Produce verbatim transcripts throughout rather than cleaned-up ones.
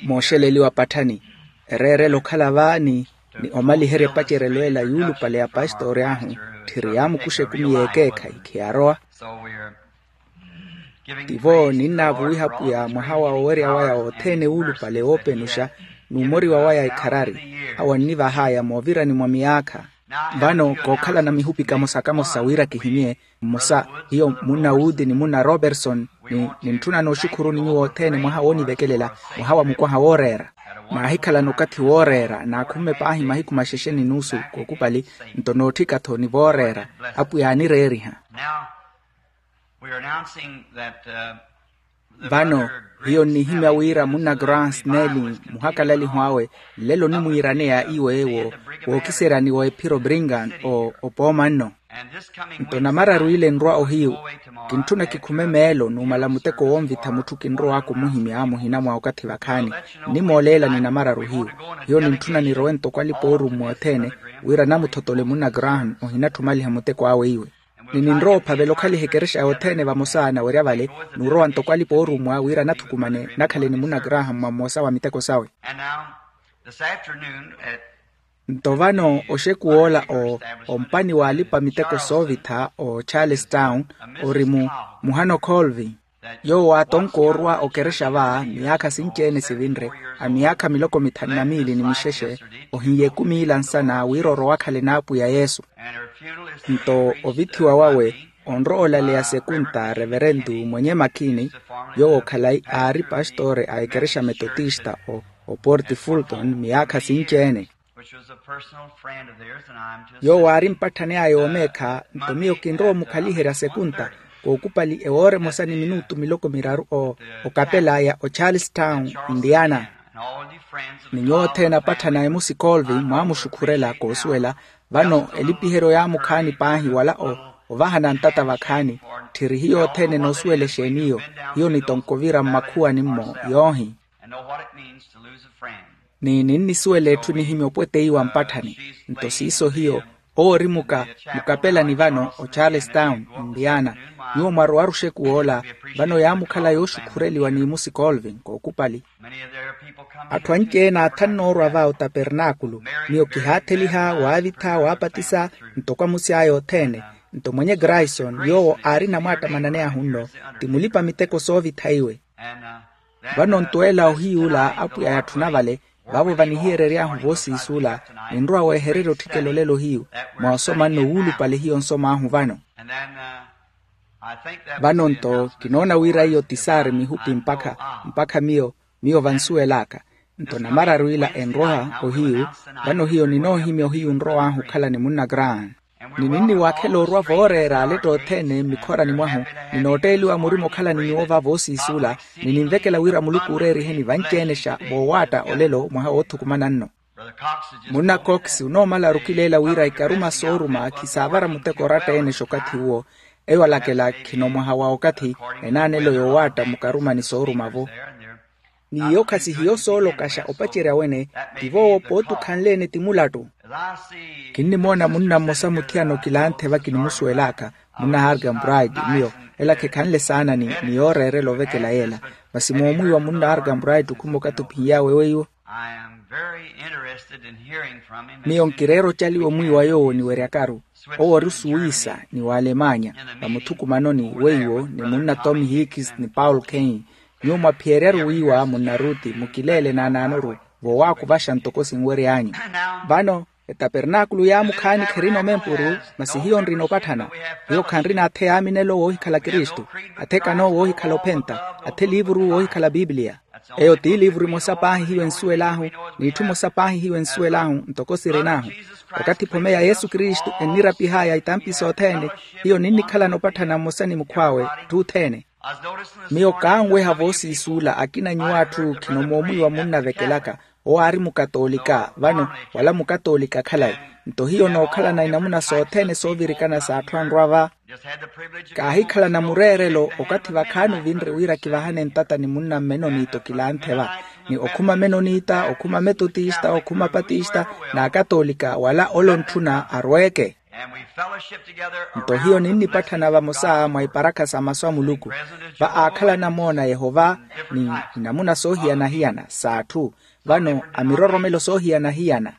Mooxeleliwa patthani, ereerela okhala va ni ni omaliherya epacerelo ela yuulupale ya pastori ahu. Tthiri yaamukuxa ekumi y'ekeekhayi khiyarowa. Tivo ninnaavuwiha pwiya mwaha wa owerya waya othene wuulupale woopenuxa, n'umoriwa waya ekharari. Awo annivahaya moovirani mwa miyaakha. Vano kookhalana mihupi kamosa kamosa wira kihimye mmosa, hiyo munna wuti ni munna roberson, ni nintthuna nooxukhuruni nyuwo othene mwaha woonivekelela, mwaha wa mukwaha wooreera. Naahikhalana okathi wooreera naakhumme paahi mahiku maxexe ni nuusu kookupali, nto nootthika-tho ni vooreera. Apwiya aanireeriha. Vano hiyo nnihimya wira munna grant nelin, muhakalaliho awe, nlelo onimwiiraneya iwe wookiseryani wa ephiro bringan opooma nno. Nto namararu ile enrwa ohiyu, kintthuna kikhume meelo numala muteko wonvitha mutthu kinrow'aka omuhimya muhina mwa okathi vakhaani. Nnimooleelani namararu hiyu. Hiyo nintthuna nirowe ntoko alipa oorummwa othene, wira namuthotole munna graham ohinatthu omaliha muteko awe iwe. Ni ninrowa ophavela okhaliha ekerexa yothene vamosa nawerya vale, nurowa ntoko alipa oorummwa wira nathukumane nakhale ni munna graham mwa mmosa wa miteko sawe. Nto vano oxekuw'ola ompani w'alipa miteko soovitha o charles town, ori muhano colvin, yoowo aatonkoorwa okerexa va miyaakha sinci-ene sivinre, a miyaakha miloko mithanu na miili ni mixexe, ohinya ekumi ila nsana wira orowa akhale n'apwiya yesu. Nto ovithiwa wawe onrowa olaleya sekunta reverentu mwenye makini, yoowo khalayi aari pastore a ekerexa metotista oporti fulton miyaakha sinci-ene. Yoowo aari mpatthani aya oomeekha nto miyo kinrowa omukhaliherya sekunta, kookupali ewoora emosa ni minutu miloko miraru okapela aya ocharles town, indiana. Ni nyuwo othene apatthana emusi colvin mwaamuxukhurela koosuwela. Vano elipiheryo yaamukhaani paahi wala ovahana ntata vakhaani. Tthiri hiyo othene noosuwela exeeni iyo. Hiyo nitonko ovira mmakhuwani-mo yoohi. Ni ninnisuwela etthu enihimya opweteiwa mpatthani. Nto siiso hiyo owo ori muka mukapelani vano ocharles town, indiana. Nyuwo mwarowaru oxekuw'ola. Vano yaamukhala yooxukhureliwa n'imusi colvin kookupali. Atthu anci-ene aathannoorwa va otapernaakulu. Miyo kihaatheliha waavitha waapatisa ntoko amusi aya othene. Nto mwenye grayson yoowo aari namwaattamanani ahu nno, ti mulipa miteko soovitha iwe. Vano nto ela ohiy'ula apwiya yatthuna vale, vaavo vanihiyerery'ahu voosiis'ula. Ninrowa weehererya otthikela olelo hiyu mwa osoma nno wuulupale hiyo nsom'ahu vano. Vano nto kinoona wira iyo ti saari mihupi mpakha mpakha miyo miyo vansuwel'aka. Nto namararu ila enrowa ohiyu. Vano hiyo ninoohimya ohiyu nrow'ahu okhala ni munna graham. Ni ninniwaakhela orwa vooreera aletta othene mmikhorani mwahu. Ninootteeliwa murima okhala ni nyuwo va voosiis'ula. Ni ninvekela wira muluku ooreeriheni vanci-ene xa voowaatta olelo mwaha woothukumana nno. Munna cox onoomala arukileela wira ikaruma sooruma khisaavara muteko oratta-ene xa okathi uwo. Eyo alakela khino mwaha wa okathi enaanelo yoowaatta mukaruma ni sooruma-vo. Ni iyo khasihiyo soolokaxa opacerya wene. Ti voowo pooti okhanle-ene ti mulattu. Kinnimoona munna mmosa muthiyana okilanthe vakinimusuwel'aka, munna arkham bright. Miyo ela khekhanle saana ni yooreerela ovekela yeela. Masi moomwiiwa munna arkham bright okhuma okathi ophiny'awe weiwo. Miyo nkireera ocaliwa omwiiwa yoowo niweryakaru. Owo ori osuwisa ni w'alemanya. Vamuthukumanoni weiwo ni munna tom hicks ni paul kane. Nyuwo mwaphiyeryaru wiiwa munna ruti mukileele naanaanoru. Voowaakuvaxa ntoko sinwery'anyu. Vano etapernaakulu yaamukhaani kherina omempuru. Masi hiyo nrina opatthana. Hiyo khanrina athe yaaminelo woohikhala kristu, athe kano woohikhala ophenta, athe liivuru woohikhala pipiliya. Eyo ti liivuru emosa paahi hiyo ensuwel'ahu, n'itthu emosa paahi hiyo ensuwel'ahu ntoko sirin'ahu. Okathi phome ya yesu kristu ennirapih'aya itampi sothene, hiyo ninnikhalana opatthana mmosa ni mukhw'awe. Tthi othene. Miyo kaanweha voosiis'ula akina nyuw'atthu khino moomwiiwa munnavekelaka. Owo aari mukatoolika vano, wala mukatoolika khalayi. Nto hiyo nookhalana inamuna sothene soovirikana s'atthu anrwa va. Kaahikhalana mureerelo okathi vakhaani ovinre wira kivahane ntata ni munna mmenoniita okilanthe va, ni okhuma mmenoniita okhuma metotista okhuma patista n'akatoolika wala ole ontthuna arweeke. Nto hiyo ninnipatthana vamosa mwa iparakha sa masu a muluku, va aakhalana moona yehova, ni inamuna soohiyana-hiyana s'atthu. Vano amiroromelo soohiyana-hiyana.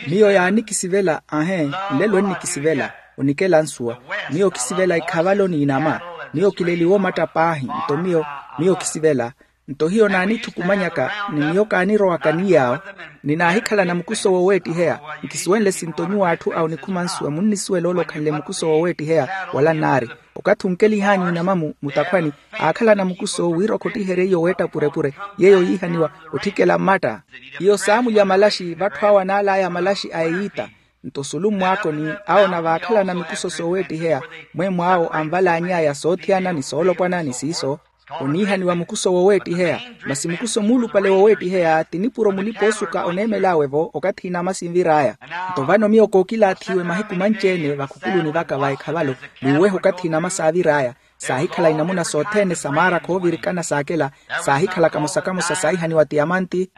Miyo yaanikisivela ahe, nlelo ennikisivela, onikela nsuwa. Miyo kisivela ikhavalo n'inama. Miyo kileliwa omatta paahi nto miyo, miyo kisivela. Nto hiyo naanithukumanyaka, ni miyo kaanirowaka ni yaawo. Ni naahikhalana mukuso woweettiheya. Nkisuwenle sinto nyuwo atthu a onikhuma nsuwa munnisuwela ole okhanle mukuso woweettiheya. Wala nnaari, okathi onkelihanyu inamamu mutakhwani, aakhalana mukuso wira okhottiherye iyo weetta purepure, yeeyo yiihaniwa otthikela mmatta. Iyo saamulya malaxi vatthu awo anaalaya malaxi a eyiita. Nto sulu mmwaakoni, awo navaakhalana mikuso sooweettiheya, mweemwaawo anvalaany'aya soothiyana ni soolopwana ni siiso, oniihaniwa mukuso woweettiheya. Masi mukuso muulupale woweettiheya ti nipuro mulipa-oosuka oneemel'awe-vo okathi inama sinvir'aya. Nto vano miyo kookilaathiwe mahiku manci-ene vakhukuluni vaka va ekhavalo, n'uweha okathi inama saavir'aya. Saahikhala inamuna sothene sa maarakha oovirikana saakela, saahikhala kamosa-kamosa saahihaniwa tiyamanti,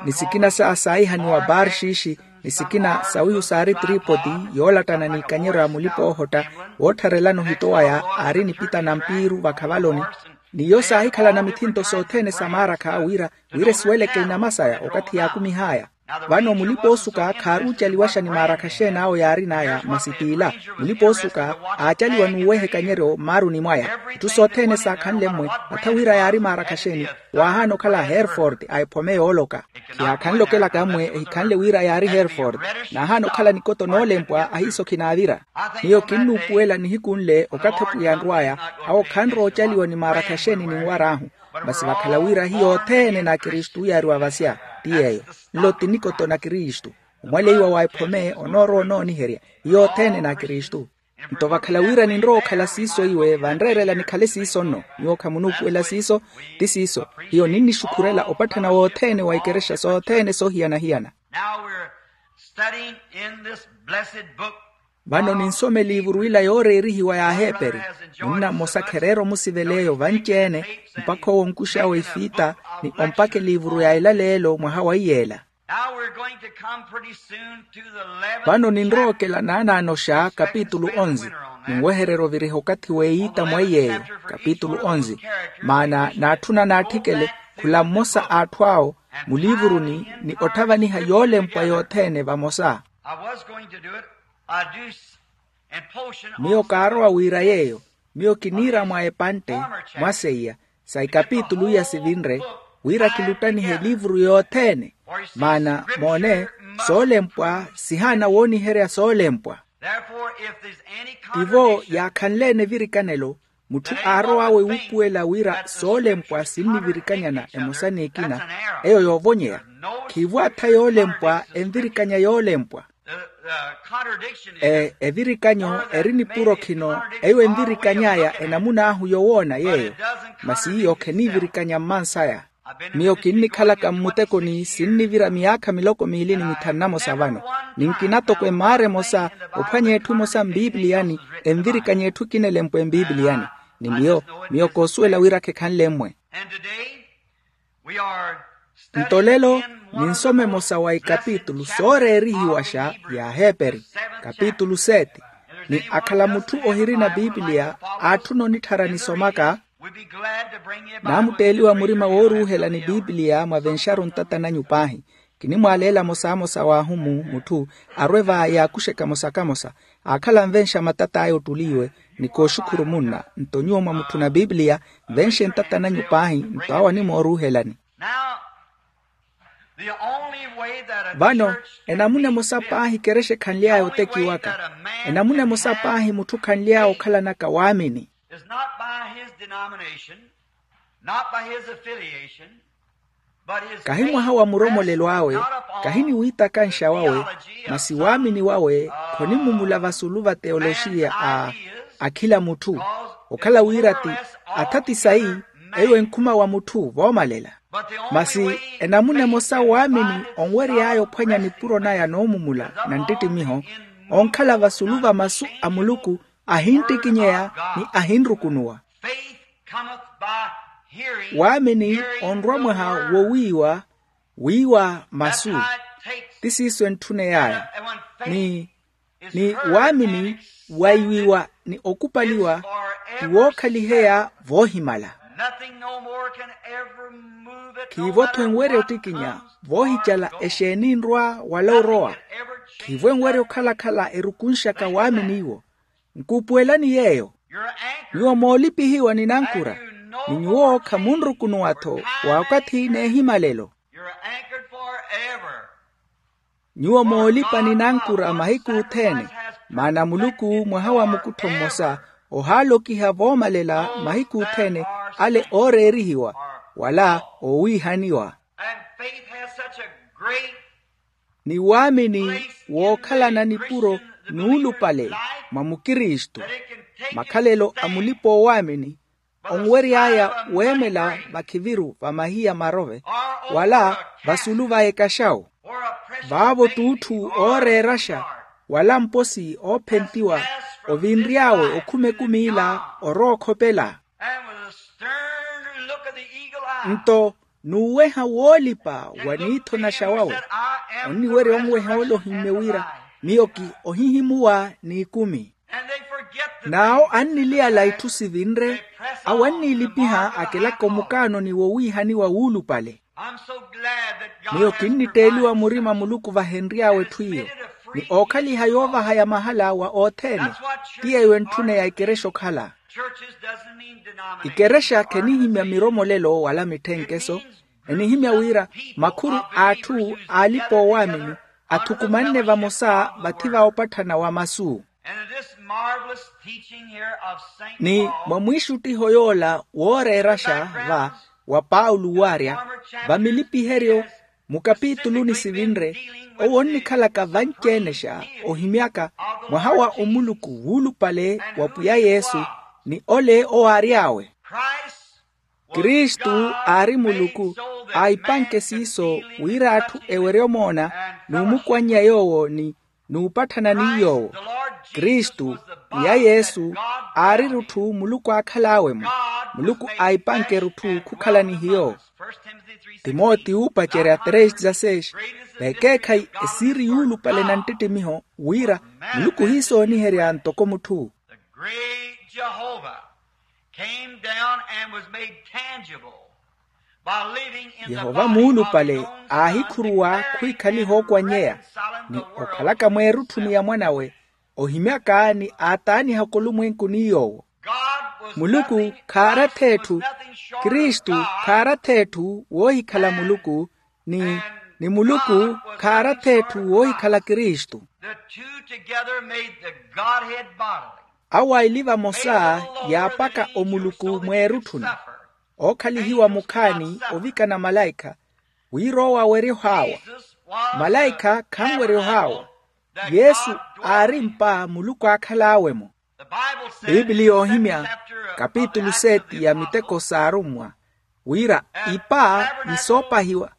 ni sikina sa saahihaniwa barxiixi, ni sikina sawihu saari tripoti, yoolattana n'ikanyeryo a mulipa-oohotta, woottharelana ohito waya aari nipita na mpiiru vakhavaloni. N'iyo saahikhalana mithinto sothene sa maarakha wira, wira esiweleke inama saya okathi yaakumih'aya. Vano mulipa-oosuka khaaruucaliwaxa ni maarakha xeen'awo yaarin'aya, masi t'ila, mulipa-oosuka aacaliwa n'uweha ekanyeryo mmaaruni mwaya. Itthu sothene saakhanle mmwe, atha wira yaari maarakha xeeni, waahaana okhala hereford a ephome yooloka. Khiyaakhanle okelaka mmwe ehikhanle wira yaari hereford. Naahaana okhala nikoto noolempwa ahiiso khinaavira. Miyo kinnuupuwela nihiku nle okathi apwiya anrw'aya, awo khanroocaliwa ni maarakha xeeni ninwar'ahu. Masi vakhala wira hiyo othene n'akristu yaariwa vasya, ti yeeyo. Nlo ti nikoto na kristu. Omwaleiwa wa ephome onoorowa onooniherya, hiyo othene n'akristu. Nto vakhala wira ninrowa okhala siiso iwe vanreerela nikhale siiso nno. Nyuwo khamunuupuwela siiso. Ti siiso. Hiyo ninnixukhurela opatthana wothene wa ikerexa sothene soohiyana-hiyana. Now we're studying in this blessed book. Vano ninsoma eliivuru ila yooreerihiwa y'aheeperi. Munna mmosa khereera omusivela eyo vanci-ene, mpakha owo onkux'awe ifiita, ni ompakha eliivuru ya elaleelo mwaha wa iyeela. Now we're going to come pretty soon to the eleventh. Vano ninrookela naanaanoxa kapitulu onzi. Ninwehererya oviriha okathi w'eyiita mwa iyeeyo. Kapitulu onzi. Maana naatthuna naatthikele khula mmosa a atthu awo muliivuruni, ni otthavaniha yoolempwa yothene vamosa. I was going to do it. I do s- and portion miyo also. Kaarowa wiira yeeyo. Miyo kiniira mwa epantte mwa seiya sa ikapitulu iya sivinre, wira kiluttanihe eliivuru yothene. Maana moone, soolempwa sihaana wooniherya soolempwa. Therefore if there's any tivo contradiction, yaakhanle-ene evirikanelo, mutthu aarow'awe wuupuwela wira soolempwa sinnivirikanyana emosa n'ekina, eyo yoovonyeya. Khiivo atha yoolempwa envirikanya yoolempwa. E evirikanyo eri nipuro khino, eyo envirikany'aya enamun'ahu yowoona yeeyo. Masi iyo kheniivirikanya mmansaya. Miyo kinnikhalaka mmutekoni sinnivira miyaakha miloko miili ni mithanu namosa vano, ni nkina toko emaara emosa ophwanya etthu emosa mpipiliyani, envirikanya etthu ekina elempwe mpipiliyani. Ni miyo, miyo koosuwela wira khekhanle mmwe. Nto lelo ninsoma emosa wa ikapitulu sooreerihiwaxa y'aheeperi, kapitulu sete. Ni akhala mutthu ohirina pipiliya aatthuna onitthara nisomaka, naamutteeliwa murima wooruuhela ni pipiliya mwavenxaru ntata nanyu paahi. Kinimwaaleela mosamosa w'ahu mu mutthu arwe va yaakuxe kamosa-kamosa, aakhala anvenxa matat'aya ottuliiwe. Ni kooxukhuru munna nto nyuwo mwa mutthu na pipiliya, nvenxe ntata nanyu paahi nto awo animooruuhelani. Vano enamuna emosa paahi kerexa ekhanly'aya otekiwaka, enamuna emosa paahi mutthu khanly'aya okhalanaka waamini. Kahi mwaha wa muromolelo awe, kahi ni wiitakanxa wawe, masi waamini wawe khonimumula vasulu va teoloxiya a akhila mutthu. Okhala wira ti atha ti sayi, eyo enkhuma wa mutthu voomalela. Masi enamuna emosa waamini onwery'aya ophwanya nipuro naya noomumula na nttittimiho, onkhala vasulu va masu a muluku, ahinttikinyeya ni ahinrukunuwa. Waamini onrwa mwaha wowiiwa, wiiwa masu. Ti siiso entthuney'aya. Ni Ni waamini waiwiwa ni okupaliwa ti wookhaliheya voohimala. Nothing no more can ever move it, no khiivo-tho matter enwerya what ottikinya comes voohicala or goes. Exeeni enrwa wala orowa. Nothing can ever change khiivo enwerya that. Okhala-khala erukunxaka waamini iwo. Nkuupuwelani yeeyo. You're anchored. Nyuwo moolipihiwa ni nankura. And you no more ni nyuwo khamunrukunuwa-tho. Time wa wakathi neehimalelo. You're anchored forever. Nyuwo moolipa ni nankura mahiku othene. Maana muluku mwaha wa mukuttho mmosa ohaalokiha voomalela mahiku othene ale ooreerihiwa wala oowiihaniwa. And faith has such a great ni waamini wookhalana nipuro nuulupale mwa mukristu. Makhalelo a mulipa-oowaamini onwery'aya weemela vakhiviru va mahiya marove wala vasulu va ekaxawu. Vaavo t'utthu ooreeraxa wala mposi oophentiwa ovinry'awe okhuma ekumi ila orookhopela. Nto n'uweha woolipa wa niitho naxa wawe onniwerya onweha ole ohimmye wira miyo ki ohihimuwa n'ikumi. N'awo anniliyala itthu sivinre awo anniilipiha akelaka omukaanoni wowiihaniwa wuulupale. Miyo kinnitteeliwa murima muluku vahenry'awe etthu iyo ni ookhaliha yoovaha ya mahala wa othene. Ti yeeyo entthuneya ikerexa okhala. Ikerexa khenihimya miromolelo wala mitthenkeso. Enihimya wira makhuru a atthu aalipa-oowaamini athukumanne vamosa vathi va opatthana wa masu. Ni mwa mwiixuttiho yoola wooreeraxa va wa paulo waarya vamilipiheryo mukapituluni sivinre owo onnikhalaka vanci-enexa ohimyaka mwaha wa omuluku wuulupale wa pwiya yesu ni ole owaary'awe. Kristu aari muluku aahipanke siiso wira atthu ewerye omoona n'umukwannya yoowo ni n'upatthana ni yoowo. Kristu pwiya yesu aari erutthu muluku aakhal'awe-mo. Muluku aahipanke erutthu khukhala ni hiyo. Timoti uupacerya três dezasseis vekeekhayi esiiri yuulupale na nttittimiho wira muluku ohiisooniherya ntoko mutthu. The great Jehovah came down and was made tangible by living in the body of his own. Yehova muulupale aahikhuruwa khwiikhaliha ookwanyeya ni okhalaka mweerutthuni ya mwan'awe ohimyaka ni aataanihaka olumwenku ni yoowo. Muluku khaaratha etthu. Kristu khaaratha etthu woohikhala muluku ni ni muluku khaaratha etthu woohikhala kristu. The two together made the Godhead bodily. Awo aili vamosa yaapaka omuluku mweerutthuni. Ookhalihiwa mukhaani ovikana malaikha wira owo awerye ohaawa. Malaikha khanwerye ohaawa. Yesu aari mpa muluku aakhal'awe-mo. Biibili yoohimya kapitulu seti ya miteko s'arummwa wira ipa ni soopahiwa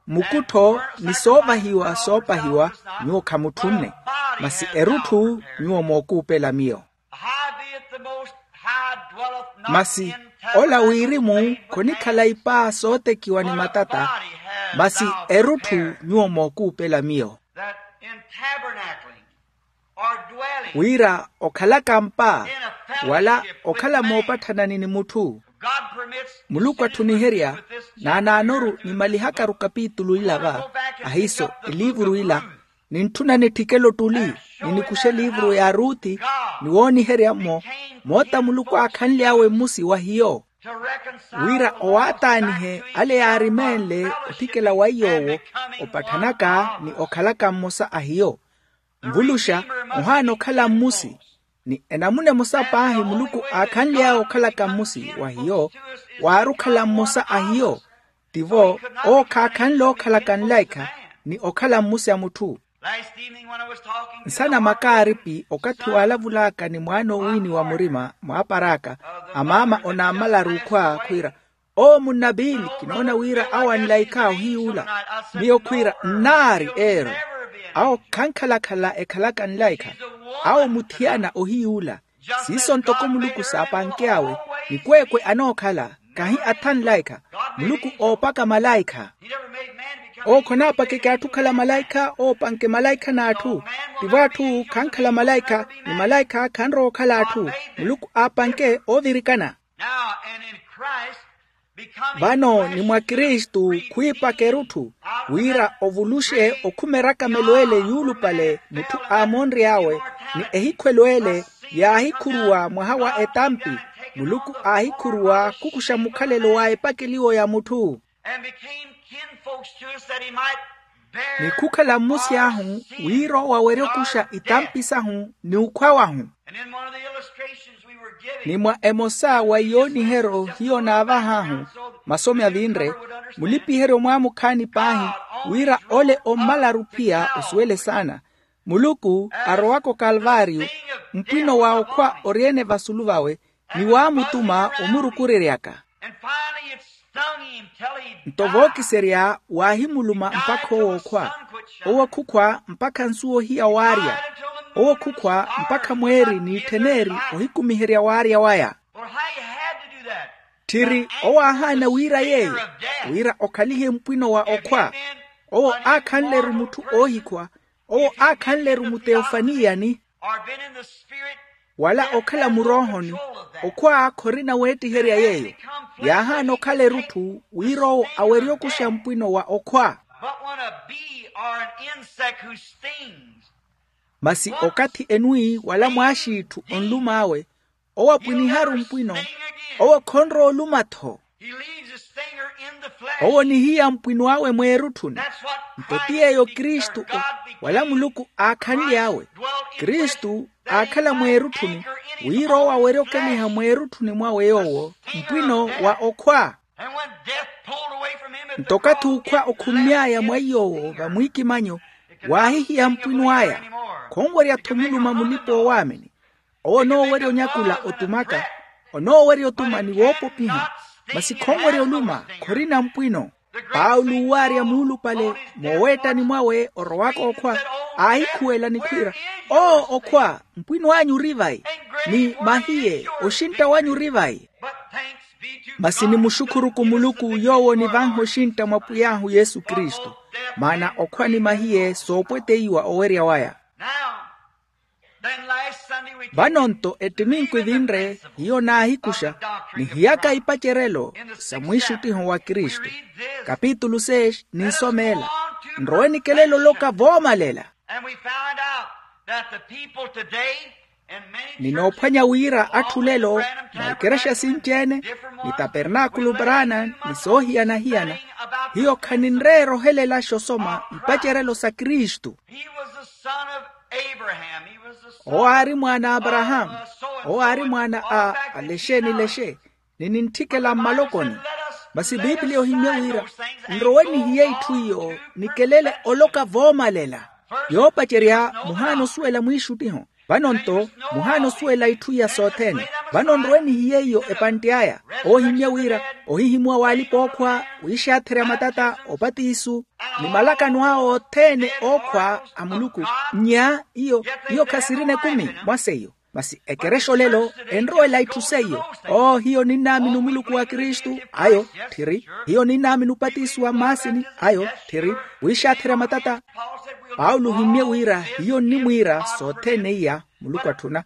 mukuttho ni soovahiwa soopahiwa nyuwo khamutthunne. Masi erutthu nyuwo mookuupela miyo. Masi ola wirimu khonikhala ipa sootekiwa ni matata. Masi erutthu nyuwo mookuupela miyo. Wira okhalaka mpa wala okhala moopatthana ni mutthu. Muluku atthuniherya naanaanoru nimalihakaru kapitulu ila va ahiiso eliivuru ila nintthuna nitthikele ottuli ni nikuxe eliivuru ya ruthi ni wooniherya-mo moota muluku aakhanly'awe mmusi wa hiyo wira owaataanihe ale yaarimeenle otthikela wa iy'owo opatthanaka ni okhalaka mmosa a hiyo. Nvuluxa ohaana okhala mmusi ni enamuna emosa paahi muluku aakhanly'awe okhalaka mmusi wa hiyo waari okhala mmosa a hiyo. Tivo owo khaakhanle ookhalaka nlaikha ni okhala mmusi a mutthu. Nsana makaaripi okathi waalavulaka ni mwaana owiini wa murima mwaapar'aka amaama onaamalaru okhwa khwiira owo munnapiili kinoona wira awo anlaikha ohiyuula. Miyo khwiira nnaari eero awo khankhalakhala ekhalaka nlaikha awo muthiyana ohiyuula. Siiso ntoko muluku saapanke awe nikweekwe anookhala kahi atha nlaikha muluku oopaka malaikha. Owo khonaapakeke atthu okhala malaikha oopanke malaikha n'atthu. Tivo atthu khankhala malaikha, ni malaikha khanrowa okhala atthu. Muluku aapanke oovirikana. Vano ni mwa kristu khwiipaka erutthu, wira ovuluxe okhuma erakamelo ele yuulupale mutthu aamonry'awe, ni ehikhwelo ele yaahikhuruwa mwaha wa etampi. Muluku aahikhuruwa khukuxa mukhalelo wa epakeliwo ya mutthu, ni khukhala mmusi ahu, wira owo awerye okuxa itampi sahu ni ukhwa wahu. Ni mwa emosa wa iyooniheryo hiyo naavah'ahu, masomi avinre, mulipiheryo mwaamukhaani paahi, wira ole ommalaru pia osuwele saana. Muluku arowaka okalvaariyo, mpwino wa okhwa ori-ene vasulu vawe, ni waamutuma omurukureryaka. Nto vookiserya waahimuluma mpakha owo okhwa. Owo khukhwa mpakha nsuwa ohiya waarya. Owo khukhwa mpakha mweeri n'itthen'eri ohikumiherya waarya waya. Tthiri owo aahaana wira yeeyo, wira okhalihe mpwino wa okhwa. Owo aakhanle-ru mutthu oohikhwa. Owo aakhanle-ru muteofaniyani, wala okhala muroohoni. Okhwa khorina weettiherya yeeyo. Yaahaana okhala erutthu wira owo awerye okuxa mpwino wa okhwa. Masi okathi enwi wala mwaaxiitthu onlum'awe, owo apwiniha-ru mpwino. Owo khonrowa oluma-tho. Owo onihiya mpwino awe mweerutthuni. Nto ti yeeyo kristu wala muluku aakhanly'awe. Kristu aakhala mweerutthuni, wira owo awerye okeliha mweerutthuni mwawe yoowo mpwino wa okhwa. Nto okathi okhwa okhummy'aya mwa iy'owo vamwiikimanyo, waahihiya mpwino aya. Khonwerya-tho omuluma mulipa-oowaamini. Owo onoowerya onyakula otumaka, onoowerya otuma ni woopopiha, masi khonwerya oluma, khorina mpwino. Paulo owaarya muulupale mooweettani mwawe orowaka okhwa, aahikhuwela ni khwiira, oo okhwa, mpwino anyu ori vai? Ni mahiye, oxintta wanyu ori vai? Masi nimuxukhuruku muluku yoowo onivanha oxintta mwa pwiy'ahu yesu kristu, maana okhwa ni mahiye soopweteiwa owerya waya. Vano-nto ettiminku evinre hiyo naahikuxa, nihiyaka ipacerelo sa mwiixuttiho wa kristu. Kapitulu seis ninsomeela. Nrowe nikelela oloka voomalela. Ninoophwanya wira atthu lelo, na ikerexa sinci-ene, ni tapernaakulu brana, ni soohiyana-hiyana, hiyo khaninreera ohelelaxa osoma ipacerelo sa kristu. Owo aari mwaana a aparahaamu. Owo aari mwaana a alexe ni lexe, ni nintthikela mmalokoni. Masi pipiliya ohimmye wira, nrowe nihiye itthu iyo nikelele oloka voomalela. Yoopacerya, muhaana osuwela mwiixuttiho. Vano-nto, muhaana osuwela itthu iya sothene. Vano nrowe nihiye iyo epantte aya. Ohimmye wira, ohihimuwa w'alipa-ookhwa, wiixaatherya matata, opatisu, ni malakano awo othene ookhwa a muluku. Nnya iyo, iyo khasirina ekumi mwa seiyo. Masi ekerexa olelo enrowela itthu seiyo. Oo hiyo ninnaamini omuluku wa kristu ayo, tthiri, hiyo ninnaamini opatisiwa mmaasini ayo, tthiri, wiixaatherya matata. Paulo ohimmye wira hiyo nnimwiira sothene iya muluku atthuna.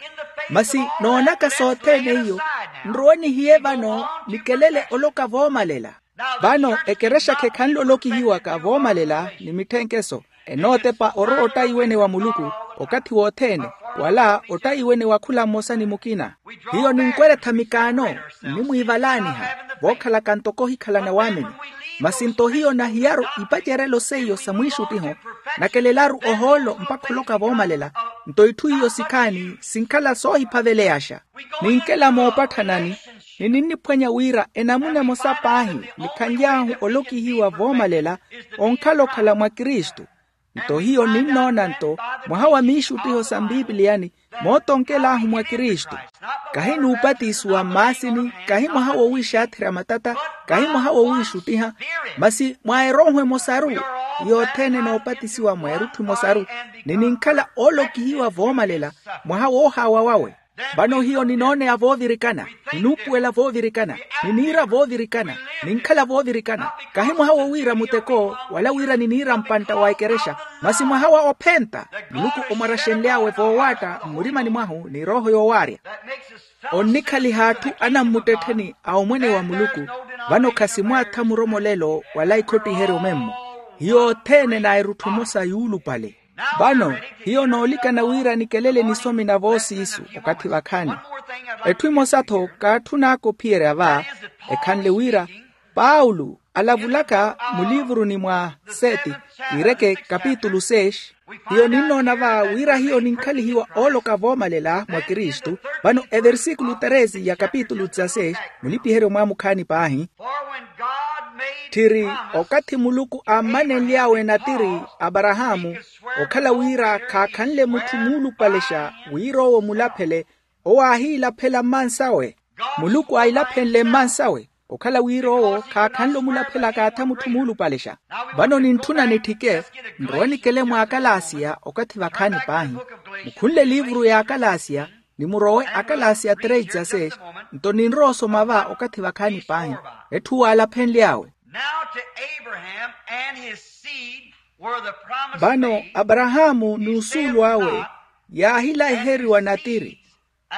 Masi noonaka sothene iyo, nrowe nihiye vano nikelele oloka voomalela. Vano ekerexa khekhanle olokihiwaka voomalela ni mitthenkeso, enootepa orowa ottayi-wene wa muluku okathi wothene, wala ottayi-wene wa khula mmosa ni mukina. Hiyo ninkweretha mikaano, nnimwiivalaaniha, vookhalaka ntoko ohikhalana waamini. Masi-nto hiyo nahiyaru ipacerelo seiyo sa mwiixuttiho, nakelelaru ohoolo mpakha oloka voomalela. Nto itthu iyo sikhaani sinkhala soohiphaveleyaxa. Ninkela moopatthanani, ni ninniphwanya wira enamuna emosa paahi nikhanly'ahu olokihiwa voomalela, onkhala okhala mwa kristu. Nto hiyo ninnoona-nto mwaha wa miixuttiho sa mpipiliyani, mootonkel'ahu mwa kristu. Kahi n'upatisiwa mmaasini, kahi mwaha wowiixaatherya matata, kahi mwaha wowiixuttiha, masi mwa erooho emosaru, yothene noopatisiwa mwa erutthu emosaru, ni ninkhala oolokihiwa voomalela, mwaha woohaawa wawe. Vano hiyo ninooneya voovirikana, ninuupuwela voovirikana, niniira voovirikana, ninkhala voovirikana. Kahi mwaha wo wira muteko wala wira niniira mpantta wa ekerexa, masi mwaha wa ophenta muluku omwaraxenly'awe voowaatta mmurimani mwahu ni erooho yoowaarya. Onnikhaliha atthu anammuttettheni a omwene wa muluku. Vano khasimwaatha muromolelo wala ikhottiheryo memmo. Hiyo othene n'erutthu emosa yuulupale. Vano hiyo noolikana wira nikelele nisomi na voosiisu okathi vakhaani. Etthu emosa-tho kaatthun'aka ophiyerya va, ekhanle wira paulo alavulaka muliivuruni mwa seti, kiireke kapitulu seis. Hiyo ninnoona va wira hiyo ninkhalihiwa ooloka voomalela mwa kristu. Vano eversikulu tresi ya kapitulu dezasseis, mulipiheryo mwaamukhaani paahi. Tthiri okathi muluku aammanenly'awe natiri aparahaamu, okhala wira khaakhanle mutthu muulupalexa wira owo mulaphele, owo aahiilaphela mmansawe. Muluku aahilaphenle mmansawe okhala wira owo khaakhanle omulaphela akaatha mutthu muulupalexa. Vano nintthuna nitthike, nrowe nikele mwa akalasia okathi vakhaani paahi. Mukhunle eliivuru ya akalasia, ni murowe akalasia três dezasseis. Nto ninrowa osoma va okathi vakhaani paahi. Etthu waalaphenly'awe. Now to Abraham and his seed were the promised things. Vano aparahaamu n'usuulu awe yaahilahiheriwa natiri.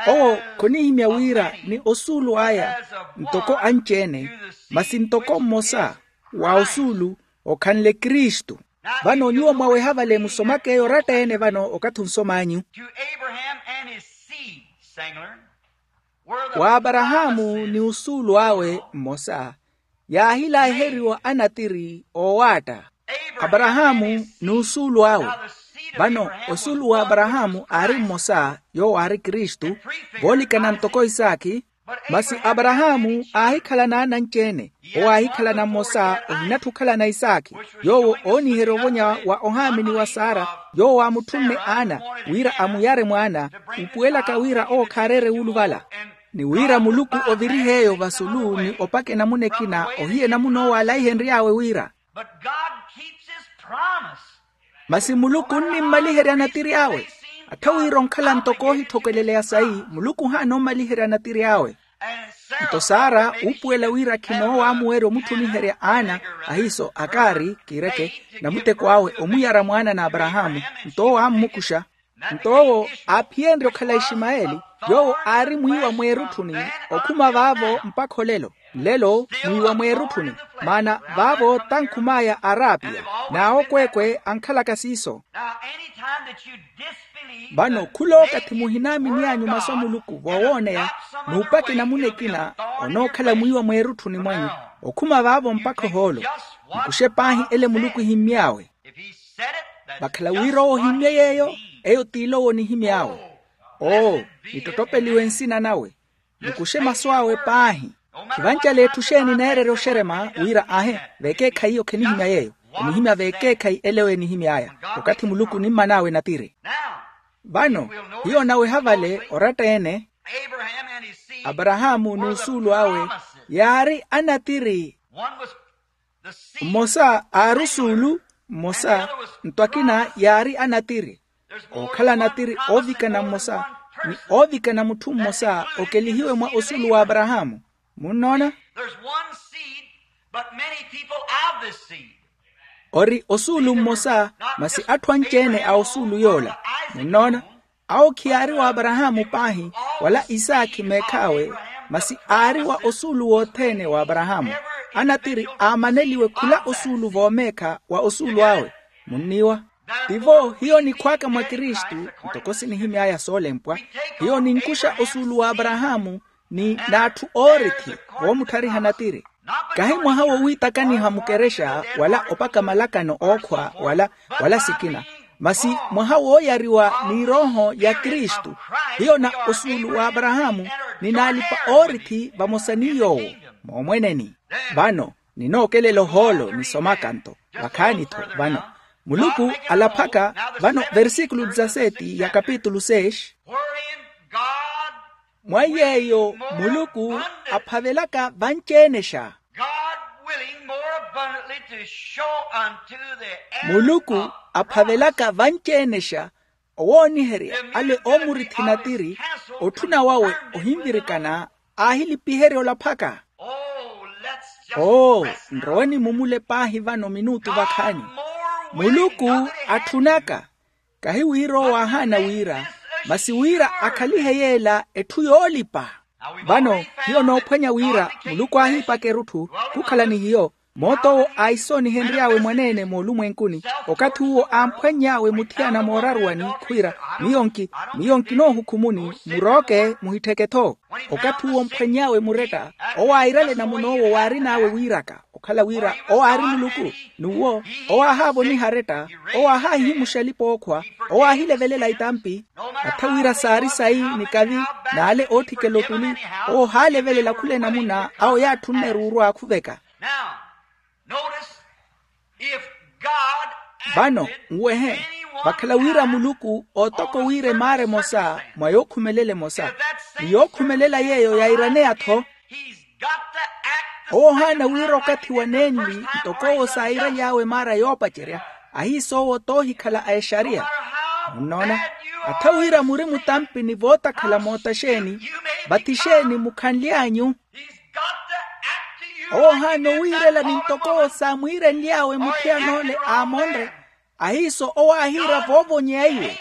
Owo khonihimya wira ni osuulu aya ntoko anci-ene, masi ntoko mmosa wa osuulu okhanle kristu. Vano nyuwo mwaweha vale musomaka eyo oratta-ene vano okathi onsom'anyu. To Abraham and his seed, singular, were the wa aparahaamu ni osuulu awe mmosa yaahilahiheriwa anatiri oowaatta. Aparahaamu n'usuulu awe. Vano osuulu wa aparahaamu aari mmosa yoowo aari kristu, voolikana ntoko isaakhi. Masi aparahaamu aahikhalana ananci-ene. Owo aahikhalana mmosa ohinattha okhalana isaakhi, yoowo ooniherya ovonya wa ohaamini wa sara, yoowo aamutthumme ana wira amuyare mwaana, upuwelaka wira owo khaareere wuuluvala. Ni wira muluku ovirihe eyo vasulu ni opaka enamuna ekina ohiya enamuna owo aalaihenry'awe wira. But God keeps his promise. Masi muluku onnimmaliherya natiri awe. Attha wira onkhala ntoko oohithokeleleya sayi, muluku ohaana ommaliherya natiri awe. Nto sara uupuwela wira khinoowamuwerya omutthumiherya ana ahiiso akaari kiireke, namuteko awe omuyara mwaana n'aparahaamu. Nto owo ammukuxa. Nto owo aaphiyenrye okhala ishimayeli, yoowo aari mwiiwa mweerutthuni okhuma vaavo mpakha olelo. Nlelo mwiiwa mweerutthuni, maana vaavo tankhum'aya arapiya n'awokweekwe ankhalaka siiso. Vano khulookathi muhinaamini anyu masu a muluku voowooneya, n'upaka enamuna ekina onookhala mwiiwa mweerutthuni mwanyu okhuma vaavo mpakha ohoolo. Mukuxe paahi ele muluku ehimmy'awe. Vakhala wira owo ohimmye yeeyo, eyo t'ilo owo onihimy'awe. Oo, nittottopeliwe nsina nawe. Mukuxe masu awe paahi. Khivancale etthu xeeni neererya oxerema wira ahe veekeekhayi iyo khenihimya yeeyo. Onihimya veekeekhayi ele owo enihimy'aya. Okathi muluku onimman'awe natiri. Vano hiyo onaweha vale oratta-ene. Aparahaamu n'usuulu awe yaari anatiri. Mmosa aari osuulu mmosa, nto akina yaari anatiri. Ookhala natiri oovikana mmosa ni oovikana mutthu mmosa okelihiwe mwa osuulu w'aparahaamu. Munnoona? Ori osuulu mmosa, masi atthu anci-ene a osuulu yoola. Munnoona? Awo khiyaari w'aparahaamu paahi wala isaakhi meekh'awe, masi aari wa osuulu wothene w'aparahaamu. Anatiri aamaneliwe khula osuulu voomeekha wa osuulu awe. Munniiwa? Tivo hiyo nikhw'aka mwa kristu, ntoko sinihimy'aya soolempwa. Hiyo ninkuxa osuulu w'aparahaamu ni n'atthu oorithi voomuttharihana tiri. Kahi mwaha wowiitakaniha mukerexa wala opaka malakano ookhwa wala wala sikina, masi mwaha wooyariwa n'irooho ya kristu. Hiyo na osuulu w'aparahaamu ni n'alipa oorithi vamosa ni yoowo moomweneni. Vano ninookelela ohoolo nisomaka nto vakhaani-tho. Vano muluku alaphaka vano versikulu dezaseti ya kapitulu seis. Mwa yeeyo muluku aphavelaka vanci-enexa. Muluku aphavelaka vanci-enexa Owooniherya ale oomurithi natiri, otthuna wawe ohinvirikana, aahilipiherya olaphaka. Oo, nrowe nimumule paahi vano minutu vakhaani. Muluku atthunaka, kahi wira owo aahaana wira, masi wira akhalihe yeela etthu yoolipa. Vano hiyo noophwanya wira muluku aahiipaka erutthu, khukhala ni hiyo. Moot'owo aahisoonihenry'awe mwaneene moolumwenkuni, okathi uwo aamphwanny'awe muthiyana mooraruwani khwiira, miyo nki, miyo nkinoohukhumuni, murooke muhittheke-tho. Okathi uwo omphwanny'awe muretta, owo airale namun'owo waarin'awe wiiraka, okhala wira owo aari muluku. N'uwo owo aahaavoniha aretta, owo aahaahihimuxa alipa ookhwa, owo aahilevelela itampi. Atha wira saari sayi nikavi, n'ale ootthikela otuli, owo ohaalevelela khula enamuna awo yaatthunne ruuru aakhuveka. Vano nwehe, vakhala wira muluku ootoko wira emaara emosa mwa yookhumelela emosa, ni yookhumelela yeeyo yairaneya-tho. Owo ohaana wira okathi wa nenli ntoko owo saayiraly'awe emaara yoopacerya, ahiis'owo t'ohikhala a exariya. Munnoona, atha wira muri mutampi ni vootakhala moota xeeni, vathi xeeni mukhanly'anyu. Owo ohaana owiirela ni ntoko owo saamwiirenly'awe muthiyan'ole aamonre, ahiiso owo aahiira voovonyeya iwe.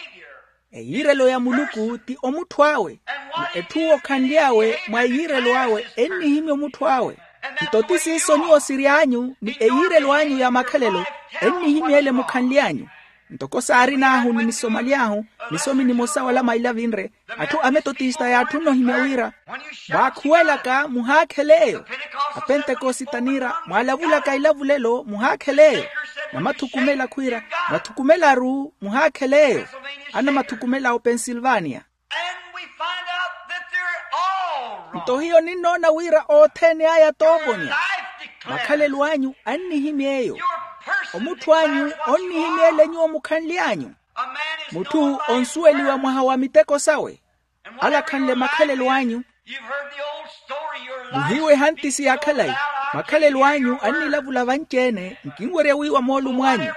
Eyiirelo ya muluku ti omutthu awe, ni etthu owo okhanly'awe mwa eyiirelo awe ennihimya omutthu awe. Nto ti siiso nyuwo siry'anyu ni eyiirelo anyu ya makhalelo, ennihimya ele mukhanly'anyu. Ntoko saarin'ahu ni nisomaly'ahu, nisomi nimosa wala mailavinre, atthu a metotista yaatthunna ohimya wira, mwaakhuwelaka muhaakhele eyo. Apentekosita niira, mwaalavulaka ilavulelo muhaakhele eyo. Namathukumela khwiira, mwathukumela-ru muhaakhele eyo. Anamathukumela opensilvania. Nto hiyo ninnoona wira othene aya toovonya. Makhalelo anyu annihimya eyo. Omutthu anyu onnihimya ele nyuwo mukhanly'anyu. Mutthu onsuweliwa mwaha wa miteko sawe, alakhanle makhalelo anyu. Muhiiwe ehantisi ya khalayi. Makhalelo anyu annilavula vanci-ene, nkinwerya wiiwa moolumo anyu.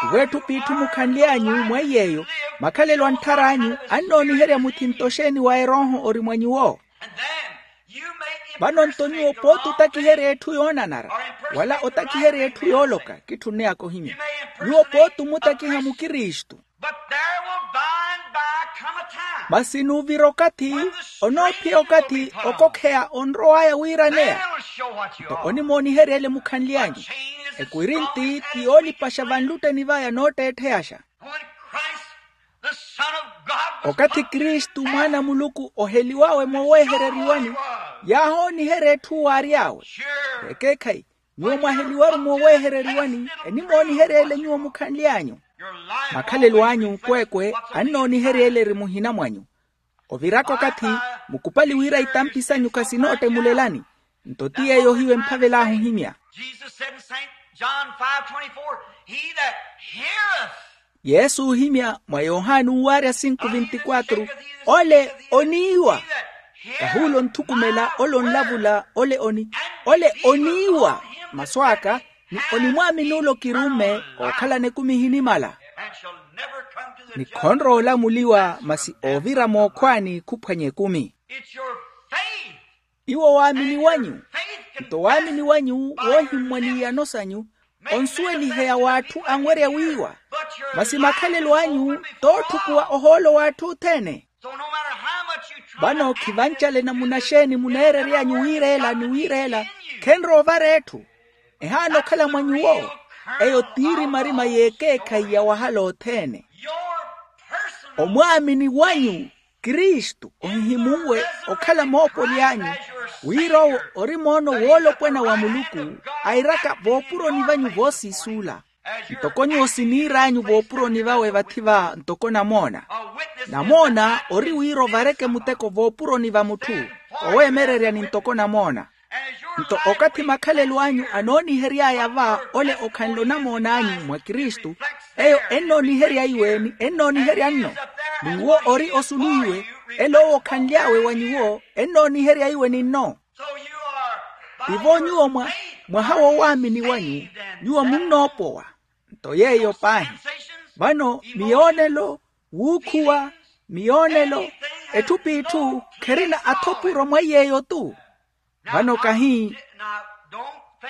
Iweetthu p'itthu mukhanly'anyu mweiy'eyo, makhalelo antthara anyu annooniherya muthinto xeeni wa erooho ori mwa nyuwo. Vano nto nyuwo pooti otakiherya etthu yoonanara, wala otakiherya etthu yooloka kitthunne akohimya. Nyuwo pooti omutakiha mukristu. Masi nuuvira okathi, onoophiya okathi okokheya onrow'aya wiiraneya. Nto onimooniherya ele mukhanly'anyu. Ekwiri nti ti yoolipaxa vanlutteni vaya nootteettheyaxa. Okathi kristu mwaana a muluku oheliw'awe moowehereriwani, yaahooniherya etthu waary'awe. Ekeekhayi, nyuwo mwaheliwaru moowehereriwani, enimooniherya ele nyuwo mukhanly'anyu. Makhalelo anyu kweekwe annooniherya ele eri muhina mwanyu. Oviraka okathi, mukupali wira itampi sanyu khasinootemulelani. Nto ti yeeyo hiyo emphavel'ahu ohimya. Yesu oohimya mwa yohani uuwarya sinku vinti kwatru, ole oniiwa. Kahuula onthukumela ole onlavula ole oni, ole oniiwa masu aka, ni onimwaamini ole okirumme ookhalana ekumi ehinimala. Ni khonrowa olamuliwa masi oovira mookhwaani khuphwanya ekumi. Iwo waamini wanyu, nto waamini wanyu woohimmwa n'iyano sanyu, onsuweliheya w'atthu anwerya wiiwa. Masi makhalelo anyu tootthukuwa ohoolo w'atthu othene. Vano khivancale namuna xeeni muneerery'anyu wiireela ni wiireela, khenrowa ovara etthu. Ehaana okhala mwa nyuwo. Eyo t'irimarima y'ekeekhayi ya wahala othene. Omwaamini wanyu kristu ohihimuwe okhala moopoli anyu, wira owo ori moono woolopwana wa muluku, airaka voopuroni vanyu voosiisuula. Ntoko nyuwo siniir'anyu voopuroni vawe vathi va ntoko namoona. Namoona ori wira ovareke muteko voopuroni va mutthu, oweemererya ni ntoko namoona. Nto okathi makhalelo anyu anoonihery'aya va ole okhanle onamoon'anyu mwa kristu, eyo ennooniherya iwe ni ennooniherya nno. N'uwo ori osulu iwe, ele owo okhanly'awe wa nyuwo ennooniherya iwe ni nno. Tivo nyuwo mwa, mwaha wowaamini wanyu, nyuwo munnoopowa. Nto yeeyo paahi. Vano miyoonelo, Wuukhuwa, miyoonelo, etthu p'itthu kherina athopuro mwa iy'eyo-tu. Vano kahi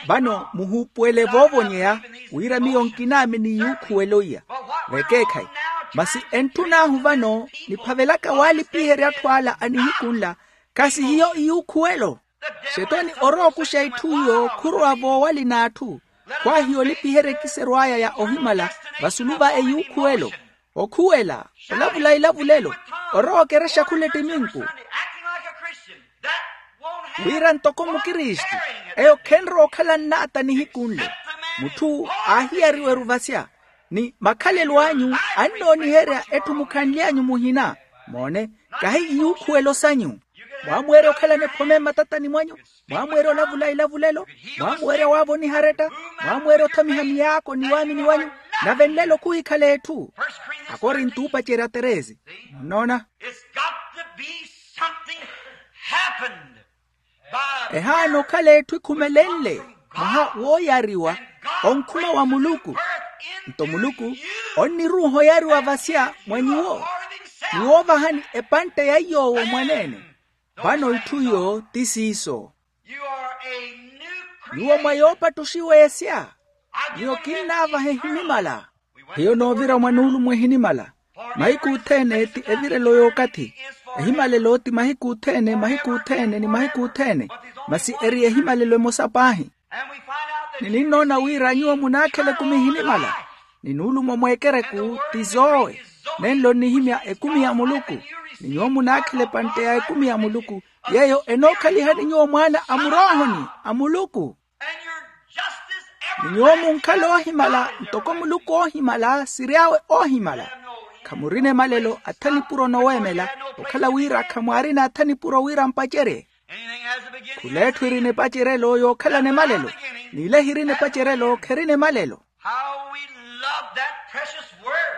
vano muhuupuwele voovonyeya wira miyo nkinaamini iyuukhuwelo iya. Vekeekhayi, masi entthun'ahu vano niphavelaka waalipiherya atthu ala a nihiku nla, khasi hiyo iyuukhuwelo. Xetoni orowa okuxa itthu iyo khurowa voowali n'atthu, khwaahiya olipiherya ekiserw'aya ya ohimala vasulu va eyuukhuwelo. Okhuwela, olavula ilavulelo, orowa okerexa khula ettiminku wira ntoko mukristu, eyo khenrowa okhala nnaata nihiku nle. Mutthu aahiyariwa eruvasya, ni makhalelo anyu annooniherya etthu mukhanly'anyu muhina. Moone, kahi iyuukhuwelo sanyu. Mwaamuwerya okhalana ephome mmatatani mwanyu, mwaamuwerya olavula ilavulelo, mwaamuwerya waavoniha aretta, mwaamuwerya othamiha miyaako ni waamini wanyu, nave nlelo khuhikhala etthu. Akorinto oopacerya teresi. Munnoona? It's got to be something happened by ehaana okhala etthu ekhumelenle mwaha wooyariwa onkhuma wa muluku. Nto muluku onniruuha oyariwa vasya mwa nyuwo, ni woovahani epantte ya iy'owo mwaneene. Vano itthu iyo ti siiso. Nyuwo mwa yoopattuxiwa esya, miyo kinnaavaha ehinimala. Hiyo noovira mwa nuulumo ehinimala. Mahiku othene ti evirelo y'okathi. Ehimalelo ti mahiku othene, mahiku othene ni mahiku othene. Masi eri ehimalelo emosa paahi. Ni ninnoona wira nyuwo munaakhela ekumi ehinimala, ni nuulumo mweekereku ti zoowe. Nenlo nnihimya ekumi ya muluku, ni nyuwo munaakhela epantte ya ekumi ya muluku, yeeyo enookhalihani nyuwo mwaana a muroohoni a muluku. Ni nyuwo munkhala oohimala ntoko muluku oohimala siry'awe oohimala. Khamurina emalelo atha nipuro noweemela, okhala wira khamwaarina atha nipuro wira mpacerye. Khula etthu erina epaceryelo yookhalana emalelo, n'ila ehirina epaceryelo kherina emalelo. How we love that precious word.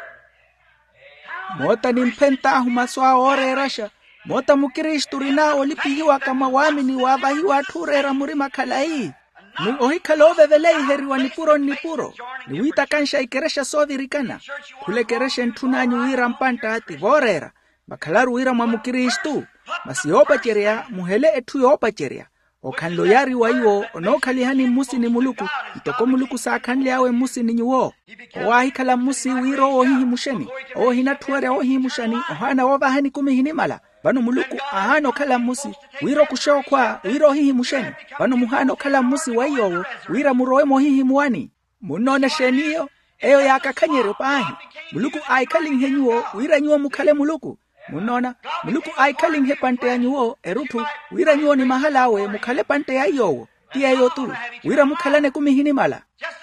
Moota nimphent'ahu masu awe ooreeraxa. Moota mukristu orin'awe olipihiwaka mwa waamini waavahiwa atthu ooreera murima khalayi, ni ohikhala ooveveleiheryiwa nipuro nnipuro, ni wiitakanxa ikerexa soovirikana. Khula ekerexa entthun'anyu wira mpantta ti vooreera. Vakhalaru wira mwa mukristu, masi yoopacerya muhele etthu yoopacerya. Okhanle oyari wa iwo onookhalihani mmusi ni muluku, ntoko muluku saakhanly'awe mmusi ni nyuwo. Owo aahikhala mmusi wira owo ohihimuxeni. Owo ohinatthuwerya wohihimuxani ohaana woovahani ekumi ehinimala. Vano muluku aahaana okhala mmusi wira okuxe okhwa wira ohihimuxeni. Vano muhaana okhala mmusi wa iy'owo wira murowe moohihimuwani. Munnoona exeen'iyo? Eyo yaakakhanyeryo paahi. Muluku aahikhalinhe nyuwo wira nyuwo mukhale muluku. Munnoona? Muluku aahikhalinhe epantte ya nyuwo erutthu, wira nyuwo ni mahal'awe mukhale epantte ya iy'owo. Ti yeeyo-tu, wira mukhalane ekumi ehinimala.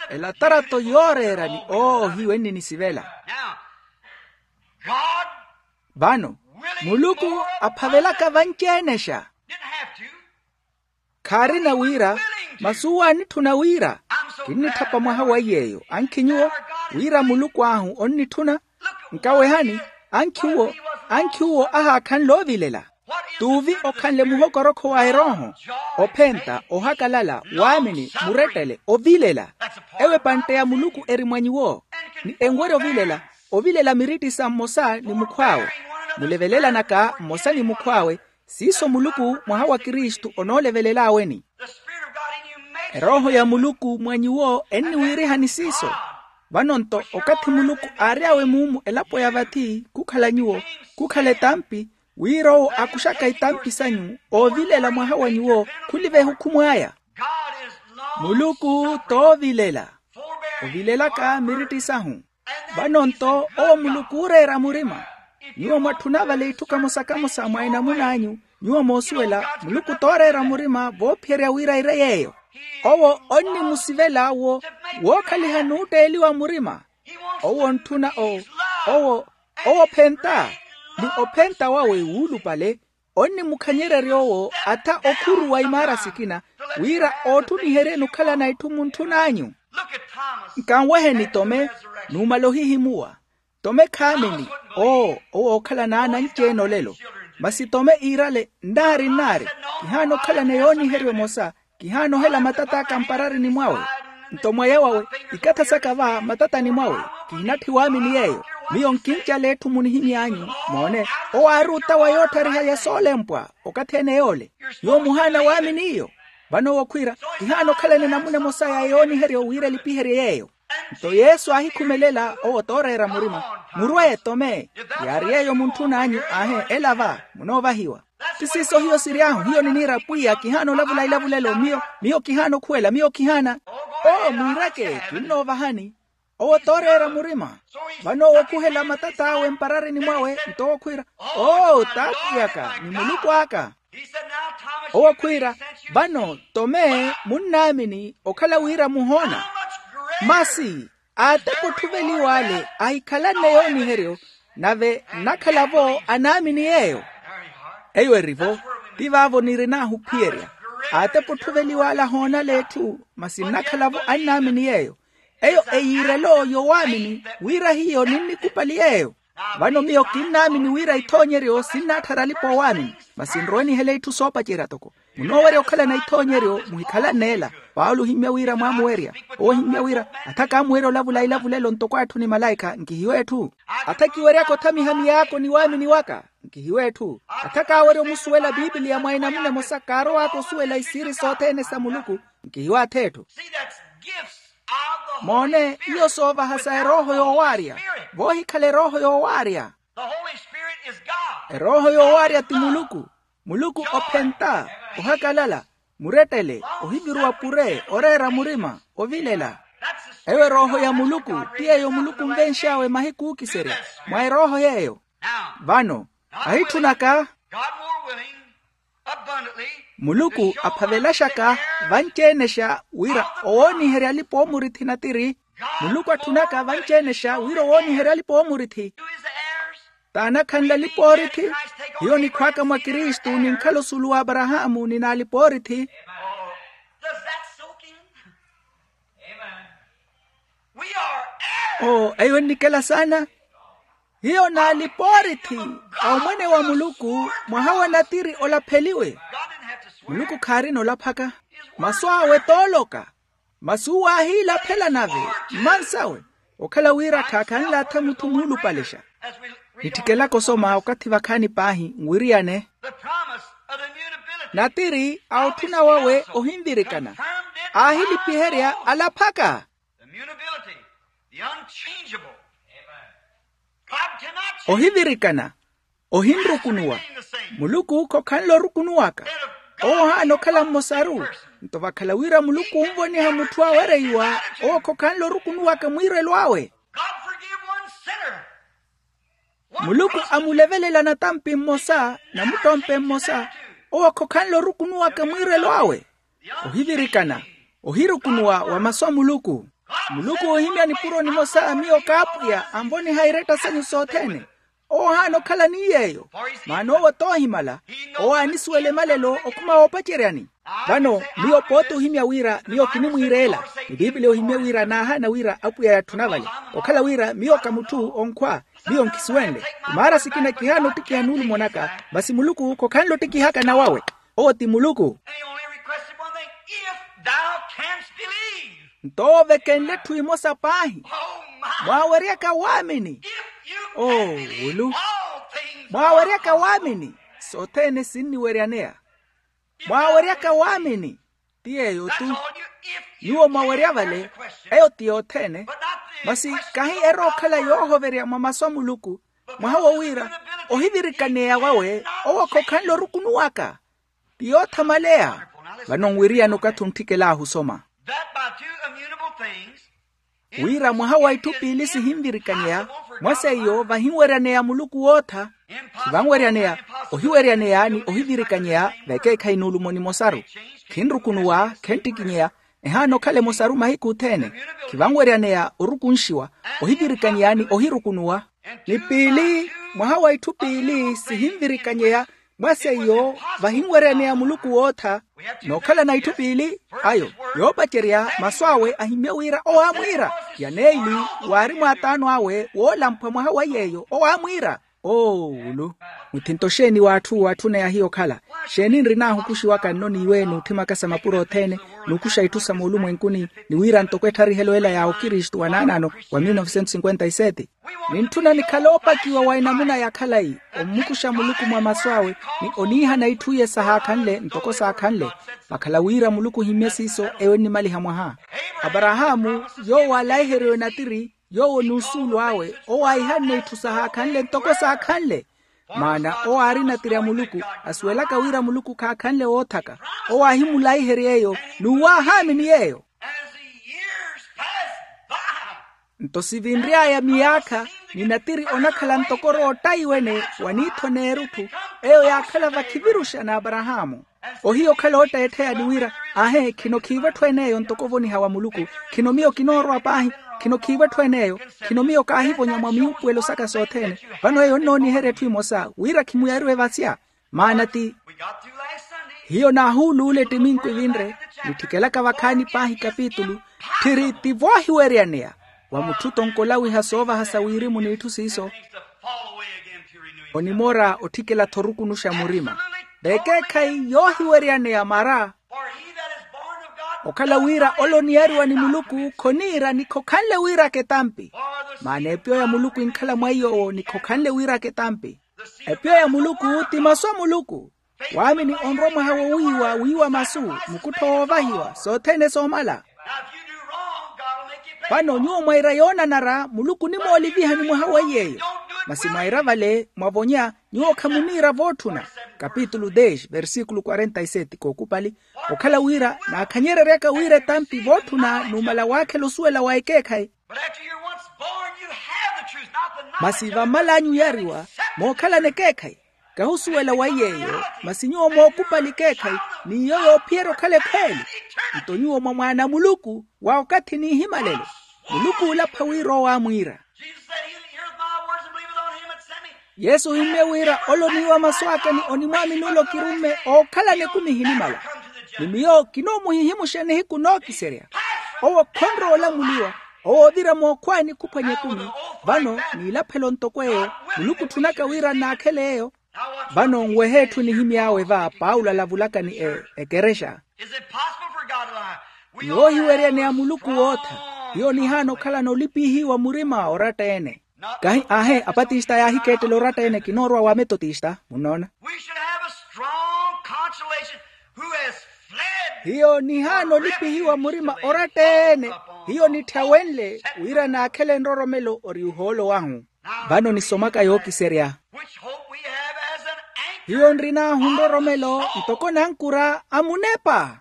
Elatarato yooreera ni oohiwe nninisivela. Vano muluku aphavelaka vanci-enexa. Khaarina wira, masi uwo aanitthuna wira. Kinnitthapa mwaha wa iy'eyo ankhi nyuwo, wira muluku ahu onnitthuna. Nkawehani, ankhi uwo ahaakhanle ovilela. T'uvi okhanle muhokorokho wa erooho, ophenta, ohakalala, waamini, murettele, ovilela. Ewo epantte ya muluku eri mwa nyuwo. Ni enwerya ovilela, ovilela miritti sa mmosa ni mukhw'awe, mulevelelanaka mmosa ni mukhw'awe. Siiso muluku mwaha wa kristu onoolevelel'awe-ni. Erooho ya muluku mwa nyuwo enniwiirihani siiso. Vano-nto okathi muluku aary'awe muumu elapo ya vathi khukhala nyuwo, khukhala etampi, wira owo akuxaka itampi sanyu oovilela mwaha wa nyuwo khuliva ehukhumu aya. Muluku t'ovilela, ovilelaka miritti sahu. Vano-nto owo muluku ooreera murima. Nyuwo mwatthuna vale itthu kamosa-kamosa mwa enamun'anyu. Nyuwo moosuwela muluku t'oreera murima voophiherya wira ire yeeyo. Owo onnimusivela wo wookhaliha nuutteeliwa murima. Owo ontthuna o owo owo ophenta, ni ophenta wawe wuulupale. Onnimukhanyererya owo atha okhuruwa imaara sikina wira ootthuniheryeni okhalana itthu muntthun'anyu. Nkanweheni tome, numala ohihimuwa. Tome khaamini. Oo owo ookhalana ana anci-ene olelo. Masi tome iirale nnaari nnaari, kihaana okhalana yooniheryo emosa. Kihaana ohela matat'aka mpararini mwawe. Nto mwaya wawe, ikatha saka va matatani mwawe. Kihinatthi waamini yeeyo. Miyo nkincala etthu munihimy'anyu. Moone, owo aari otawa yootthariha ya soolempwa. Okathi ene yoole, nyuwo muhaana waamini iyo. Vano owo khwiira, kihaana okhalana enamuna emosa ya yooniheryo wira elipiherye yeeyo. Nto yesu aahikhumelela owo tooreera murima, murwe tome. Yaari yeeyo muntthun'anyu, aahe, ela va munoovahiwa. Ti siiso hiyo siry'ahu, hiyo niniira pwiya kihaana olavula ilavulelo miyo, miyo kihaana okhuwela miyo kihaana. Oo mwiireke, kinnoovahani. Owo tooreera murima. Vano owo okhuhela matat'awe mpararini mwawe nto owo khwiira, oo t'apwiy'aka ni muluku aka. Owo khwiira, vano tome munnaamini okhala wira muhoona. Masi aatepa otthuveliw'ale ahikhalanne yooniheryo, nave nnakhala-vo anaamini yeeyo. Eyo eri-vo, ti vaavo nirin'ahu ophiyerya. Aatepa otthuveliw'ale ahoonale etthu, masi nnakhala-vo annaamini yeeyo. Eyo eyiirelo yowaamini wira hiyo ninnikupali yeeyo. Vano miyo kinnaamini wira ithoonyeryo sinnaatthara alipa oowaamini, masi nrowe nihele itthu soopacerya toko. Munoowerya okhalana ithoonyeryo muhikhalanne ela. Paulo ohimmya wira mwaamuwerya. Owo ohimmya wira, atha kaamuwerya olavula ilavulelo ntoko atthu ni malaikha nkihiwe etthu. Atha kiweryaka othamiha miyaako ni waamini waka nkihiwe etthu. Atha kaawerya omusuwela piipiliya mwa enamuna emosa kaarow'aka osuwela isiiri sothene sa muluku nkihiwe atha etthu. Moone, iyo soovaha sa erooho yoowaarya. Voohikhala erooho yoowaarya. Erooho yoowaarya ti muluku. Muluku ophenta, ohakalala, murettele, ohiviruwa pure, oreera murima, ovilela. Eyo erooho ya muluku ti yeeyo muluku onvenx'awe mahiku ookiserya. Mwa erooho yeeyo. Vano ahitthunaka. Muluku aphavelaxaka vanci-enexa wira owooniherya alipa oomurithi natiri. Muluku atthunaka vanci-enexa wira owooniherya alipa oomurithi. T'anakhanle alipa oorithi. Hiyo nikhw'aka mwa kristu ninkhala osulu w'aparahaamu ni n'alipa oorithi. Oo eyo ennikela saana. Hiyo n'alipa oorithi a omwene wa muluku. Mwaha wa natiri olapheliwe. Muluku khaarina olaphaka. Masu awe t'oloka. Masi uwo aahiilaphela nave mmansawe. Okhala wira khaakhanle atha mutthu muulupalexa. Nitthikelaka osoma okathi vakhaani paahi nwiriyane. Natiri a otthuna wawe ohinvirikana aahilipiherya alaphaka. Ohivirikana, ohinrukunuwa. Muluku khokhanle orukunuwaka. Owo ohaana okhala mmosaru. Nto vakhala wira muluku onvoniha mutthu awereiwa, owo khokhanle orukunuwaka mwiirelo awe. Muluku amulevelela natampi mmosa, namuttompe mmosa. Owo khokhanle orukunuwaka mwiirelo awe. Ohivirikana, ohirukunuwa wa masu a muluku. Muluku oohimya nipuro nimosa miyo kaapwiya anvoniha iretta sanyu sothene. Owo ohaana okhala ni yeeyo. Maana owo t'ohimala. Owo aanisuwela emalelo okhuma woopaceryani. Vano miyo pooti ohimya wira miyo kinimwiireela. Ni piipiliya ohimye wira naahaana wira apwiya yatthuna vale. Okhala wira miyo ka mutthu onkhwa. Miyo nkisuwenle. Imaara sikina kihaana ottikiha nuulumo naka. Masi muluku khokhanle ottikihaka nawawe. Owo ti muluku. Nto owo vekenle etthu emosa paahi. Mwaaweryaka waamini. Oo wulu. Mwaaweryaka waamini, sothene sinniweryaneya. Mwaaweryaka waamini. Ti yeeyo-tu. Nyuwo mwawerya vale. Eyo ti yothene. Masi kahi erookhala yoohoverya mwa masu a muluku. Mwaha wo wira ohivirikaneya wawe owo khokhanle orukunuwaka. Ti yoothamaleya. Vano nwiriyani okathi ontthikelahu osoma wira mwaha wa itthu piili sihinvirikanyeya. Mwa seiyo vahinweryaneya muluku wootha. Khivanweryaneya, ohiweryaneya ni ohivirikanyeya vekeekhayi nuulumo nimosaru. Khinrukunuwa, khenttikinyeya. Ehaana okhala emosaru mahiku othene. Khivanweryaneya orukunxiwa, ohivirikanyeya ni ohirukunuwa. Ni piili mwaha wa itthu piili sihinvirikanyeya. Mwa seiyo vahinweryaneya muluku wootha. Nookhalana itthu piili ayo yoopacerya masu awe ahimmye wira owaamwiira. Ya neeli waari mwaataano awe woolamphwa mwaha wa yeeyo owaamwiira. Oowulu. Muthinto xeeni w'atthu watthuneya hiyo okhala? Xeeni nrinaahu okuxiwaka nno n'iwe n'utthimaka sa mapuro othene, n'ukuxa itthu sa moolumwenkuni, ni wira ntoko ettharihelo ela ya okristu wa naanano wa mil novecentos cinquenta y sete. Nintthuna nikhale oopakiwa wa enamuna ya khalayi, ommukuxa muluku mwa masu awe, ni oniihana itthu iye sahaakhanle ntoko saakhanle. Vakhala wira muluku ohimmye siiso eyo ennimaliha mwaha. Aparahaamu, yoowo aalaiheriwe natiri, yoowo n'usuulu awe owo aahihanne itthu sahaakhanle ntoko saakhanle. Maana owo aari natiri a muluku, asuwelaka wira muluku khaakhanle woothaka. Owo aahimulaiherya eyo, n'uwo aahaamini yeeyo. As the years passed by, nto sivinry'aya miyaakha, ni natiri onakhala ntoko orootta iwene, wa niitho n'erutthu, eyo yaakhala vakhiviruxa n'aparahaamu. Ohiya okhala ootteettheya ni wira, aahe, khino khiivo etthu en'eyo ntoko ovoniha wa muluku. Khino miyo kinoorwa paahi. Khino khiivo etthu en'eyo. Khino miyo kaahivonya mwa miupuwelo saka sothene. Vano eyo nnooniherya etthu emosa wira khimuyariwe vasya. Maana ti hiyo naahuuluula ettiminku evinre, nitthikelaka vakhaani paahi kapitulu, tthiri ti voohiweryaneya wa mutthu tonko olawiha soovaha sa wirimu n'itthu siiso. Onimoora otthikela-tho orukunuxa murima. V'ekeekhayi yoohiweryaneya mara. Okhala wira ole oniyariwa ni muluku khoniira ni khokhanle wira aketampi. Maana epiyo ya muluku enkhala mwa iy'owo ni khokhanle wira aketampi. Epiyo ya muluku ti masu a muluku. Waamini onrwa mwaha wowiiwa wiiwa masu, mukuttho woovahiwa sothene soomala. Vano nyuwo mwaira yoonanara muluku onimoolivihani mwaha weiy'eyo. Masi mwaira vale mwavonya, nyuwo khamuniira vootthuna. Kapitulu dez versikulu quarenta y sete kookupali. Okhala wira naakhanyereryaka wira etampi vootthuna numala waakhela osuwela wa ekeekhayi. Masi vammal'anyu oyariwa mookhalana ekeekhayi. Kahusuwela wa iy'eyo, masi nyuwo mookupali ekeekhayi, n'iyo yoophiyerya okhala ekhweeli. Nto nyuwo mwa mwaana a muluku wa okathi n'ihimalelo. Muluku oolapha wira owo aamwiira. Yesu ohimmye wira ole oniiwa masu aka ni onimwaamini ole okirumme ookhalana ekumi ehinimala. Ni miyo kinoomuhihimuxa nihiku nookiserya. Owo khonrowa olamuliwa, owo oovira mookhwaani khuphwanya ekumi. Vano n'ilaphelo ntoko eyo, muluku otthunaka wira nnaakhele eyo. Vano nwehe etthu enihimy'awe va paulo alavulaka ni ekerexa. Ni woohiweryaneya muluku wootha. Hiyo nihaana okhalana olipihiwa murima oratta-ene. Kahi aahe apatista yaahikeettela oratta-ene kinoorwa wa metotista munnoona. Hiyo nihaana olipihiwa murima oratta-ene. Hiyo nitthawenle wira naakhele nroromelo ori ohoolo wahu. Vano nisomaka yookiserya. Hiyo nrin'ahu nroromelo ntoko nankura a munepa.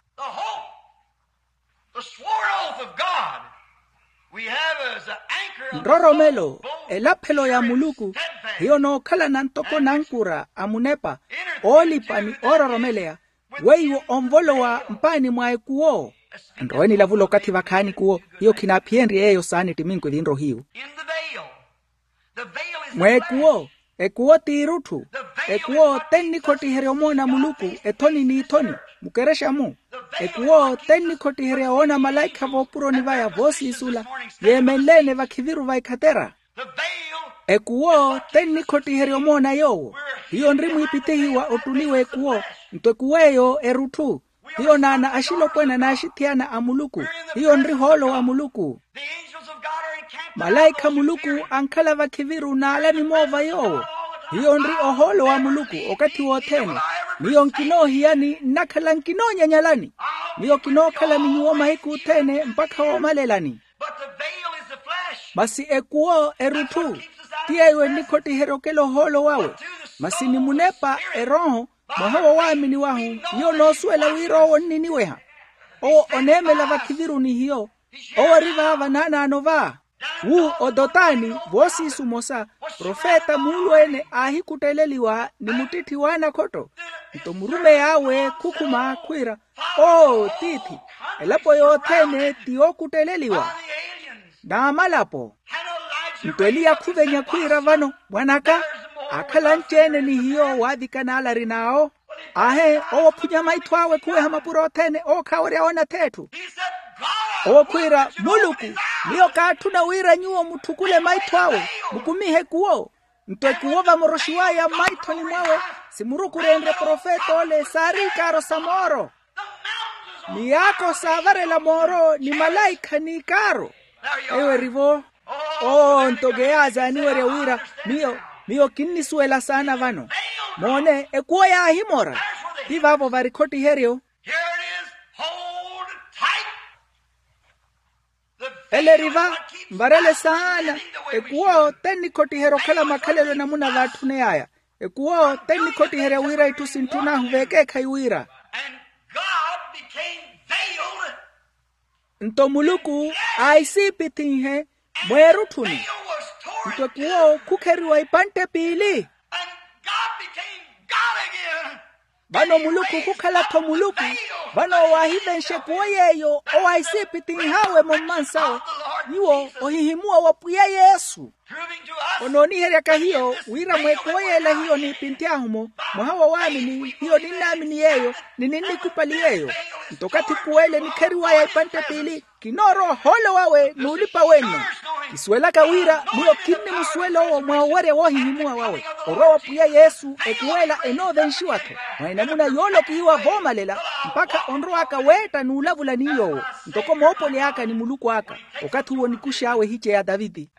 The swore oath of God we have as an anchor of the soul, nroromelo. Elaphelo ya muluku hiyo nookhalana ntoko nankura a munepa oolipa ni oororomeleya. Weiwo onvolowa mpaani mwa ekuwo. Nrowe nilavula okathi vakhaani ekuwo. Hiyo khinaaphiyenrye yeeyo saana ettiminku evinrohiyu. Mweekuwo. Ekuwo t'irutthu. Ekuwo tennikhottiherya omoona muluku ethoni n'ithoni. Mukerexa-mu. Ekuwo tennikhottiherya woona malaikha voopuroni vaya voosiisula. Yeemenle-ene vakhiviru va ekhatera. Ekuwo tennikhottiherya omoona yoowo. Hiyo nri mwiipithihi wa ottuli w'ekuwo. Nto ekuwo eyo erutthu. Hiyo naana axilopwana n'axithiyana a muluku. Hiyo nri ohoolo wa muluku. Malaikha a muluku ankhala vakhiviru n'ala nimoova yoowo. Hiyo nri ohoolo wa muluku okathi wothene. Miyo nkinoohiyani nnakhala nkinoonyanyalani. Miyo kinookhala ni nyuwo mahiku othene mpakha woomalelani. Masi ekuwo erutthu. Ti yeeyo ennikhottiherya okela ohoolo wawe. Masi ni munepa erooho. Mwaha wa waamini wahu. Hiyo noosuwela wira owo onniniweha. Owo oneemela vakhiviru ni hiyo. Owo ori vaava naanaano va. Wu odotani voosiisu omosa profeta muulu-ene aahikutteleliwa ni muttitthi w'anakhotto. Nto murumeyi awe khukhuma khwiira, oo tiithi, elapo yothene ti yookutteleliwa. N'amalapo. Nto eliya khuvenya khwiira vano mwan'aka, aakhala anci-ene ni hiyo waavikana ale arin'awo. Aahe owo ophunya maitho awe khuweha mapuro othene owo khaawerya woona ath'etthu. Owo khwiira muluku, miyo kaatthuna wira nyuwo mutthukule maitho awe, mukumihe ekuwo. Nto ekuwo vamoroxiw'aya mmaithoni mwawe, simurukurenrye profet'ole saari ikaaro sa mooro. Miyaakho saavarela mooro ni malaikha n'ikaaro. Eyo erivo. Oo nto keyaaza aniwerya wira, miyo miyo kinnisuwela saana vano. Moone ekuwo yaahimora. Ti vaavo vari khottiheryo. Ele eri va. Nvarele saana. Ekuwo tennikhottiherya okhala makhalelo enamuna vaatthuney'aya. Ekuwo tennikhottiherya wira itthu sintthun'ahu veekeekhayi wira. Nto muluku aahisiipithinhe mweerutthuni. Nto ekuwo khukheriwa ipantte piili. Vano muluku khukhala-tho muluku. Vano owo aahivenxe ekuwo yeeyo owo aahisiipithinh'awe-mo mmansawe. Nyuwo ohihimuwa wa pwiya yesu. Onooniheryaka hiyo wira mweekuwo yeela hiyo niipinthy'ahu-mo mwaha wa waamini hiyo ninnaamini yeeyo ni ninnikupali yeeyo. Nto okathi ekuwo ele enikheriw'aya ipantte piili kinoorowa ohoolo wawe n'ulipa wenno. Kisuwelaka wira miyo kinnimusuwela owo mwa owerya woohihimuwa wawe orwa wa pwiya yesu. Ekuwo ela enoovenxiwa-tho mwa enamuna yoolokihiwa voomalela mpakha onrow'aka weetta n'ulavula ni yoowo ntoko moopoli aka ni muluku aka. Okathi uwo nikux'awe ehice ya taviti.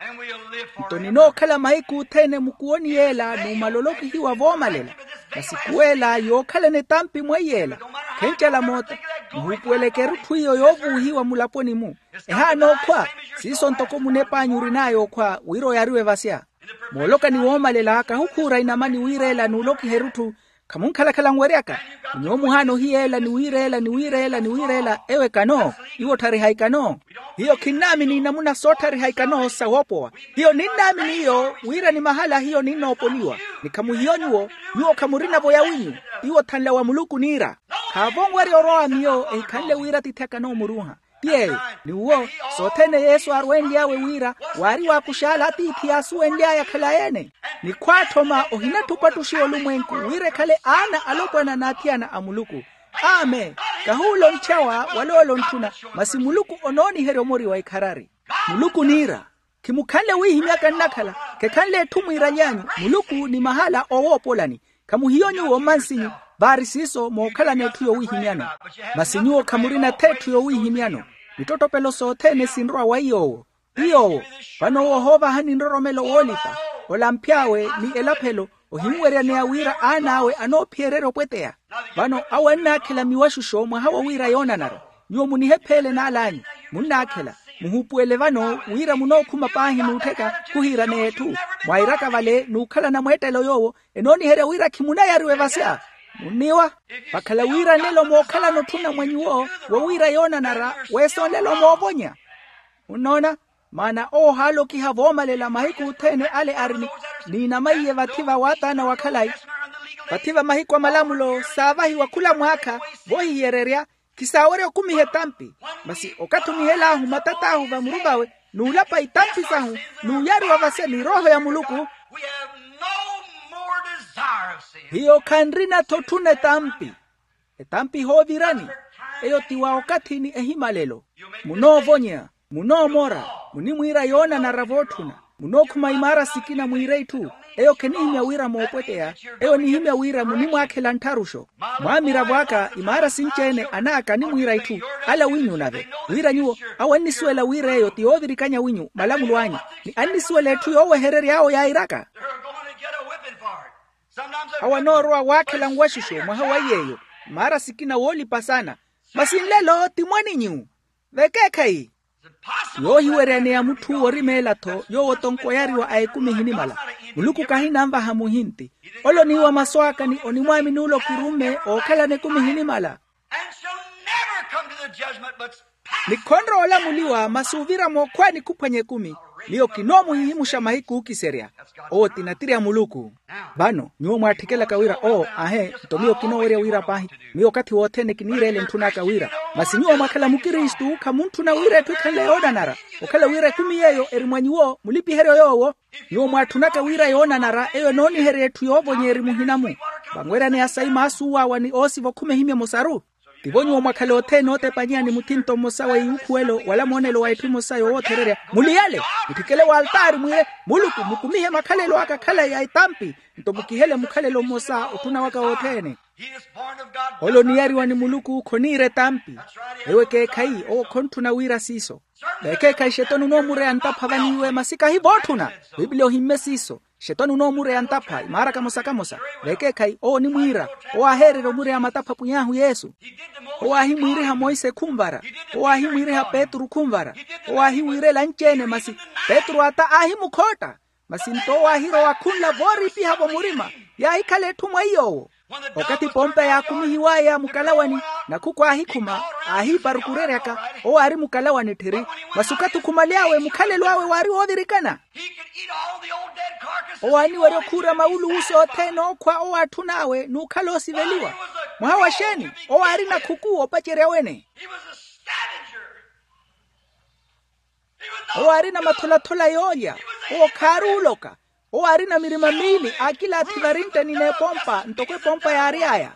Nto ninookhala mahiku othene mukuwoni yeela numala olokihiwa voomalela. Masi kuweela yookhalana etampi mweiyela khencala moota. Muhuupuweleke erutthu iyo yoovuuhiwa mulaponi-mu. Ehaana okhwa siiso ntoko munep'anyu orin'aya okhwa wira oyariwe vasya. Mooloka ni woomalela kahukhuura inamani wiireela n'ulokiha erutthu. Khamunkhalakhala nweryaka. Ni nyuwo muhaana ohiyeela ni wiireela ni wiireela ni wiireela eyo ekano. Iwo otthariha ikano. Hiyo khinnaamini inamuna sootthariha ikano sa woopowa. Hiyo ninnaamini iyo wira ni mahala hiyo ninnoopoliwa. Ni khamuhiyo nyuwo. Nyuwo khamurina-vo yawinyu. Iwo othanla wa muluku niira. Khaavo onwerya orwa wa miyo ehikhanle wira atiithi akano omuruuha. Ti yeeyo ni uwo sothene yesu aarwenly'awe wira waari waakux'ala atiithi yaasuwenly'aya khalayi-ene. Ni khwaathoma ohinatthupatthuxiwa olumwenku wira ekhale aana alopwana n'athiyana a muluku. Amen. Kahuula ontthyawa wala ole ontthuna. Masi muluku onooniherya omori wa ikharari. Muluku niira khimukhanle wiihimyaka nnakhala khekhanle etthu mwiiraly'anyu. Muluku ni mahala oowoopolani. Khamuhiyo nyuwo mmansinyu. Vaari siiso mookhalana etthu yowiihimyano. Masi nyuwo khamurina-tho etthu yowiihimyano. Mittottopelo sothene sinrowa wa iy'owo. Ti yoowo. Vano owo ohoovahani nroromelo woolipa olamph'awe ni elaphelo ohimuweryaneya wira aan'awe anoophiyererya opweteya. Vano awo annaakhela miwaxuxo mwaha wa wira yoonanara. Nyuwo munihepheele n'al'anyu. Munnaakhela. Muhuupuwele vano wira munookhuma paahi n'uttheka khuhiiraneya etthu mwairaka vale n'ukhalana mweettelo yoowo enooniherya wira khimunayariwa evasya. Munniiwa. Vakhala wira nlelo mookhalana otthuna mwa nyuwo wo wira yoonanara weesa onlelo moovonya. Munnoona? Maana owo ohaalokiha voomalela mahiku othene ale ari ni niinamaiye vathi va waataana wa khalayi. Vathi va mahiku a malamulo saavahiwa khula mwaakha voohihiyererya. Khisaawerya okumiha etampi. Masi okathi onihel'ahu matat'ahu vamuru vawe n'ulapa itampi sahu n'uyariwa vase ni rooho ya muluku. Hiyo khanrina-tho otthuna etampi. Etampi ehoovirani. Eyo ti wa okathi ni ehimalelo. Munoovonya. Munoomora. Munimwiira yoonanara vootthuna. Munookhuma imaara sikina mwiire itthu. Eyo khenihimya wira moopweteya. Eyo nihimya wira munimwaakhela nttharuxo. Mwaamiravo aka imaara sinci-ene anaaka animwiira itthu. Ala winyu nave wira nyuwo awo annisuwela wira eyo ti yoovirikanya winyu malamulo anyu. Ni annisuwela etthu yooweherery'awo yairaka. Awo anoorowa waakhela nwaxuxo mwaha wa iy'eyo. Maara sikina woolipa saana. Masi nlelo ti mwaninyu. Vekeekhayi. Yoohiweryaneya mutthu worimeela-tho yoowo tonko oyariwa a ekumi ehinimala. Muluku kahinanvaha muhinti. Ole oniiwa masu aka ni onimwaamini ole okirumme ookhalana ekumi ehinimala. Ni khonrowa olamuliwa masi ovira mookhwaani khuphwanya ekumi. Miyo kinoomuhihimuxa mahiku ookiserya. Owo ti natiri a muluku. Vano nyuwo mwaatthekelaka wira oo ahe nto miyo kinoowerya wira paahi. Miyo okathi wothene kiniireela entthun'aka wira. Masi nyuwo mwakhala mukristu khamuntthuna wira etthu ekhanle yoonanara. Okhala wira ekumi yeeyo eri mwa nyuwo mulipiheryo yoowo. Nyuwo mwaatthunaka wira yoonanara eyo enooniherya etthu yoovonyeeri muhina-mu. Vanweryaneya sayi maasuw'awa ni oosiva okhuma ehimya emosaru. Tivo nyuwo mwakhale othene ootepanyeya ni muthinto mmosa wa iwukhuwelo wala moonelo wa etthu emosa yowoothererya, muliyale, mutthikele w'altaari mwiire, muluku mukumihe makhalelo aka khalayi a etampi. Nto mukihele mukhalelo mmosa otthuna waka wothene. Ole oniyariwa ni muluku khoniira etampi. Ewo ekeekhayi owo khontthuna wiira siiso. Vekeekhayi xetoni onoomureya ntapha vaniiwe masi kahi vootthuna. Piipiliya ohimme siiso. Xetoni onoomureya ntapha imaara kamosa-kamosa. Vekeekhayi owo onimwiira. Owo aaheererya omureya matapha pwiy'ahu yesu. Owo aahimwiiriha monse khunvara. Owo aahimwiiriha petru khunvara. Owo aahiwiirela anci-ene masi petru ata aahimukhootta. Masi nto owo aahirowa khunla vooriipiha-vo murima. Yaahikhala etthu mwa iy'owo. Okathi pompa yaakumihiw'aya mukalawani, nakhuku aahikhuma, aahiiparukureryaka. Owo aari mukalawani tthiri. Masi okathi okhumale'awe mukhalelo awe waari woovirikana. Owo aaniwerya okhuura mawuluwusi othene ookhwa owo atthun'awe n'ukhala oosiveliwa. Mwaha wa xeeni? Owo aarina khuku opacerya wene. Owo aarina matholatholi yoolya. Owo khaari oloka. Owo aarina mirima miili aakilaathi varinttani n'epompa ntoko epompa yaary'aya.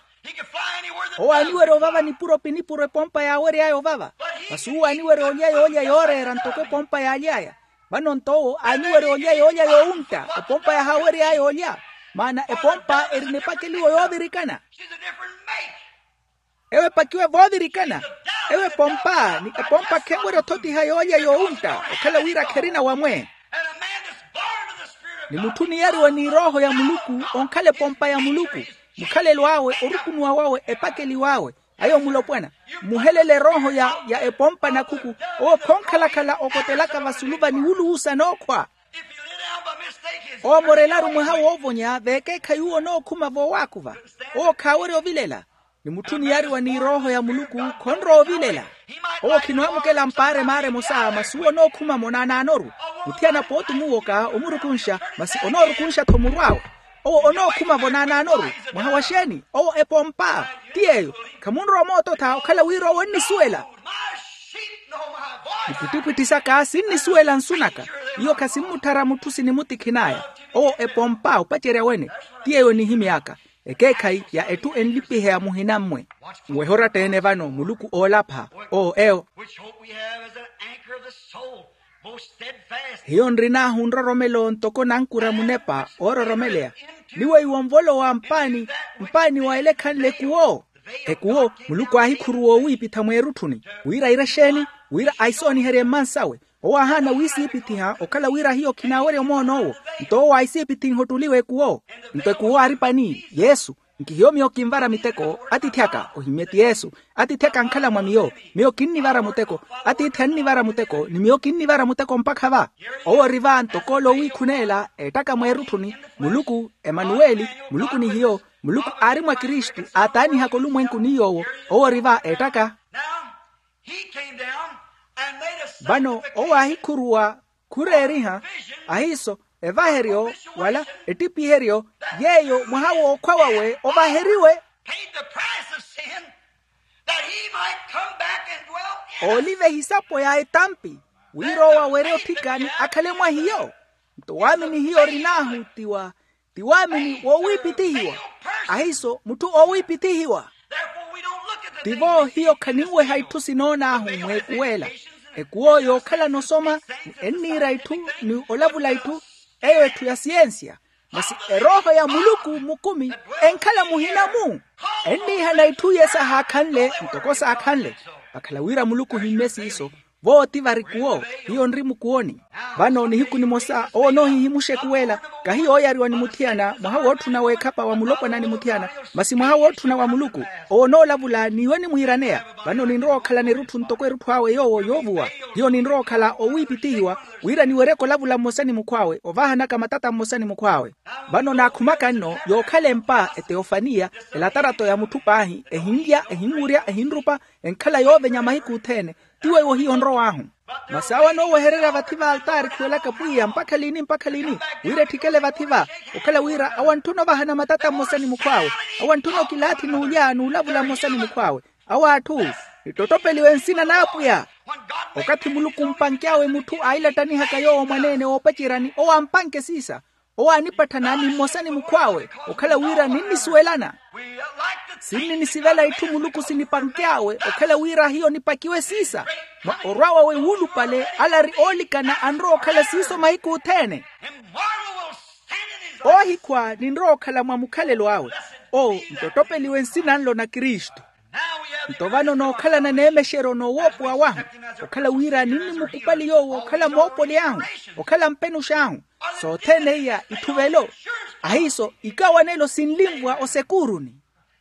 Owo aaniwerya ovava nipuro pinipuro epompa yaawery'aya ovava. Masi uwo aaniwerya olya yoolya yooreera ntoko epompa yaaly'aya. Vano nto owo aaniwerya olya yoolya yoowuntta epompa yahaawery'aya olya. Maana epompa erina epakeliwo yoovirikana. Ewo epakiwe voovirikana. Ewo epompa ni epompa khenwerya othotiha yoolya yoowuntta okhala wira kherina wamwe. Ni mutthu oniyariwa ni erooho ya muluku onkhala epompa ya muluku. Mukhalelo awe orukunuwa wawe epakeliw'awe. Ayo mulopwana. Muhelele erooho ya ya epompa nakhuku. Owo khonkhalakhala okotelaka vasulu va niwuluwusa nookhwa. Owo amorelaru mwaha woovonya vekeekhayi uwo onookhuma voowaakuva. Owo khaawerya ovilela. Ni mutthu oniyariwa ni erooho ya muluku khonrowa ovilela. Owo khinoamukela mpaaremaara emosa masi uwo onookhuma-mo naanaanoru. Muthiyana pooti omuwoka omurukunxa. Masi onoorukunxa-tho muru awe. Owo onookhuma-vo naanaanoru. Mwaha wa xeeni? Owo epompa. Ti yeeyo. Khamunrowa moototha okhala wira owo onnisuwela. Ipwittipwitthi saka sinnisuwela nsu naka. Iyo khasimmutthara mutthu sinimutikhinaaya. Owo epompa opacerya wene. Ti yeeyo onihimy'aka. Ekeekhayi ya etthu enlipiheya muhina-mmwe. Nwehe oratta-ene vano muluku oolapha. Oo eyo. Which hope we have as an anchor of the soul, most steadfast. Hiyo nrin'ahu nroromelo ntoko nankura munepa oororomeleya. Ni weiwo nvolowa mpaani mpaani wa ela ekhanle ekuwo. Ekuwo muluku aahikhuruwa owiipitha mweerutthuni. Wira aire exeeni? Wira aisooniherye mmansawe. Owo aahaana wiisiipithiha okhala wira hiyo khinaawerya omoon'owo. Nto owo aisiipithinha ottuliwa ekuwo. Nto ekuwo aari pani yesu. Nkihiyo miyo kinvara miteko atiithi aka ohimmye ti yesu. Atiithi aka ankhala mwa miyo. Miyo kinnivara muteko. Atiithi annivara muteko ni miyo kinnivara muteko mpakha va. Owo ori va ntoko ole owiikhuneela eettaka mweerutthuni. Muluku emanuweli. Muluku ni hiyo. Muluku aari mwa kristu aataanihaka olumwenku ni yoowo. Owo ori va eettaka. Vano owo aahikhuruwa khureeriha ahiiso evaheryo wala ettipiheryo yeeyo mwaha w'okhwa wawe ovaheriwe. Ooliva ehisapo ya etampi wira owo awerye otthikani akhale mwa hiyo. Nto waamini hiyo orin'ahu ti wa ti waamini woowiipithihiwa. Ahiiso mutthu oowiipithihiwa. Tivo hiyo khaninweha itthu sinoon'ahu mweekuwela. Ekuwo yookhalana osoma ni enniira itthu ni olavula itthu. Eyo etthu ya siyensiya. Masi erooho ya muluku mukumi enkhala muhina-mu. Enniihana itthu iye saahaakhanle ntoko saakhanle. Vakhala wira muluku ohimmye siiso. Vooti varikuwo hiyo nri mukuwoni. Vano nihiku nimosa owo onoohihimuxa ekuwela. Kahi yooyariwa ni muthiyana mwaha wootthuna weekhapa wa mulopwana ni muthiyana. Masi mwaha wootthuna wa muluku owo onoolavula n'iwe onimwiiraneya. Vano ninrowa okhala nerutthu ntoko erutthu awe yoowo yoovuwa. Hiyo ninrowa okhala owiipithihiwa wira niweryeke olavula mmosa ni mukhw'awe ovaahanaka matata mmosa ni mukhw'awe. Vano naakhumaka nno yookhala empa eteofaniya elatarato ya mutthu paahi ehinlya ehinwurya ehinrupa enkhala yoovenya mahiku othene. Ti weiwo hiyo onrow'ahu. Masi awo anoowehererya vathi va altaari khuwelaka pwiya mpakha lini mpakha lini wira etthikele vathi va okhala wira awo antthuna ovahana matata mmosa ni mukhw'awe. Awo antthuna okilaathi n'ulya n'ulavula mmosa ni mukhw'awe. Awo atthu nittottopeliwe nsina n'apwiya. Okathi muluku mpanky'awe mutthu ailattanihaka yoowo mwaneene woopaceryani owo ampanke siisa. Owo aanipatthana ni mmosa ni mukhw'awe, okhala wira ninnisuwelana. Sinninisivela itthu muluku sinipanky'awe, okhala wira hiyo nipakiwe siisa. Mwa orwa wawe wuulupale, ala ari oolikana anrowa okhala siiso mahiku othene. Oohikhwa ninrowa okhala mwa mukhalelo awe. Oo, ntotopeliwe nsina nlo na kristu. Nto vano nookhalana neemexeryo noowoopowa wahu, okhala wira ninnimukupali yoowo okhala moopoli ahu, okhala mpenux'ahu. Sothene iya itthuvelo. Ahiiso ikawanelo sinlimvwa osekuuruni.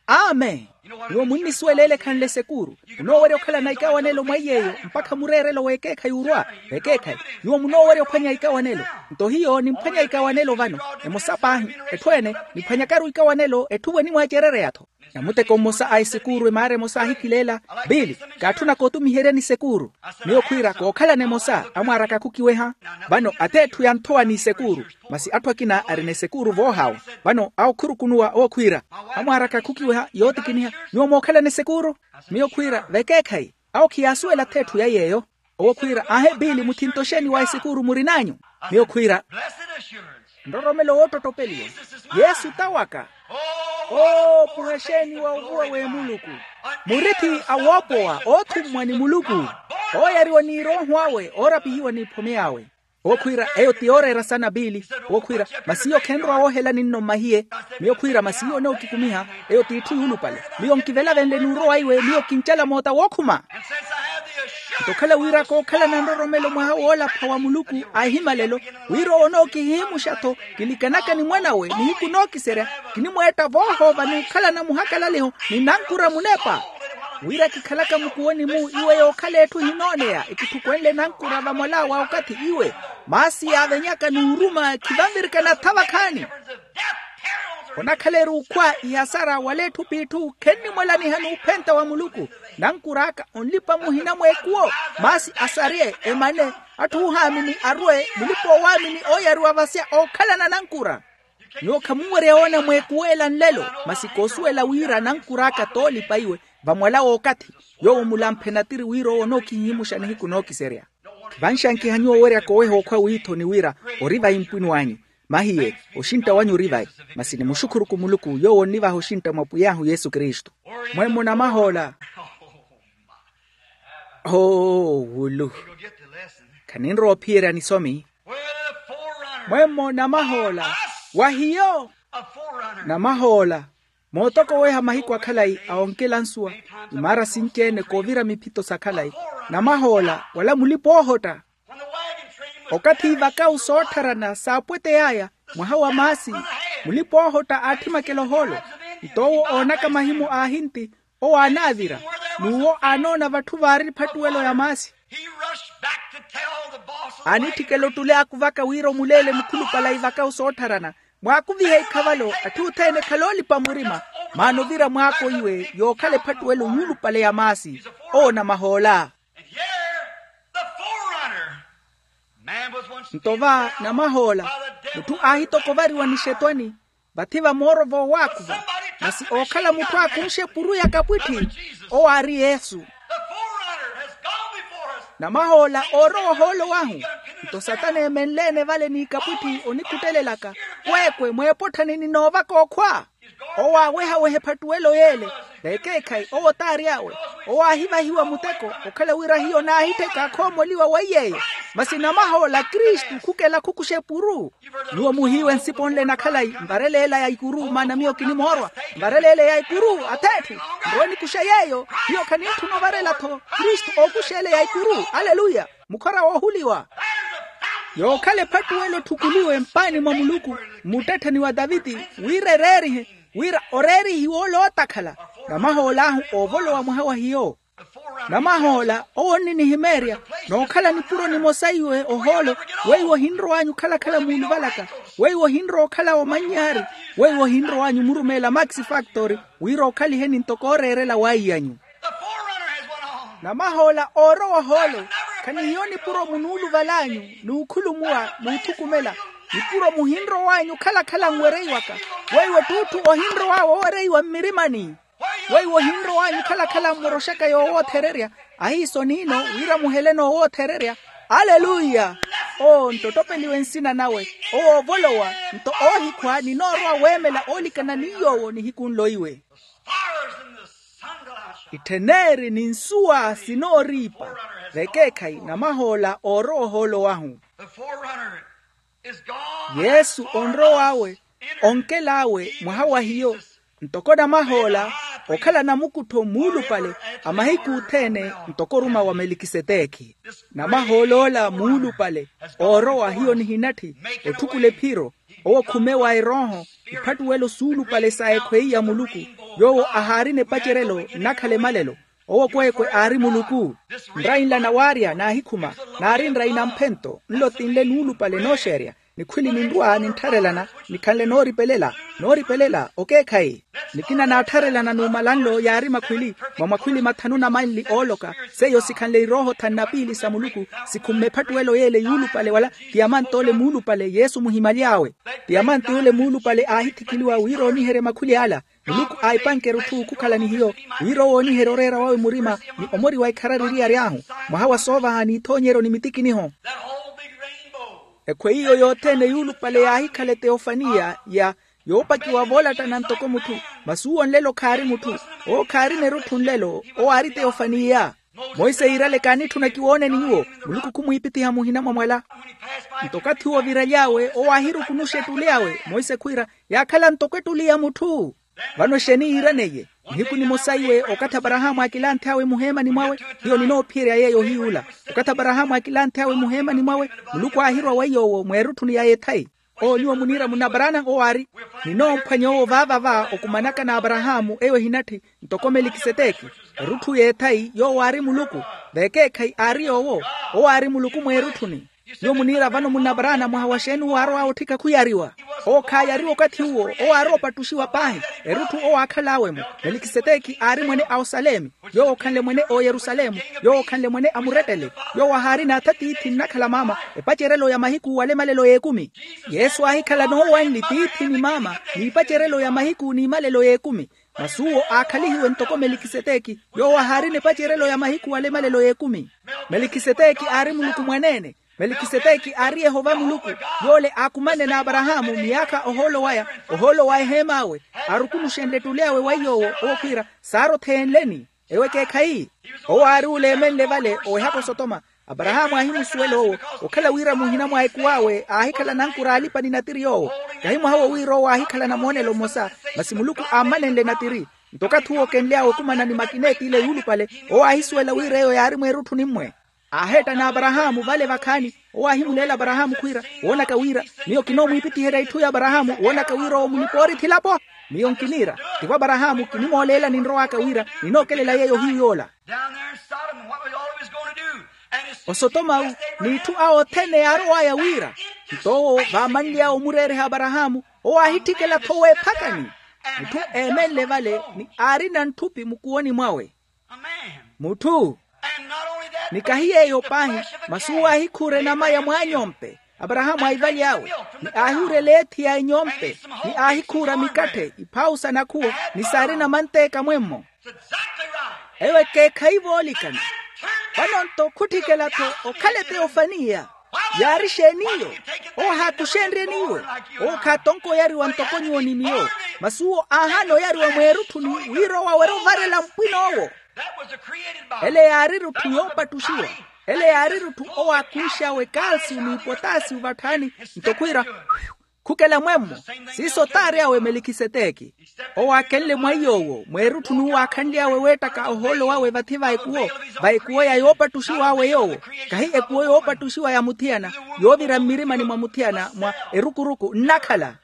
Amen. Nyuwo munnisuweleele ekhanle esekuuru. Munoowerya okhalana ikawanelo mwa iy'eyo mpakha mureerelo w'ekeekhayi orwa. Ekeekhayi. Nyuwo munoowerya ophwanya ikawanelo. Nto hiyo nimphwanya ikawanelo vano. Emosa paahi. Etthu ene niphwanyakaru ikawanelo etthu vwe enimwaacerereya-tho. Namuteko mmosa a esekuuru emaara emosa aahikileela. Biili, kaatthuna kootumiheryani esekuuru. Miyo khwiira kookhalana emosa amwaaraka khukiweha. Vano ath'etthu yanthowa n'isekuuru. Masi atthu akina arina esekuuru voohawa. Vano awo khurukunuwa owo khwiira, amwaaraka khukiweha yootikiniha. Nyuwo mookhalana esekuuru? Miyo khwiira vekeekhayi. Awo khiyaasuwela ath'etthu ya yeeyo. Owo khwiira aahe biili muthinto xeeni wa esikuuru murin'anyu? Miyo khwiira nroromelo woottottopeliwa. Yesu ta waka. Oopuha xeeni wa ovuwa w'emuluku. Murithi a woopowa oothummwa ni muluku, ooyariwa ni erooho awe oorapihiwa n'iphome awe. Owo khwiira eyo ti yooreera sana biili. Owo khwiira masi iyo khenrowa woohelani nno mmahiye. Miyo khwiira masi iyo onookikumiha. Eyo t'itthu yuulupale. Miyo nkivela venle nuuro waiwe miyo kincala moota wookhuma. Nto okhala wira kookhalana nroromelo mwaha woolapha wa muluku a ehimalelo, wira owo onookihihimuxa-tho kilikanaka ni mwan'awe nihiku nookiserya, kinimweetta voohoova n'ukhalana muhakalaliho ni nankura munepa. Wira kikhalaka mukuwoni-mu iwe yookhala etthu ehinooneya ekitthukweenle nankura vamwal'awe a okathi iwe, maasi yaavenyaka n'uruma khivanvirikana tha vakhaani. Onakhala eri ukhwa ihasara wala etthu p'itthu khennimwalaniha n'uphenta wa muluku. Nankur'aka onlipa muhina mweekuwo, maasi asarye emane, atthu oohaamini arwe mulipa oowaamini ooyariwa vasya ookhalana nankura. Nyuwo khamunwerya woona mweekuw'ela nlelo, masi koosuwela wira nankur'aka t'olipa iwe vamwala w'okathi. Yoowo mulamphe natiri wira owo onookihihimuxa nihiku nookiserya. Vanxankiha nyuwo owerya koweha okhwa wiithoni wira ori vahimpwini w'anyu. Mahiye oxintta wanyu ori vayi. Masi nimuxukhuruku muluku yoowo onnivaha oxintta mwa pwiy'ahu yesu kristu. Mwemmo namahoola. Oo wulu. Khaninrowa ophiyerya nisomi. Mwemmo namahoola. Wa hiyo. Namahoola. Mootokoweha mahiku akhalayi a onkela nsuwa, imaara sinci-ene koovira miphito sa khalayi. Namahoola wala mulipa oohotta. Okathi ivakawu soottharana saapwetey'aya, mwaha wa maasi, mulipa oohotta aathimakela ohoolo. Nto owo oonaka mahimu aahinti, owo aanaavira, n'uwo aanoona vatthu vaari ephattuwelo ya maasi. Aanitthikela ottule aakuvaka wira omuleele mukhulupale a ivakawu soottharana, mwaakuvihe ikhavalo atthu othene khaloolipa murima. Maana ovira mwaako iwe yookhala ephattuwelo yuulupale ya maasi. Owo namahoola. Nto va namahoola, mutthu aahitokovariwa nixetwani. Vathi vamooro voowaakuva, masi ookhala mutthu aakunxe epuru ya kapwitthi, owo aari yesu. Namahoola oorowa ohoolo wahu. Nto satana eemenle-ene vale n'ikapwitthi onikhuttelelaka, kweekwe mweepotthani ninoovaka okhwa. Owo aawehaweha ephattuwelo y'ele. Vekeekhayi owo t'ary'awe. Owo aahivahiwa muteko okhala wira hiyo naahittheka akhoomoliwa weiy'eyo. Masi namahoola kristu khukela khukuxa epuru. Nyuwo muhiiwe nsipo nle na khalayi mvarele ela ya ikuru maana miyo kinimoorwa. Mvarele ele ya ikuru ath'etthu. Nrowe nikuxe yeeyo. Hiyo khanintthuna ovarela-tho kristu ookuxa ele ya ikuru. Aleluya. Mukhora woohuliwa. Yookhala ephattuwelo etthukuliwe mpaani mwa muluku mmuttettheni wa taviti, wira ereerihe, wira oreerihiwe ole ootakhala. Namahoola ahu oovolowa mwaha wa hiyo. Namahoola owo onninihimeerya nookhala nipuro nimosa iwe ohoolo. Weiwo ohinrow'anyu okhalakhala muuluvalaka. Weiwo ohinrowa okhala omanny'ari. Weiwo ohinrow'anyu murumeela max factory wira okhaliheni ntoko ooreerela w'aiy'anyu. Namahoola oorowa ohoolo khanihiyo nipuro munuuluval'anyu, n'ukhulumuwa n'uthukumela. Nipuro muhinrow'anyu okhalakhala nwereiwaka. Weiwo ett'utthu ohinrow'awe owereiwa mmirimani. Weiwo ohinrow'anyu okhalakhala mmoroxaka yoowoothererya. Ahiiso niino wira muhele noowoothererya. Aleluya. Owo nttottopeliwe nsina nawe, owo oovolowa. Nto oohikhwa ninoorwa weemela oolikana ni yoowo nihiku nlo iwe. Ittheneri ni nsuwa sinooriipa. Vekeekhayi namahoola oorowa ohoolo wahu. Yesu onrow'awe, onkel'awe mwaha wa hiyo, ntoko namahoola, okhala namukuttho muulupale a mahiku othene ntoko oruma wa melikisetekhi. Namahool'ola muulupale oorowa hiyo nihinatthi, otthukula ephiro, owo khume wa erooho, iphattuwelo suulupale sa ekhweyi ya muluku, yoowo ahaarina epacerelo nnakhala emalelo. Owo kweekwe aari muluku. Nrai nla nawaarya naahikhuma, naari nrai namphento nlo ti nle nuulupale nooxeerya, nikhwili ninrwa ninttharelana, nikhanle nooripelela. Nooripelela okeekhayi. Nikina naattharelana numala nlo yaari makhwili, mwa makhwili mathanu na manli ooloka. Seiyo sikhanle irooho thanu na piili sa muluku, sikhumme ephattuwelo y'ele yuulupale wala, tiyamant'ole muulupale yesu muhimaly'awe. Tiyamant'ole muulupale aahithikiliwa wira ooniherye makhwili ala. Muluku aahipanke erutthu khukhala ni hiyo, wira owo ooniherye oreera wawe murima, ni omori wa ikharari eriyari ahu, mwaha wa soovaha n'ithoonyeryo ni mitikiniho. Ekhweyi iyo yothene yuulupale yaahikhala eteofaniya ya yoopakiwa voolattana ntoko mutthu. Masi uwo nlelo khaari mutthu. Owo khaarina erutthu nlelo. Owo aari teofaniya. Monse yiirale kaanitthuna kiwooneni nyuwo. Muluku khumwiipithiha muhina mwa mwala. Nto okathi uwo oviraly'awe owo aahirukunuxa ettuli awe monse khwiira, yaakhala ntoko ettuli ya mutthu. Vano exeeni yiiraneiye? Nihiku nimosa iwe okathi aparahaamu aakilanth'awe muheemani mwawe. Hiyo ninoophiyerya yeeyo ohiyuula. Okathi aparahaamu aakilanth'awe muheemani mwawe, muluku aahirwa weiy'owo mweerutthuni ya yethayi. Owo nyuwo muniira munabaraana owo aari. Ninoomphwanya owo vaava va okumanaka n'aparahaamu eyo ehinatthi, ntoko melikiseteki. Erutthu y'ethayi yoowo aari muluku. Vekeekhayi aari yoowo. Owo aari muluku mweerutthuni. Nyuwo muniira vano munabaraana mwaha wa xeeni owo aarow'awe otthika khuyariwa? Owo khaayariwa okathi uwo. Owo aarowa opattuxiwa paahi. Erutthu owo aakhal'awe-mo. Melikiseteki aari mwene a osalemi. Yoowo okhanle mwene a oyerusalemu. Yoowo okhanle mwene a murettele. Yoowo ahaarina atha tiithi nnakhala maama. Epacerelo ya mahiku wala emalelo y'ekumi. Yesu aahikhala noowanli tiithi ni maama, n'ipacerelo ya mahiku n'imalelo y'ekumi. Masi uwo aakhalihiwe ntoko melikiseteki. Yoowo ahaarina epacerelo ya mahiku wala emalelo y'ekumi. Melikiseteki aari muluku mwaneene. Melikiseteki aari yehova muluku. Yoole aakumane n'aparahaamu miyaakha ohoolo waya, ohoolo wa eheem'awe. Aarukunuxenle ettuli awe weiy'owo owo khwiira, saari otheenleni. Ewo ekeekhayi. Owo aari oleemenle vale owehaka osotoma. Aparahaamu aahimusuwela owo, okhala wira muhina mwa ekuw'awe aahikhala nankura alipa ni natiri yoowo. Kahi mwaha owo wira owo aahikhala namoonelo mmosa, masi muluku aammanenle natiri. Nto okathi uwo okenly'awe okumana ni makineeti ile yuulupale, owo aahisuwela wira eyo yaari mweerutthuni mmwe. Aaheetta n'aparahaamu vale vakhaani. Owo aahimuleela aparahaamu khwiira, woonaka wira miyo kinoomwiipittiherya itthu y'aparahaamu woonaka wira owo mulipa-oorithi elapo. Miyo nkiniira, tivo aparahaamu kinimooleelani nrow'aka wira ninookelela yeeyo ohiyu yoola. Osotoma-wu, n'itthu awo othene yaarow'aya wira. Nto owo vaamanly'awe omureereha aparahaamu, owo aahitthikela-tho weephakani. Mutthu eemenle vale ni aarina ntthupi mukuwoni mwawe. Mutthu. Ni kahi yeeyo paahi, masi uwo aahikhuura enama ya mwaanyompe. Aparahaamu aahivaly'awe, ni aahiwurela eethi ya enyompe, ni aahikhuura mikatthe iphawu sa nakhuwo, ni saarina manteeka mwemmo. Eyo ekeekhayi voolikana. Vano-nto khutthikela-tho okhala eteyofaniya. Yaari xeeni iyo? Owo ahaakuxenryeni iwe. Owo khaatonka oyariwa ntoko nyuwo ni miyo. Masi uwo aahaana oyariwa mweerutthuni wira owo awerye ovarela mpwin'owo. Ele yaari erutthu yoopattuxiwa. Ele yaari erutthu owo aakunx'awe kalsiyu ni potasiyu vatthaani. Nto khwiira khukela mwemmo. Siiso t'ari awe melikiseteki. Owo aakenle mwaiy'owo mweerutthu n'uwo aakhanly'awe weettaka ohoolo wawe vathi va ekuwo, va ekuwo ya yoopattuxiw'awe yoowo. Kahi ekuwo yoopattuxiwa ya muthiyana, yoovira mmirimani mwa muthiyana mwa erukuruku nnakhala.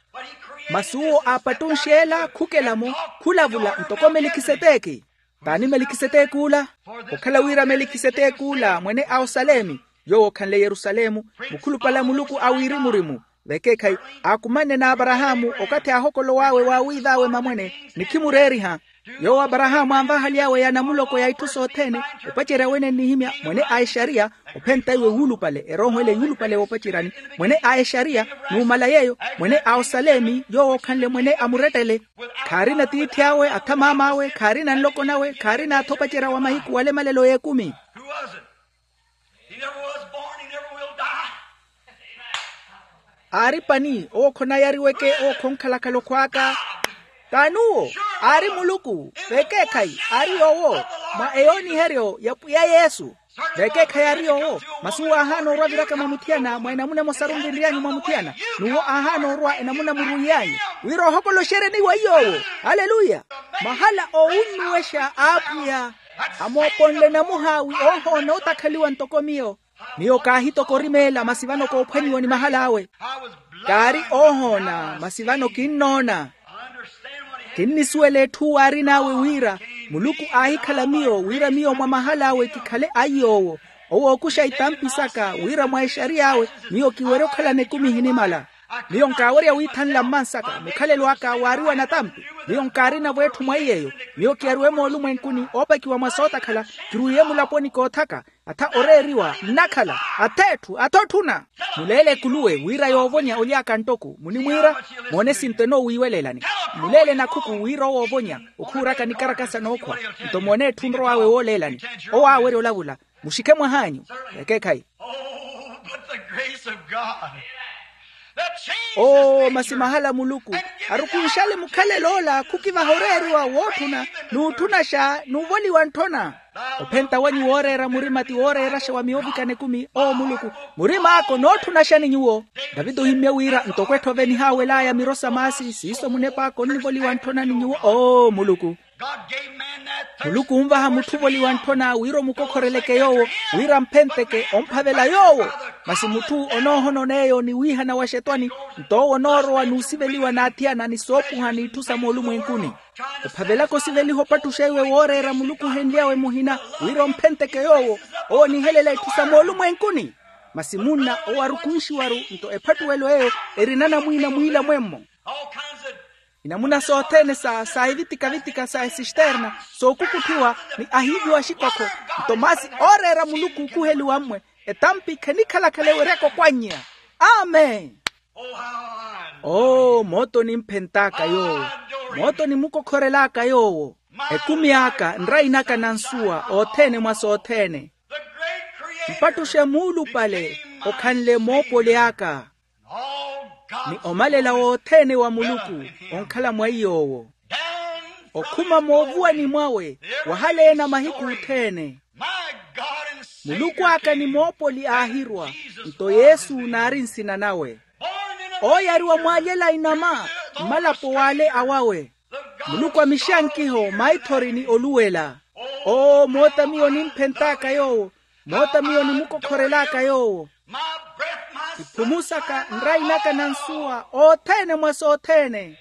Masi uwo aapattunx'ela khukela-mo, khulavula ntoko melikiseteki. Taani melikiseteki ula? Okhala wira melikiseteki ula mwene a osalemi, yoowo okhanle yerusalemu, mukhulupale a muluku a wirimu-rimu. Vekeekhayi, aakumanne n'aparahaamu okathi aahokolow'awe waawiiv'awe mamwene, ni khimureeriha. Yoowo aparahaamu aanvahaly'awe ya namuloko ya itthu sothene, opacerya wene nnihimya mwene a exariya. Ophenta iwe wuulupale erooho ele yuulupale woopaceryani, mwene a exariya, numala yeeyo mwene a osalemi yoowo okhanle mwene a murettele. Khaarina tiithi awe atha maam'awe khaarina nloko nawe khaarina atha opacerya wa mahiku wala emalelo y'ekumi. Who was it? He never was born, he never will die. Aari pani owo khonayariweke owo khonkhalakhala okhwaaka. T'ani uwo? Aari muluku. Vekeekhayi aari yoowo mwa eyooniheryo ya pwiya yesu. Vekeekhayi aari yoowo. Masi uwo aahaana orwa aviraka mwa muthiyana mwa enamuna emosaru nvinry'anyu mwa muthiyana. N'uwo aahaana orwa enamuna muruiy'anyu wira ohokoloxeryeni wa iy'owo. Aleluya. Mahala owunnuwexa a apwiya amooponle namuha wi oohoona otakhaliwa ntoko miyo. Miyo kaahitokorimeela masi vano koophwanyiwa ni mahal'awe. Kaari oohoona masi vano kinnoona. Kinnisuwela etthu waarin'awe wira muluku aahikhala miyo wira miyo mwa mahal'awe kikhale aiy'owo. Owo ookuxa itampi saka wira mwa exariy'awe miyo kiwerya okhalana ekumi ehinimala. Miyo nkaawerya withanla mmansaka mukhalelo aka waariwa natampi. Miyo nkaarinavo etthu mwa iy'eyo. Miyo kiyariwe moolumwenkuni oopakiwa mwa sootakhala. Kiruwiye mulaponi koothaka atha oreeriwa nnakhala ath'etthu athotthuna. Muleele ekuluwe wira yoovonya olyaaka nttoko munimwiira. Moone sinto enoowiiwelelani. Muleele nakhuku wira owoovonya okhuuraka nikarakasa nookhwa. Nto moone etthu nrow'awe wooleelani owo aawerya olavula. Muxikhe mwah'anyu. Ekeekhayi. Oh, but the grace of God. Oo masi mahala muluku arukunxale mukhalel'ola khukivaha oreeriwa wootthuna n'utthunaxa n'uvoliwa ntthona. Ophenta wanyu wooreera murima ti wooreeraxa wa miyo ovikana ekumi oo muluku. Murim'aka onootthuna axani nyuwo. Daviti ohimmye wira ntoko etthu ovenihaawel'aya miro sa maasi siiso munep'aka onnivoliwa ntthona ni nyuwo oo muluku. Muluku onvaha mutthu ovoliwa ntthona wira omukokhoreleke yoowo wira amphenteke omphavela yoowo. Masi mutthu onoohona on'eyo ni wiihana wa xetwani nto owo onoorowa n'usiveliwa n'athiyana ni soopuha n'itthu sa moolumwenkuni. Ophavelaka osiveliha opattuxa iwe wooreera muluku ohenly'awe muhina wira omphenteke yoowo. Owo onihelela itthu sa moolumwenkuni. Masi munna owo arukunxiwaru nto ephattuwelo eyo erina namwiina mwiilamwemmo. Inamuna sothene sa sa evitika-vitika sa esisterna sookukutthiwa ni ahiiviwa axikokho. Nto masi ooreera muluku okuheliwa mmwe etampi khenikhala-khala eweryaka okwannya. Amen. Oo mooto onimphent'aka yoowo. Mooto onimukokhorel'aka yoowo. Ekumi aka nrain'aka na nsuwa othene mwa sothene. Mpattuxe muulupale okhanle moopoli aka. Ni omalela wothene wa muluku onkhala mwa iy'owo. Okhuma moovuwani mwawe wahaleena mahiku othene. Muluku aka ni moopoli aahirwa nto yesu naari nsina nawe. Ooyariwa mwaalyela inama mmalapo w'ale awawe. Muluku amixankiho maithori ni oluwela. Oo moota miyo nimphent'aka yoowo. Moota miyo nimukokhorel'aka yoowo. Iphumu saka nrain'aka na nsuwa othene mwa sothene.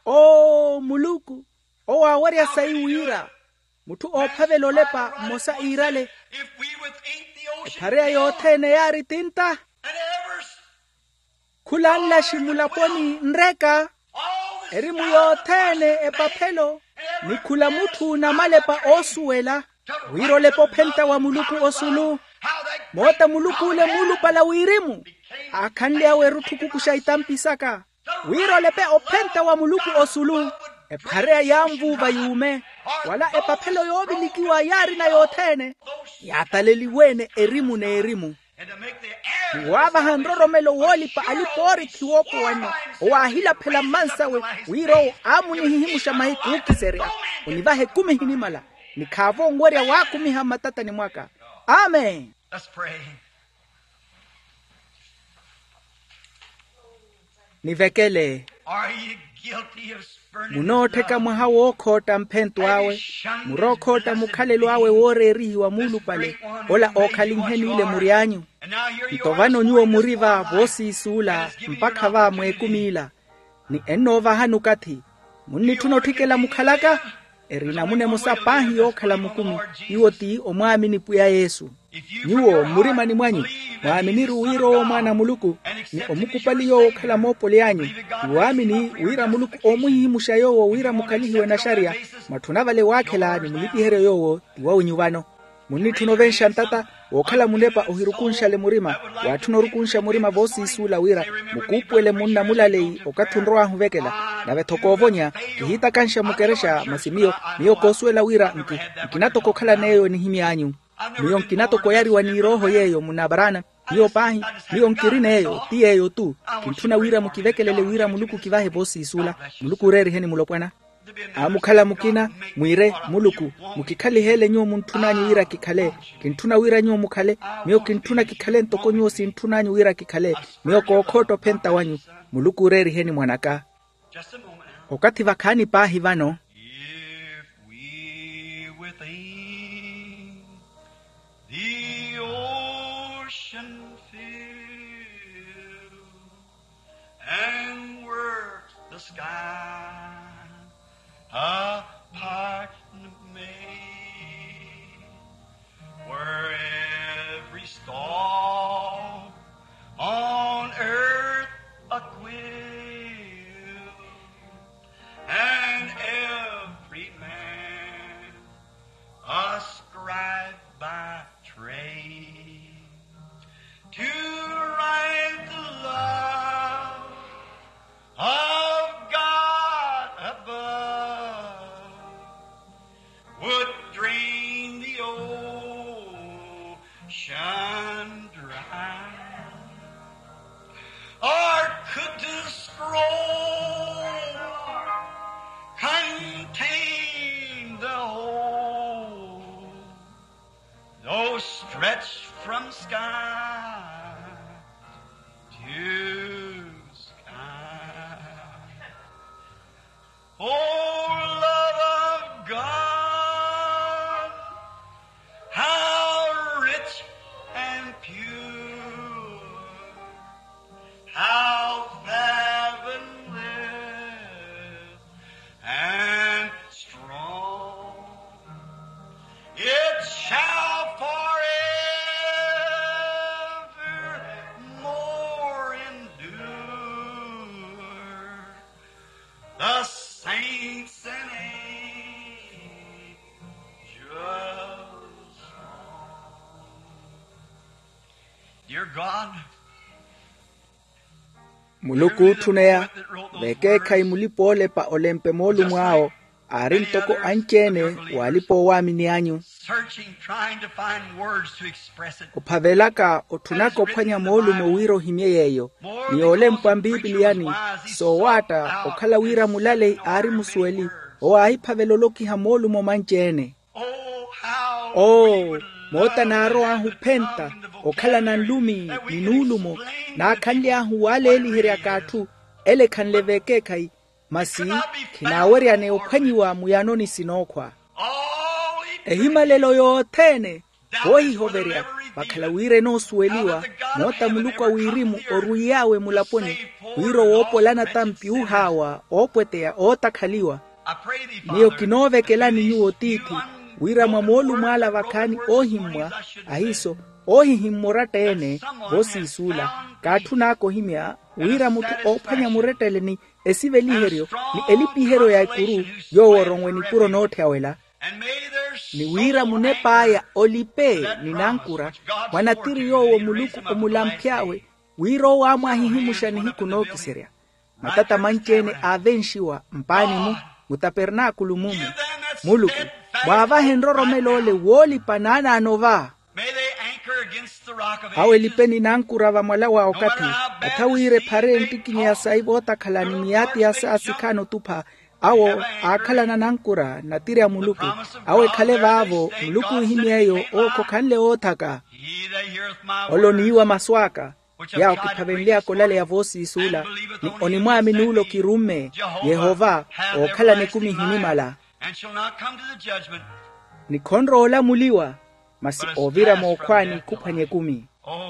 Oo muluku owo aawerya sayi wira mutthu oophavela olepa mmosa iirale. Ephareya yothene yaari tinta. Khula nlaxi mulaponi nreka erimu yothene epaphelo ni khula mutthu namalepa oosuwela wira olepa ophenta wa muluku osulu. Moota muluku ole muulupala wirimu aakhanly'awe erutthu kukuxa itampi saka wira olepe ophenta wa muluku osulu. Ephareya yaanvuuva yuume wala epaphelo yoovilikiwa yaarina yothene yaataleliwe-ene erimu n'erimu. Ni waavaha nroromelo woolipa alipa oorikhi woopowanyo owaahilaphela mmansawe wira owo aamunihihimuxa mahiku ookiserya onivaha ekumi ehinimala ni khaavo onwerya waakumiha mmatatani mwaka. Amen. Nivekele. Munoottheka mwaha wookhootta mphento awe murookhootta mukhalelo awe wooreerihiwa muulupale ola ookhalinhe niile muri anyu. Nto vano nyuwo muri va voosiisuula mpakha va mweekumi ila ni ennoovahani okathi. Munnitthuna otthikela mukhalaka eri namuna emosa paahi yookhala mukumi iwo ti omwaamini pwiya yesu. Nyuwo mmurimani mwanyu mwaaminiru wira owo mwaana a muluku ni omukupali yoowo okhala moopoli anyu ni waamini wira muluku oomuhihimuxa yoowo wira mukhalihiwe naxariya. Mwatthuna vale waakhela ni mulipiheryo yoowo ti wa wenyu vano. Munnitthuna ovenxa ntata wookhala munepa ohirukunxale murima waatthuna orukunxa murima voosiisuula wira mukuupuwele munna mulaleyi okathi onrow'ahu ovekela. Nave-tho koovonya kihiitakanxa mukerexa masi miyo miyo koosuwela wira nki nkina toko okhalana eyo enihimy'anyu. Miyo nkina toko oyariwa n'irooho yeeyo munna abarana. Miyo paahi, miyo nkirina eyo ti yeeyo-tu. Kintthuna wira mukivekelele wira muluku kivahe voosiisula. Muluku ooreeriheni mulopwana. Aamukhala mukina, mwiire, muluku, mukikhaliheele nyuwo muntthun'anyu wira kikhale. Kintthuna wira nyuwo mukhale. Miyo kintthuna kikhale ntoko nyuwo sintthun'anyu wira kikhale. Miyo kookhootta ophenta wanyu. Muluku ooreeriheni mwan'aka. Okathi vakhaani paahi vano. If we within the ocean fill, and were the sky a partment made, were every star on earth a quill, and every man a scribe by trade, to write the love of God above would drain the ocean dry, or could the scroll contain the whole, though stretched from sky to sky? O love of God, how rich and pure, how fathomless and strong, it shall forevermore endure. The saints and angels song. Dear God, Muluku ootthuneya, vekeekhayi mulipa-oolepa olempe moolumo awo, aari ntoko anci-ene waalipa oowaamini anyu. Searching, trying to find words to express it. Ophavelaka, otthunaka ophwanya moolumo wira ohimye yeeyo. Ni yoolempwa mpipiliyani, soowaatta okhala wira mulaleyi aari musuweli, owo aahiphavela olokiha moolumo manci-ene. Oo, moota naarow'ahu ophenta okhalana nlumi ni nuulumo, naakhanly'ahu waaleeliheryaka atthu, ele ekhanle vekeekhayi, masi khinaaweryane ophwanyiwa muyanoni sinookhwa. Ehimalelo yothene voohihoverya, vakhala wira enoosuweliwa, moota muluku a wirimu orwiiy'awe mulaponi, wira owoopolana tampi oohaawa, oopweteya, ootakhaliwa. Miyo kinoovekelani nyuwo tiithi, wira mwa moolumo ala vakhaani oohimmwa, ahiiso, oohihimmwa oratta-ene, voosiisuula, kaatthun'aka ohimya wira mutthu oophwanya murettele ni esiveliheryo ni elipiheryo ya ekuru, yoowo oronwe nipuro nootthya wela. Ni wira munep'aya olipe ni nankura mwa natiri yoowo muluku omulamph'awe, wira owo aamwahihimuxa nihiku nookiserya. Matata manci-ene aavenxiwa mpaani-mu, mutapernaakulu mumu. Muluku, mwaavahe nroromel'ole woolipa naanaano va. Awo elipe ni nankura vamwala wa okathi, atha wira ephare enttikinya ya sayi vootakhala ni miyaati ya saasikhaani otupha. Awo aakhalana nankura natiri a muluku. Awo ekhale vaavo muluku oohimy'eyo owo khokhanle woothaka. Ole oniiwa masu aka, yaawo kiphavenly'aka olaleya voosiisuula, ni onimwaamini ole okirumme, yehova, ookhalana ekumi ehinimala. Ni khonrowa olamuliwa, masi oovira mookhwaani khuphwanya ekumi.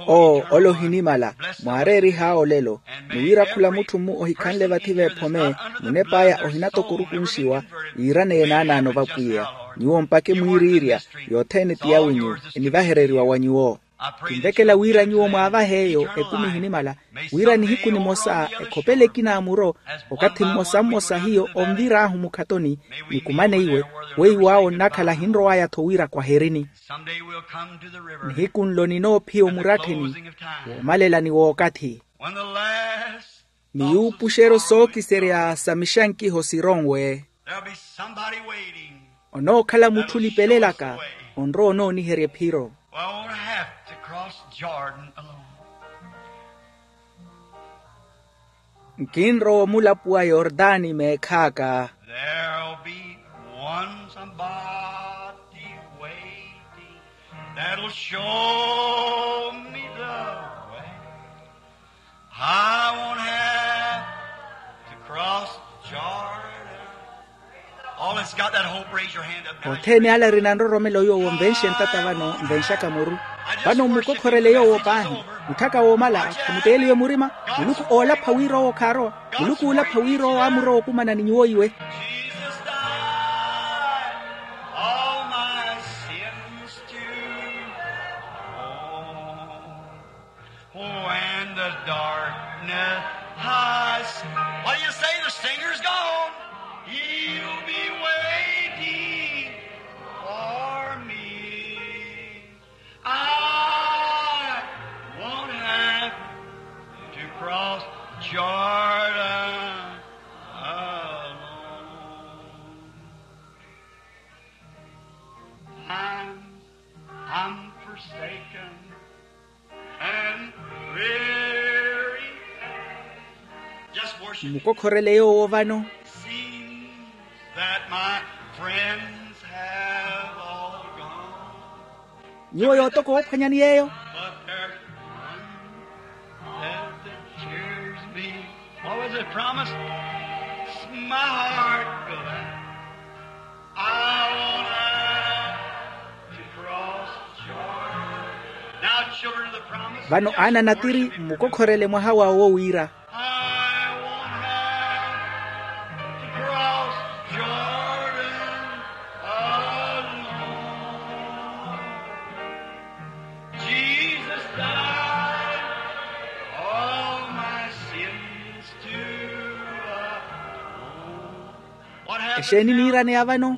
Oo, ole ohinimala, mwaareerih'awe olelo. Ni wira khula mutthu-mu ohikhanle vathi v'ephome, munep'aya ohinatokorukunxiwa, yiiraneye naanaano vapwiya. Nyuwo mpakhe mwiiriirya, yothene ti yawinyu, enivahereriwa wa nyuwo. Kinvekela wira nyuwo mwaavahe eyo ekumi ehinimala, wira nihiku nimosa ekhopele ekina a muro, okathi mmosa mmosa hiyo onvir'ahu mukhatoni, nikumane iwe, weiwo awo nnakhala ahinrow'aya-tho wira kwaherini. Nihiku nlo ninoophiya omurattheni woomalelani w'okathi. Ni yuupuxeryo sookiserya sa mixankiho sironwe. Onookhala mutthu olipelelaka, onrowa onooniherya ephiro. Well, I won't have to cross Jordan alone. Nkinrowa omulapuwa yortani meekhaaka. There'll be one somebody waiting that'll show me the way. I won't have to cross Jordan. All that's got that hope, raise your hand up now. Othene ale arina nroromelo yoowo nvenxe ntata vano nvenxaka muru. Vano mmukokhorele yoowo paahi. Mutthaka woomala khumuteeliwe murima. Muluku oolapha wira owo khaarowa. Muluku oolapha wira owo aamurowa okumana ni nyuwo iwe. Jesus died all my sins to own. When the darkness has, what do you say? The singer's gone. He'll be waiting for me. I won't have to cross Jordan alone. I'm, I'm forsaken. Mmukokhorele yoowo vano. Nyuwo yootoka oophwanyani yeeyo. Vano aana natiri mmukokhorele mwaha wawo wira. Exeeni niiraneya vano?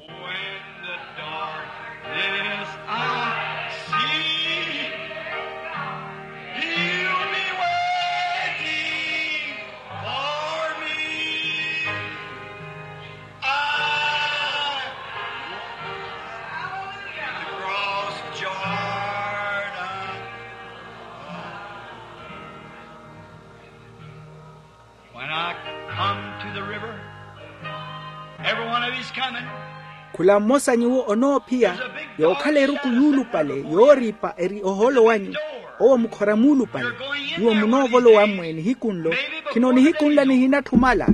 Khula mmosa nyuwo onoophiya yookhala eruku yuulupale yooripa eri ohoolo wanyu. Owo mukhora muulupale. Nyuwo munoovolowa mmwe nihiku nlo. Khino nihiku nla nihinatthu omala.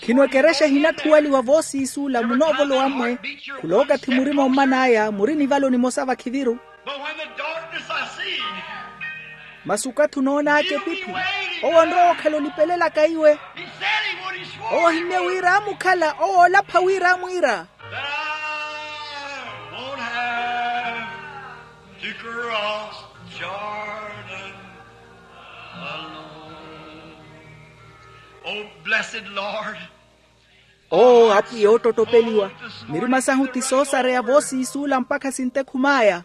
Khino ekerexa ehinatthuwaliwa voosiisuula munoovolowa mmwe. Khula okathi murima omman'aya muri nivalo nimosa vakhiviru. Masi okathi onoon'aka epiphi owo onrowa okhala olipelelaka iwe. Owo ohimmye wira aamukhala owo oolapha wira aamwiira. Owo apwiya oottottopeliwa. Mirima sahu ti soosareya voosiisuula mpakha sintekhum'aya.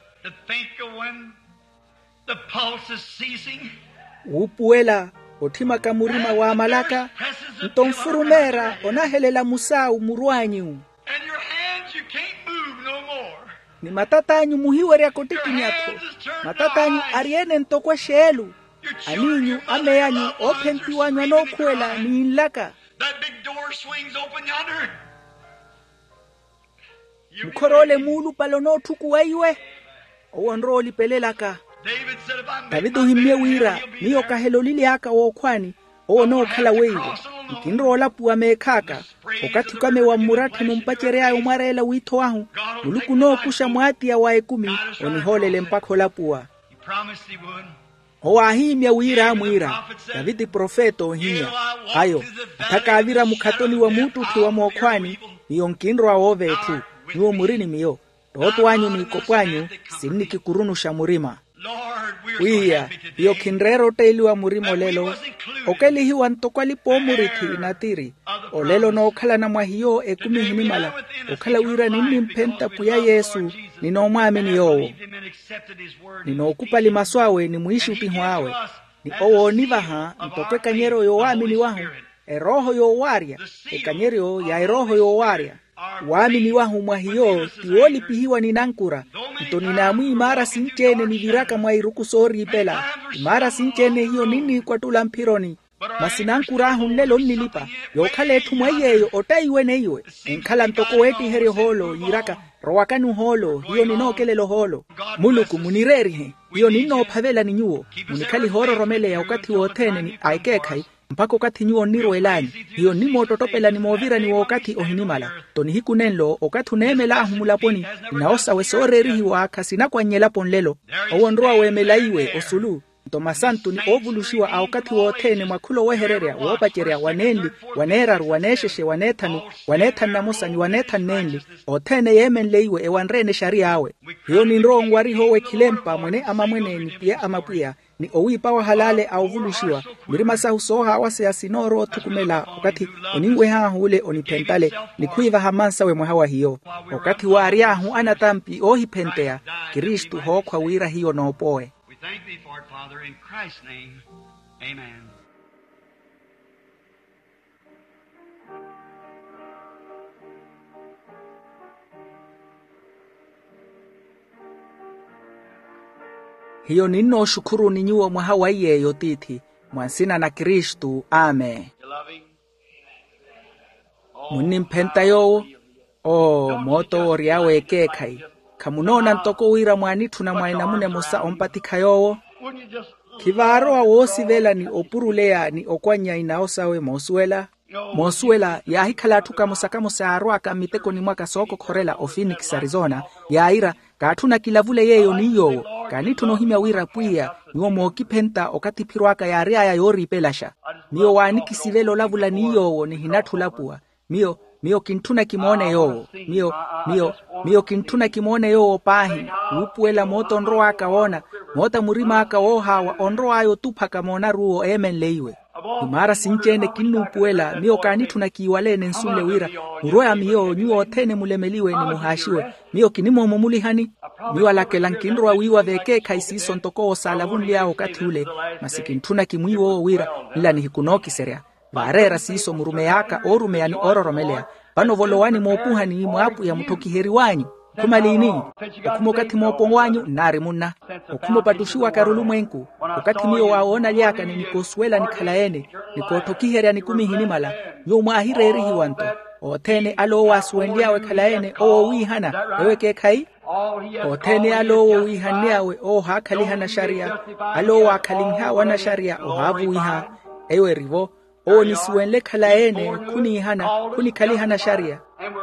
Wuupuwela otthimaka murima waamalaka. Nto nfurumeera onahelela musaawu murw'anyu. Ni matat'anyu muhiweryaka ottikinya-tho. Matat'anyu ari-ene ntoko exeelu. Aniinyu amey'anyu oophentiw'anyu anookhuwela ni nlaka. Mukhor'ole muulupale onootthukuwa iwe. Owo onrowa olipelelaka. Taviti ohimmye wira miyo kahela olili aka w'okhwani. Owo onookhala weiwo. Nkinrowa olapuwa meekh'aka. Okathi okamewa mmuratthi num'pacery'aya omwareela wiitho wahu. Muluku onookuxa mwaatiya wa ekumi onihoolele mpakha olapuwa. Owo aahimmya wira aamwiira. Taviti profeta oohimya. Ayo atthaka aavira mukhatoni wa muuttutthi wa mookhwani. Miyo nkinrowa woova etthu. Nyuwo muri ni miyo. Ttootto anyu n'ikopo anyu sinnikikurunuxa murima. Pwiya, hiyo khinreera otteeliwa murima olelo. Okelihiwa ntoko alipa-oomurithi natiri. Olelo onookhalana mwa hiyo ekumi ehinimala. Okhala wira ninnimphenta pwiya yesu. Ninoomwaamini yoowo. Ninookupali masu awe ni mwiixuttiho awe. Ni owo oonivaha ntoko ekanyeryo yoowaamini wahu. Erooho yoowaarya. Ekanyeryo ya erooho yoowaarya. Waamini wahu mwa hiyo ti woolipihiwa ni nankura. Nto ninaamwiimaara sinci-ene niviraka mwa iruku sooriipela. Imaara sinci-ene hiyo ninniikwattula mphironi. Masi nankur'ahu nlelo onnilipa, yookhala etthu mwa iy'eyo ottaiwe neiwe. Enkhala ntoko weettiherya ohoolo yiiraka, rowakani ohoolo hiyo ninookelela ohoolo. Muluku munireerihe. Hiyo ninnoophavelani nyuwo. Munikhalihe oororomeleya okathi wothene ni a ekeekhayi, mpakha okathi nyuwo onnirweel'anyu. Hiyo nnimoottottopelani moovirani w'okathi ohinimala. Nto nihiku nenlo okathi oneemel'ahu mulaponi, inawo sawe sooreerihiwa khasinakwannye elapo nlelo. Owo onrowa weemela iwe osulu. Nto masantu ni oovuluxiwa a okathi wothene mwa khula owehererya woopacerya wa nenli, wa neeraru, wa neexexe, wa neethanu, wa neethanu na mosa ni wa neethanu nenli, othene yeemenle iwe ewanre-ene exariy'awe. Hiyo ninrowa onwariha owo ekhilempa mwene amamwene ni pwiya a mapwiya, ni owiipawa halale a ovuluxiwa. Mirima sahu soohaawaseya sinoorowa othukumela okathi oninweh'ahu ole oniphentale, ni khwiivaha mmansawe mwaha wa hiyo. Okathi waary'ahu anatampi oohiphenteya, kristu hookhwa wira hiyo noopowe. We thank thee for it, Father, in Christ's name. Amen. Hiyo ninnooxukhuruni nyuwo mwaha wa iy'eyo tiithi, mwa nsina na kristu. Amen. Munnimphenta yoowo? Oo moot'owo ory'awe ekeekhayi. Khamunoona ntoko wira mwaanitthuna mwa enamuna emosa ompatikha yoowo? Khivaarowa woosivela ni opuruleya ni okwannya inawo sawe moosuwela. Moosuwela yaahikhala atthu kamosa-kamosa yaarw'aka mmitekoni mwaka sookokhorela ofiniks arizona, yaayira, kaatthuna kilavule yeeyo ni yoowo. Kaanitthuna ohimya wira pwiya, nyuwo mookiphenta okathi ephiro aka yaary'aya yooriipelaxa. Miyo waanikisivela olavula ni yoowo nihinatthi olapuwa. Miyo miyo kintthuna kimoone yoowo. Miyo miyo miyo kintthuna kimoone yoowo paahi. Wuupuwela moota onrow'aka woona, moota murim'aka woohaawa onrow'aya otuphaka moonaru-wo eemenle iwe. Imaara sinci-ene kinnuupuwela miyo kaanitthuna kiiwaleene nsunle wira, murweya miyo nyuwo othene mulemeliwe ni muhaaxiwe. Miyo kinimoomumulihani. Miyo alakela nkinrowa wiiwa v'ekeekhayi siiso ntoko owo saalavunly'awe okathi ule. Masi kintthuna kimwiiwe owo wira nla nihiku nookiserya. Vaareera siiso murumey'aka oorumeya ni oororomeleya. Vano volowani moopuhani mwa apwiya mutthokiheriw'anyu. Okhuma liini? Okhuma okathi moopo w'anyu nnaari munna. Okhuma opattuxiwaka arulumwenku. Okathi miyo waawoonaly'aka ni nikoosuwela nikhala-ene, nikootthokiherya nikumi ehinimala, nyuwo mwaahireerihiwa nto. Othene ale owo aasuwenly'awe ekhala-ene owo owiihana. Eyo ekeekhayi? Othene ale owo owiihanly'awe owo ohaakhalihana axariya. Ale owo aakhalinh'awe anaxariya ohaavuwiha. Eyo erivo. Owo onisuwenle ekhala-ene khuniihana, khunikhalihana axariya.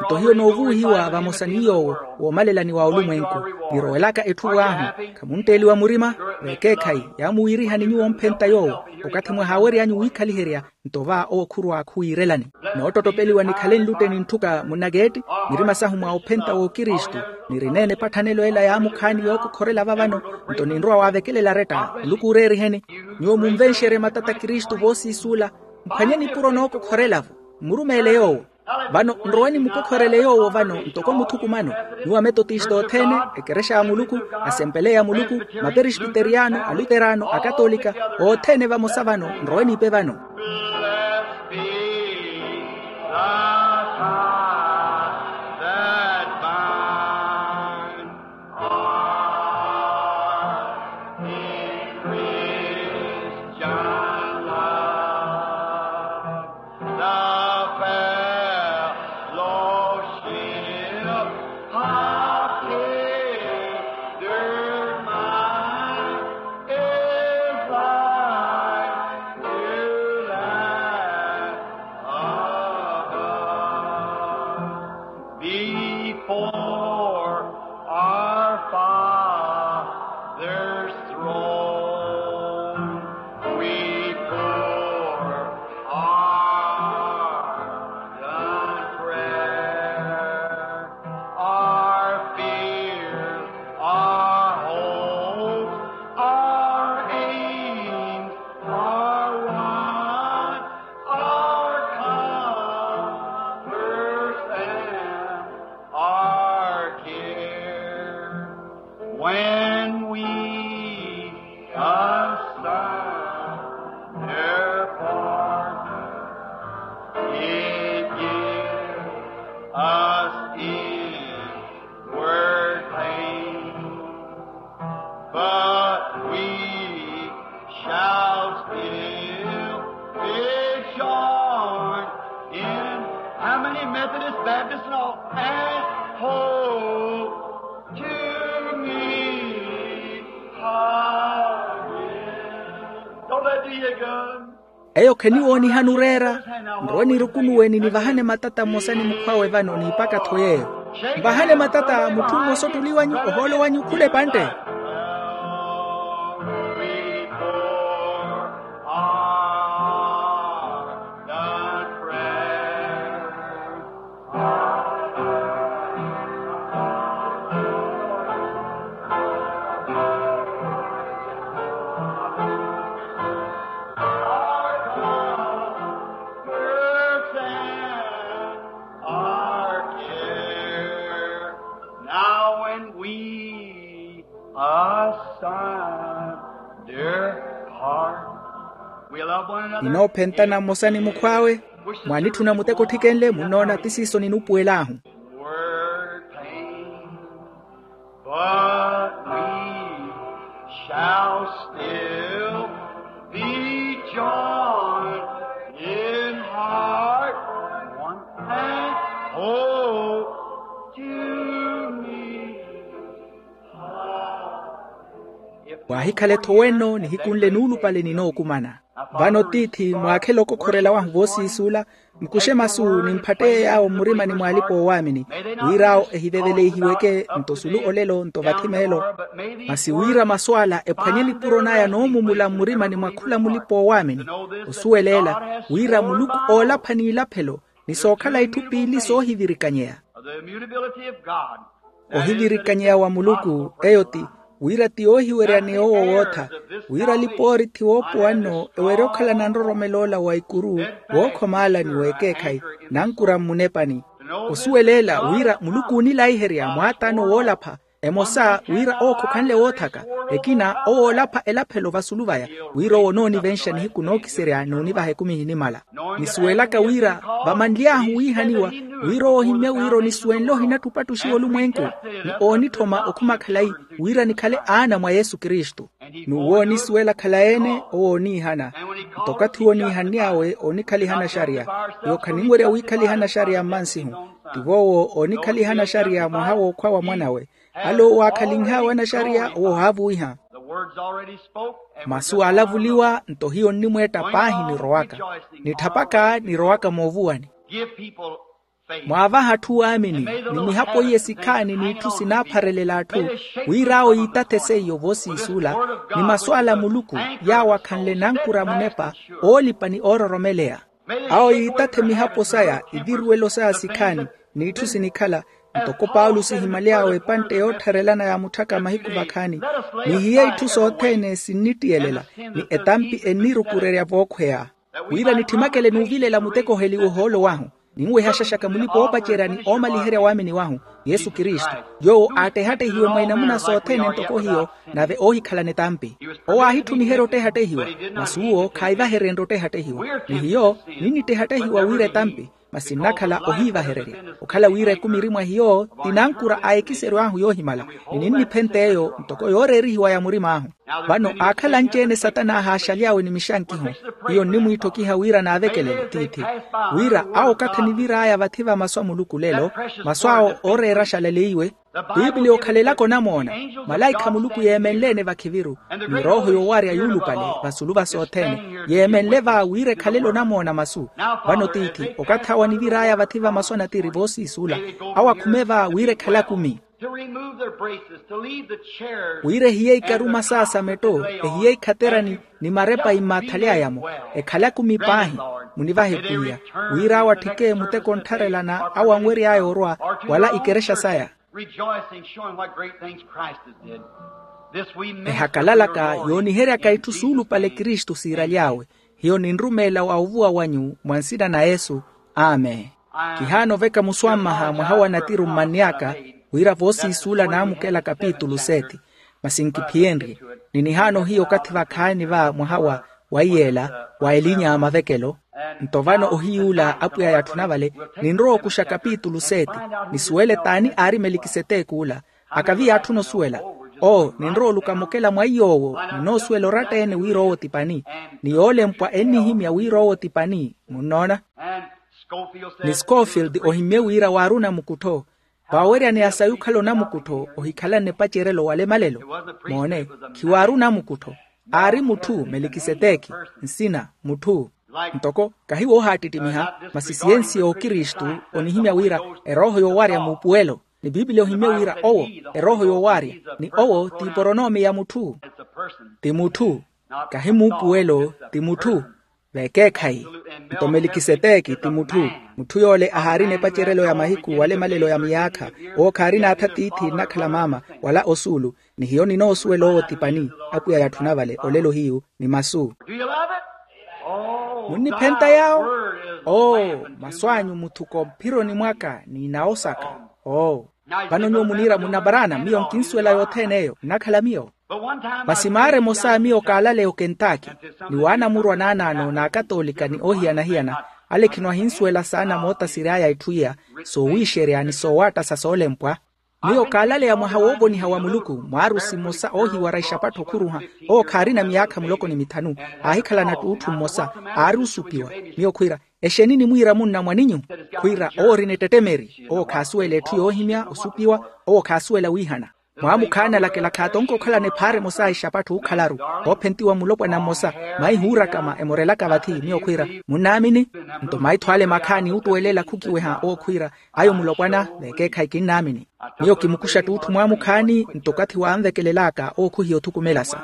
Nto hiyo noovuwihiwa vamosa ni yoowo woomalelani wa olumwenku. Nirowelaka etthu vwaahu. Khamuntteliwa murima. Vekeekhayi yaamuwiirihani nyuwo omphenta yoowo. Okathi mwahaawery'anyu wiikhaliherya, nto va owo khurwa khuwiirelani. Noottottopeliwa nikhale nlutte ni ntthuka munnakeetti. Mirima sahu mwa ophenta w'okristu. Nirineene epatthanelo ela yaamukhaani yookokhorela vavano. Nto ninrowa waavekelela aretta. Muluku ooreeriheni. Nyuwo munvenxerye matata kristu voosiisuula. Mphwanye nipuro nookokhorela-vo. Mmurumeele yoowo. Vano nrowani mukokhorele yoowo vano ntoko muthukumano. Nyuwo ametotista othene, ekerexa ya muluku, asempele ya muluku, maperespiteriyano, aluterano, akatolika, othene vamosa vano nrowani ipe vano. Blessed be the tie that binds us in Christian love. The fellowship of tender minds is like dew that We shall still be joined in how many Methodist, Baptist, and all? And hold to me again. Don't that do you good? Eyo kheniwoonihani oreera. Nrowe nirukunuwe ni nivahane matata mmosa ni mukhwawe vano niipaka-tho yeeyo. Nvahane matata mutthu mmosa ottuli wanyu ohoolo wanyu khula epantte. Our care now and we asunder part. We love one another. Ninoophentana mmosa ni mukhw'awe. Mwaanitthuna muteko otthikenle munnoona ti siiso ninuupuwel'ahu. Word pain. But we shall still be joined in heart one and hope to me. Waahikhale-tho wenno nihikunle nuulupale ninookumana. Vano tiithi mwaakhele okokhorela wahu voosiisula. Mukuxe masu nimphatteye yaawo mmurimani mw'alipa oowaamini, wira awo ehiveveleihiweke nto sulu olelo nto vathi meelo. Masi wira masu ala ephwanye nipuro naya noomumula mmurimani mwa khula mulipa oowaamini, osuwelela wira muluku oolapha n'ilaphelo ni sookhala itthu piili soohivirikanyeya. Ohivirikanyeya wa muluku eyo ti wira ti yoohiwerya ni owo wootha, wira alipoorithi woopowa nno ewerye okhalana nroromelo ola wa ikuru, wookhoma ala ni w'ekeekhayi, nankura mmunepani. Osuweleela wira muluku oonilaiherya mwaataano woolapha, emosa wira owo khokhanle woothaka, ekina owo oolapha elaphelo vasulu vaya, wira owo onoonivenxa nihiku nookiserya n'onivaha ekumi ehinimala. Nisuwelaka wira vamanly'ahu wiihaniwa, wira owo ohimmye wira onisuwenle ohinatthupatthuxiwa olumwenku, ni oonitthoma okhuma khalayi wira nikhale aana mwa yesu kristu. N'uwo oonisuwela khalayi-ene owo ooniihana. Nto okathi ooniihanny'awe oonikhalihana xariya, iyo khaninwerya wiikhalihana xariya mmansihu. Tivo owo oonikhalihana xariya mwaha w'okhwa wa mwan'awe. Ale owo aakhalinh'awe anaxariya owo ohaavuwiha. Masu aalavuliwa nto hiyo nnimweetta paahi nirowaka. Nitthapaka nirowaka moovuwani. Mwaavaha atthu waamini ni mihapo iye sikhaani n'itthu sinaapharelela atthu, wira awo yiitathe seiyo voosiisula ni masu ala a muluku, yaawo akhanle nankura munepa oolipa ni oororomeleya. Awo yiitathe mihapo saya, iviruwelo saya sikhaani, n'itthu sinikhala, ntoko paulo sihimaly'awe epantte yoottharelana yaamutthaka mahiku vakhaani. Nihiye itthu sothene sinnittiyelela, ni etampi ennirukurerya vookhweya, wira nitthimakele n'uvilela muteko oheliwa ohoolo wahu, ninwehaxaxaka mulipa-oopacerya ni oomaliherya waamini wahu, yesu kristu, yoowo aattehattehiwe mwa inamuna sothene ntoko hiyo, nave oohikhalana etampi. Owo aahitthumiherya ottehattehiwa, masi uwo khaayivahererenrye ottehattehiwa. Ni hiyo ninnittehattehiwa wira etampi, masi nnakhala ohiivahererya, okhala wira ekumi eri mwa hiyo ti nankura a ekiseryo ahu yoohimala, ni ninniphent'eyo ntoko yooreerihiwa ya murim'ahu. Vano aakhala anci-ene satana aahaaxaly'awe ni mixankiho, hiyo nnimwiitthokiha wira naavekelele tiithi, wira awo okathi anivir'aya vathi va masu a muluku lelo, masu awo ooreera axalaleiwe. Piipili yookhalelaka onamoona, malaikha a muluku yeemenle-ene vakhiviru, ni rooho yoowarya yuulupale vasulu va sothene, yeemenle va wira ekhalele onamoona masu. Vano tiithi okathi awo anivir'aya vathi va masu a natiri voosiisula, awo akhume va wira ekhale akumi. Wira ehiye ikaruma saasametto, ehiye ikhaterani ni marepayi mmaathaly'aya-mo, ekhale akumi paahi. Munivahe pwiya, wira awo atthike muteko onttharelana awo anwery'aya orwa, wala ikerexa saya. Ehakalalaka yooniheryaka itthu suulupale kristu siiraly'awe. Hiyo ninrumeela wa ovuwa wanyu mwa nsina na yesu. Amen. Kihaana oveka muswammaha mwaha wa natiru mmanny'aka, wira voosiisuula naamukela kapitulu seti. Masi nkiphiyenrye, ni nihaana ohiya okathi vakhaani va mwaha wa wa iyeela wa elinya a mavekelo. Nto vano ohiy'ula apwiya yaatthuna vale, ninrowa okuxa kapitulu seti, nisuwele t'ani aari melikiseteki ula. Akavi yaatthuna osuwela. Oo ninrowa oluka mukela mwa iy'owo. Ninoosuwela oratta-ene wira owo ti pani, ni yoolempwa ennihimya wira owo ti pani. Munnoona? Ni scofield ohimmye wira waari onamukuttho. Vaaweryaneya sayi okhala onamukuttho ohikhalanne epacerelo wala emalelo. Moone, khiwaari onamukuttho. Aari mutthu melikiseteki, nsina mutthu. Ntoko kahi woohaattittimiha, masi siyensi y'okristu onihimya wira erooho yoowarya muupuwelo. Ni piipili ohimmye wira owo erooho yoowarya, ni owo ti iporonomi ya mutthu. Ti mutthu, kahi muupuwelo, ti mutthu. Vekeekhayi. Nto melikiseteki ti mutthu. Mutthu yoole ahaarina epacerelo ya mahiku wala emalelo ya miyaakha. Owo khaarina atha tiithi nnakhala maama, wala osuulu. Ni hiyo ninoosuwela owo ti pani. Apwiya yatthuna vale olelo hiyu ni masu. Munniphenta yaawo? Oo, masu anyu muthuko mphironi mwaka ni inawo saka. Oo. Vano nyuwo muniira munna paraana miyo nkinsuwela yothene eyo nnakhala miyo. Masi maara emosa miyo kaalaleya okentaki, ni waanamurwa naanaano n'akatoolika ni oohiyana-hiyana, ale khino ahinsuwela saana moota siri aya itthu iya, soowiixerya ni soowaattasa soolempwa. Miyo kaalaleya mwaha woovoniha wa muluku, mwaarusi mmosa oohiwara ixapattho okhuruha, owo khaarina miyaakha muloko ni mithanu, aahikhalana t'utthu mmosa, aari osupiwa. Miyo khwiira, exeni nimwiira munna mwaninyu? Khwiira owo orina ettettemeri, owo khaasuwela etthu yoohimya osupiwa. Owo khaasuwela wiihana. Mwaamukhaana alakela khaatonke okhalana ephaara emosa a ixapattho ookhalaru, oophentiwa mulopwana mmosa, maihi oorakama emorelaka vathi. Miyo khwiira, munnaamini? Nto maitho ale makhaani oottuwelela khukiweha owo khwiira, ayo mulopwana, vekeekhayi kinnaamini. Miyo kimukuxa t'utthu mwaamukhaani nto okathi waanvekelelaka owo khuhiya othukumelasa.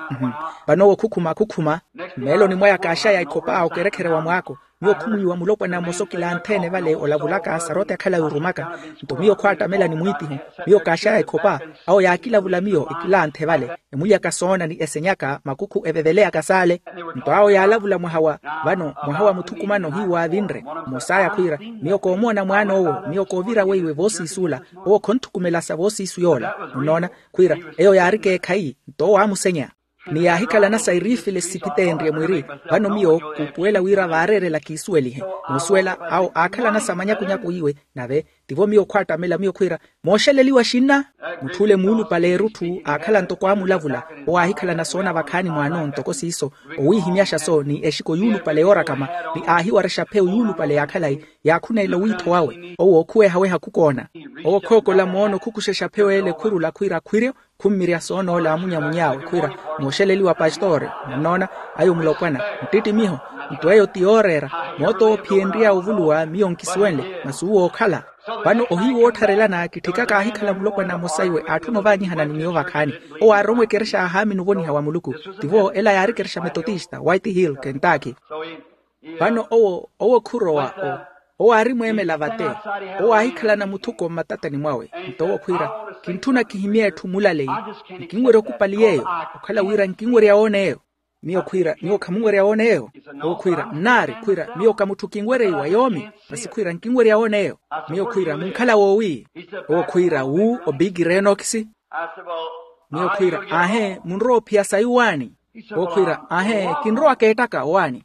Vano owo khukhuma khukhuma. Mmeeloni mwaya kaaxaya ikhopa okerekherewa mwaako. Miyo khumwiiwa mulopwana mmosa okilanthe-ene vale olavulaka sarote akhalayi orumaka. Nto miyo khwaattamela ni mwiitiho. Miyo kaaxaya ikhopa, awo yaakilavula miyo ekilanthe vale, emulyaka soona ni esenyaka makukhu eveveleyaka saale. Nto awo yaalavula mwaha wa, vano mwaha wa muthukumano hiyu waavinre. Mmosaya khwiira, miyo koomoona mwaan'owo, miyo koovira weiwe voosiisuula. Owo khonthukumelasa voosiisu yoola. Munnoona? Khwiira, eyo yaari keekhayi. Nto owo aamusenya. Ni yaahikhalana sa iriifile siphiteenrye mwiri. Vano miyo kuupuwela wira vaareerela kiisuwelihe. Muusuwela awo aakhalana sa manyakunyaku iwe. Nave tivo miyo khwaattamela miyo khwiira, mooxeleliwa xinna. Mutth'ule muulupale erutthu aakhala ntoko aamulavula. Owo aahikhalana soona vakhaani mwaano ntoko siiso, owiihimyaxa-so ni exiko yuulupale yoorakama, ni aahiwarexa pheyo yuulupale ya khalayi. Yaakhuneela owiitho wawe owo okhuweha-weha khukoona. Owo khookola moono khukuxexa pheyo ele khurula khwiira khwiryo. Khummirya soonoola amunyamuny'awe khwiira, mooxeleliwa pastore. Munnoona? Ayo mulopwana, nttittimiho. Nto eyo ti yooreera. Moota owo ophiyenry'awe ovuluwa miyo nkisuwenle, masi uwo ookhala. Vano ohiyu woottharelana kitthikaka aahikhala mulopwana mmosa iwe aatthuna ovaanyihana ni miyo vakhaani. Owo aarowa ekerexa ya haamini ovoniha wa muluku. Tivo ela yaari ekerexa metotista white hill kentucky. Vano owo owo khurowa. Owo aari mweemela vate. Owo aahikhalana muthuko mmatatani mwawe. Nto owo khwiira, kintthuna kihimye etthu mulaleyi. Nkinwerya okupali yeeyo. Okhala wira nkinwerya woona eyo. Miyo khwiira, nyuwo khamunwerya woona eyo? Owo khwiira, nnaari khwiira miyo ka mutthu kinwerya iwa yoomi. Masi khwiira nkinwerya woona eyo. Miyo khwiira munkhala woowi? Owo khwiira wu obigire enokisi. Miyo khwiira, aahe munrowa ophiya sayi owaani? Owo khwiira, aahe kinrowa keettaka owaani.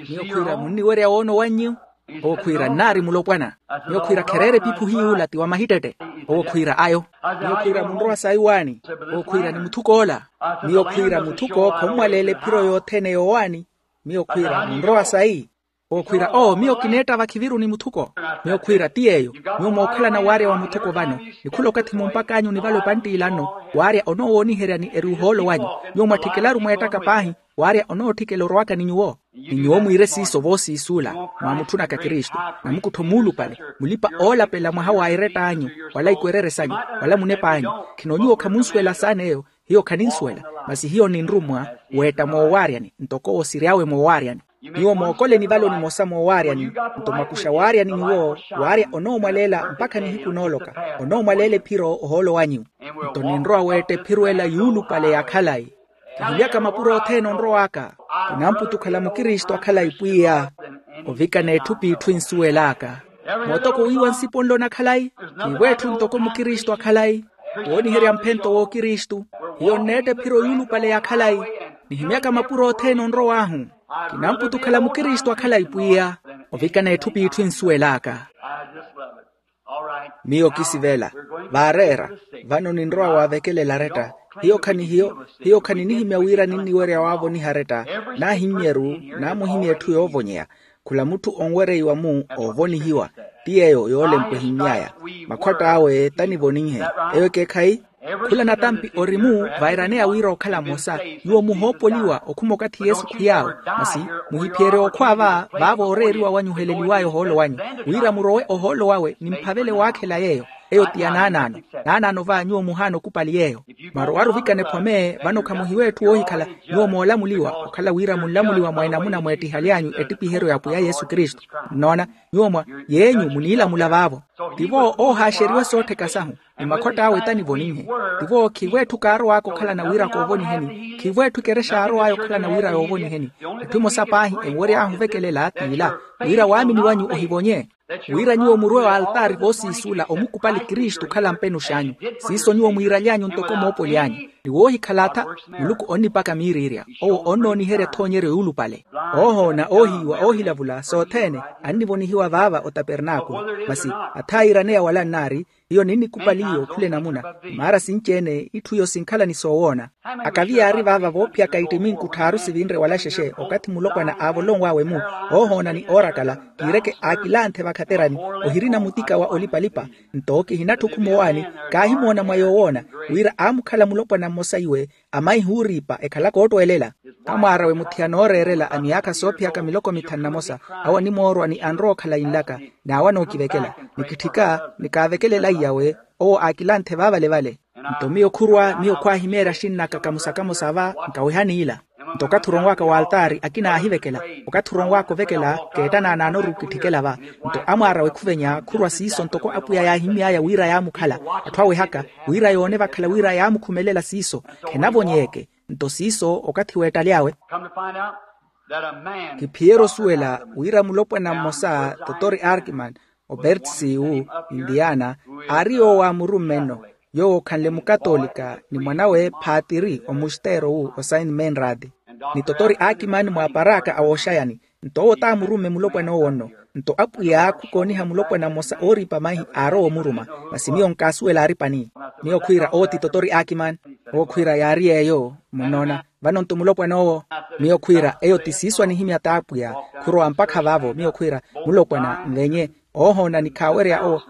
Miyo khwiira munniwerya woona owannyu? Owo khwiira nnaari mulopwana. Miyo khwiira khereera epiphu hiy'ula ti wa mahittette. Owo khwiira ayo. Miyo khwiira munrowa sayi owaani? Owo khwiira ni muthuk'ola. Miyo khwiira muthuko khommwaleela ephiro yothene yoowaani? Miyo khwiira munrowa sayi? Owo khwiira oo miyo kineetta vakhiviruni muthuko. Miyo khwiira ti yeeyo. Nyuwo mookhalana waarya wa muthuko vano, ni khula okathi mumpak'anyu ni vale opanttiila nno. Waarya onoowooniheryani eri ohoolo wanyu. Nyuwo mwatthikelaru mweettaka paahi. Waarya onootthikela orowaka ni nyuwo. Ni nyuwo mwiire siiso voosiisuula, mwaamutthunaka kristu, namukuttho muulupale, mulipa oolapela mwaha wa eretta anyu, wala ikwerere sanyu, wala munepa anyu. Khino nyuwo khamunsuwela saana eyo. Hiyo khaninsuwela. Masi hiyo ninrummwa weetta moowaaryani ntoko owo siri awe moowaaryani. Nyuwo mookoleni valo nimosa moowaaryani. Nto mwakuxa waaryani nyuwo, waarya onoomwaleela mpakha nihiku nooloka. Onoomwaleela ephiro ohoolo wanyu. Nto ninrowa weetta ephiro ela yuulupale ya khalayi. Kihilyaka mapuro othene onrow'aka. Kinamputukhala mukristu a khalayi pwiya. Ovikana etthu p'itthu ensuwel'aka. Mootoko wiiwa nsiponlo na khalayi. Niivo etthu ntoko mukristu a khalayi. Wooniherya mphento w'okristu. Hiyo nneetta ephiro yuulupale ya khalayi. Nihimyaka mapuro othene onrow'ahu. Kinamputukhala mukristu a khalayi pwiya. Ovikana etthu p'itthu ensuwel'aka. Miyo kisivela. Vaareera. Vano ninrowa waavekelela aretta. Hiyo khani hiyo hiyo khani nihimya wira ninniwerya waavoniha aretta. Naahimmyeru naamuhimya etthu yoovonyeya. Khula mutthu onwereiwa-mu oovonihiwa, ti yeeyo yoolempwa ehimmy'aya. Makhwatt'awe tanivoninhe. Eyo ekeekhayi. Khula natampi ori-mu vairaneya wira okhala mmosa. Nyuwo muhoopoliwa okhuma okathi yesu khwiy'awe. Masi muhiphiyerye okhwa va vaavo ooreeriwa wanyu oheleliw'aya ohoolo wanyu, wira murowe ohoolo wawe nimphavele waakhela yeeyo. Eyo ti ya naanaano. Naanaano va nyuwo muhaana okupali yeeyo. Mwarowaru ovikana ephome vano khamuhiwa etthu woohikhala. Nyuwo moolamuliwa okhala wira munlamuliwa mwa enamuna mweettihaly'anyu ettipiheryo ya pwiya yesu kristu. Nnoona, nyuwo mwa yeenyu muniilamula vaavo. Tivo oohaaxeriwa soottheka sahu. Ni makhwatt'awe tanivoninhe. Tivo khivo etthu kaarow'aka okhalana wira koovoniheni. Khivo etthu ekerexa yaarow'aya okhalana wira yoovoniheni. Etthu emosa paahi enwery'ahu ovekelela t'ila, wira waamini wanyu ohivonye. Wira nyuwo murwe wa altaari voosiisula omukupali kristu okhala mpenux'anyu. Siiso nyuwo mwiiraly'anyu ntoko moopoly'anyu. Ni woohikhala atha, muluku onnipaka miiriirya. Owo onnooniherya ethoonyeryo yuulupale. Oohoona oohiiwa oohilavula sothene. Annivonihiwa vaava otapernaakulu. Masi atha aiiraneya wala nnaari, hiyo ninnikupaliye okhula enamuna. Maara sinci-ene itthu iyo sinkhala ni soowoona. Akavi yaari vaava voophiyaka ittiminku tthaaru sivinre wala xexe okathi mulopwana aavolonw'awe-mu. Oohoona ni oorakala, kiireke aakilanthe vakhaterani. Ohirina mutika wa olipalipa. Nto kihinatthi okhuma owaani, kaahimoona mwa yoowoona, wira aamukhala mulopwana mmosa iwe. Amaihi ooriipa ekhalaka oottweelela. Amwaarawe muthiya nooreerela a miyaakha soophiyaka miloko mithanu na mosa. Awo animoorwa ni anrowa okhala inlaka. N'awo anookivekela. Nikitthika nikaavekelela iy'awe. Owo aakilanthe vaavale-vale. Nto miyo khurwa miyo khwaahimeerya axinn'aka kamosa-kamosa va. Nkaweha n'ila. Nto okathi oronw'aka w'altaari akina aahivekela. Okathi oronw'aka ovekela, keetta naanaanoru kitthikela va. Nto amwaarawe khuvenya khurwa siiso ntoko apwiya yaahimmy'aya wira yaamukhala. Atthu awehaka wira yoone vakhala wira yaamukhumelela siiso. Khenavonyeeke. Nto siiso okathi weettaly'awe. Kiphiyerya osuwela wira mulopwana mmosa totori arkiman, obertsi wu, indiana, aari yoowo aamurumme-no. Yoowo okhanle mukatolika ni mwanawe phaatiri omusteero wu osaint menrad. Ni totori arkiman mwaaparaaka awooxayani. Nto owo t'amurumme mulopwana owo-nno. Nto apwiya khukooniha mulopwana mmosa ooriipa maihi aarowa omuruma. Masi miyo nkaasuwela aaripani. Miyo khwiira owo ti totori akiman. Owo khwiira yaari yeeyo. Munnoona? Vano nto mulopwana owo. Miyo khwiira eyo ti siiso anihimya t'apwiya. Khurowa mpakha vaavo miyo khwiira, mulopwana nvenye. Oohoona ni khaawerya owo.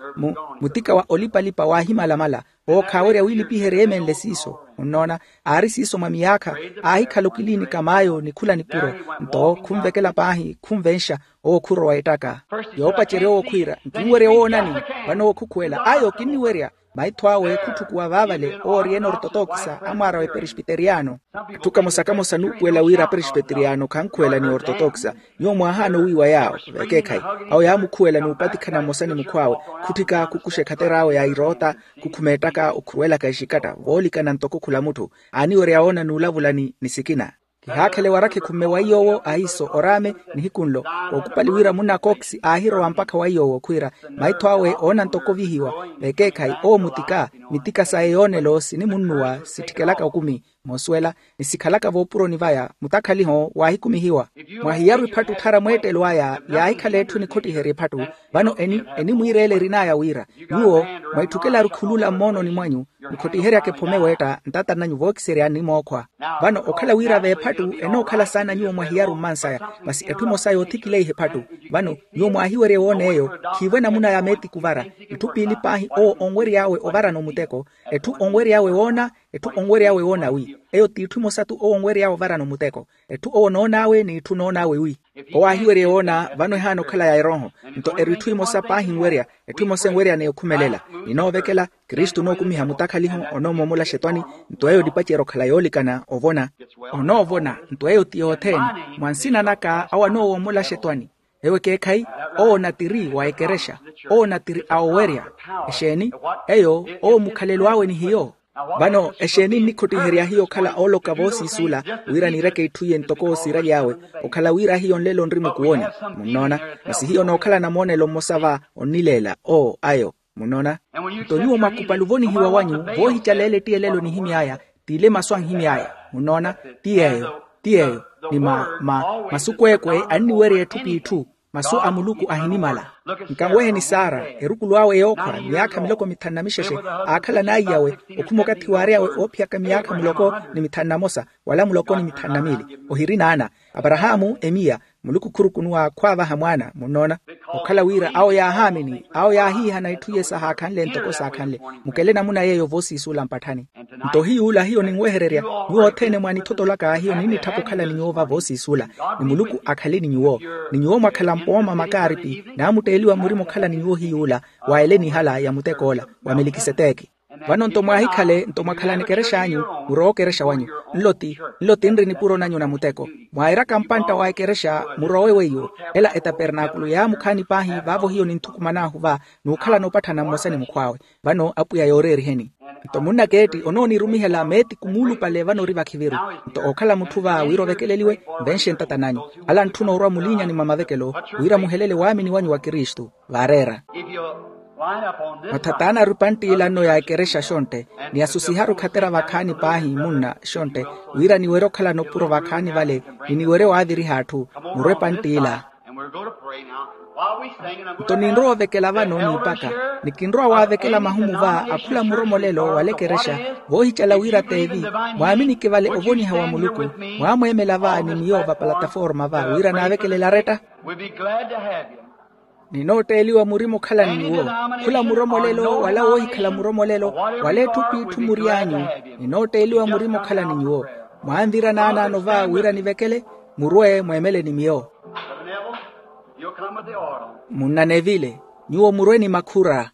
Mutika wa olipalipa waahimalamala. Owo khaawerya wiilipiherya eemenle siiso. Munnoona? Aari siiso mwa miyaakha. Aahikhala okilinika maayo ni khula nipuro. Nto khunvekela paahi khunvenxa. Owo khurowa ettaka. Yoopacerya owo khwiira nkinwerya woonani. Vano owo khukhuwela ayo kinniwerya. Maitho awe khutthukuwa vaavale owo ori ene ortotokisa amwaara wa eperesbiteriyano. Atthu kamosa-kamosa nuupuwela wira aperesbiteriyano khankhuwela ni ortotokisa. Nyuwo mwaahaana owiiwa yaawo. Vekeekhayi. Awo yaamukhuwela ni upatikhana mmosa ni mukhw'awe. Khutthika khukuxa ekhater'awe ya iroota. Khukhuma ettaka okhuruwelaka exikatta voolikana ntoko khula mutthu. Aaniwerya woona n'ulavulani ni sikina. Kihaakhela ewarakha ekhumme wa iy'owo ahiiso oraame. Nihiku nlo, kookupali wira munna a kokisi aahirowa mpakha wa iy'owo khwiira, maitho awe oona ntoko ovihiwa. Vekeekhayi owo mutika. Mitika saye yoonelo sinimunnuwa sitthikelaka okumi. Moosuwela, ni sikhalaka voopuroni vaya mutakhaliho waahikumihiwa. Mwahiyaru ephattu otthara mweettelo aya. Yaahikhala etthu enikhottiherya ephattu. Vano eni enimwiireela erin'aya wira, nyuwo mwaitthukelaru khulula mmoononi mwanyu. Nikhottiheryaka ephome weetta ntatarnanyu vookiseryani ni mookhwa. Vano okhala wira v'ephattu enookhala saana nyuwo mwahiyaru mmansaya. Masi etthu emosa yoothikileiha ephattu. Vano nyuwo mwaahiwerya ewoona eyo. Khiivo enamuna ya meetiku ovara. Itthu piili paahi owo onwery'awe ovarana omuteko. Etthu onwery'awe woona. Etthu onwery'awe woona wi eyo t'itthu emosa-tu owo onwery'awe ovarana omuteko. Etthu owo onoon'awe n'itthu onoon'awe wi. Owo aahiwerya ewoona vano ehaana okhala ya erooho. Nto eri itthu emosa paahi enwerya. Etthu emosa enwerya ni okhumelela. Ninoovekela. Kristu onookumiha mutakhaliho. Onoomoomola axetwani. Nto eyo onipacerya okhala yoolikana ovona. Onoovona. Nto eyo ti yothene. Mwa nsina naka awo anoowoomola axetwani. Ewo ekeekhayi. Owo natiri wa ekerexa. Owo natiri a owerya. Exeeni? Eyo owo mukhalelo awe ni hiyo. Vano exeeni nnikhottiherya hiyo okhala ooloka voosiisuula? Wira niireke itthu iye ntoko owo siiraly'awe. Okhala wira hiyo nlelo nri mukuwoni. Munnoona? Masi hiyo nookhala namoonelo mmosa va onnileela oo ayo. Munnoona? Nto nyuwo mwakupali ovonihiwa wanyu voohicaleela etti elelo nihimy'aya. T'ile masu anhimy'aya. Munnoona? Ti yeeyo. Ti yeeyo. Ni ma ma masu kweekwe anniwerya etthu p'itthu. Masu a muluku ahinimala. Nkanweheni sara, erukulu awe yookhwa miyaakha miloko mithanu na mixexe, aakhala n'aiyawe, okhuma okathi waary'awe oophiyaka miyaakha muloko ni mithanu na mosa, wala muloko ni mithanu na miili. Ohiri naana. Aparahaamu emiya, muluku khurukunuwa khwaavaha mwaana munnoona. Okhala wira awo yaahaamini, awo yaahiihana itthu iye sahaakhanle ntoko saakhanle. Mukele namuna yeeyo voosiisuula mpatthani. Nto hiy'ula hiyo ninwehererya, nyuwo othene mwaanithotolaka hiyo ninnitthapa okhala ni nyuwo va voosiisuula. Ni muluku akhale ni nyuwo. Ni nyuwo mwakhala mpooma makaaripi, naamutteeliwa murima okhala ni nyuwo hiy'ula, wa ele nihala ya mutek'ola wa melikiseteki. Vano nto mwaahikhale nto mwakhalani ekerexa anyu, murowe okerexa wanyu. Nlo ti nlo tinri nipuro nanyu na muteko. Mwairaka mpantta wa ekerexa murowe weiyo. Ela etapernaakulu yaamukhaani paahi vaavo hiyo ninthukuman'ahu va, n'ukhalana opatthana mmosa ni mukhw'awe. Vano apwiya yooreeriheni. Nto munnakeetti onoonirumihela meetiku muulupale vano ori vakhiviru. Nto ookhala mutthu va wira ovekeleliwe, nvenxe ntata nanyu. Ala antthuna orwa muliinyani mwa mavekelo, wira muhelele waamini wanyu wa kristu. Vaareera. Mathatana ari pantt'ila nno ya ekerexa xontte, ni asusiharu khatera vakhaani paahi munna xontte, wira niwerye okhalana opuro vakhaani vale, ni niwerye waaviriha atthu. Murwe pantt'ila. Nto ninrowa ovekela vano niipaka, ni kinrowa waavekela mahumu va akhula muromolelo wala ekerexa, voohicala wira t'evi. Mwaaminike vale ovoniha wa muluku, mwaamweemela va ni miyo va palataforma va wira naavekelele aretta. Ninootteeliwa murima okhala ni nyuwo. Khula muromolelo wala woohikhala muromolelo, wala etthu p'itthu mury'anyu. Ninootteeliwa murima okhala ni nyuwo. Mwaanvira naanaano va wira nivekele. Murwe mweemele ni miyo. Munna nevile, nyuwo murwe ni makhura.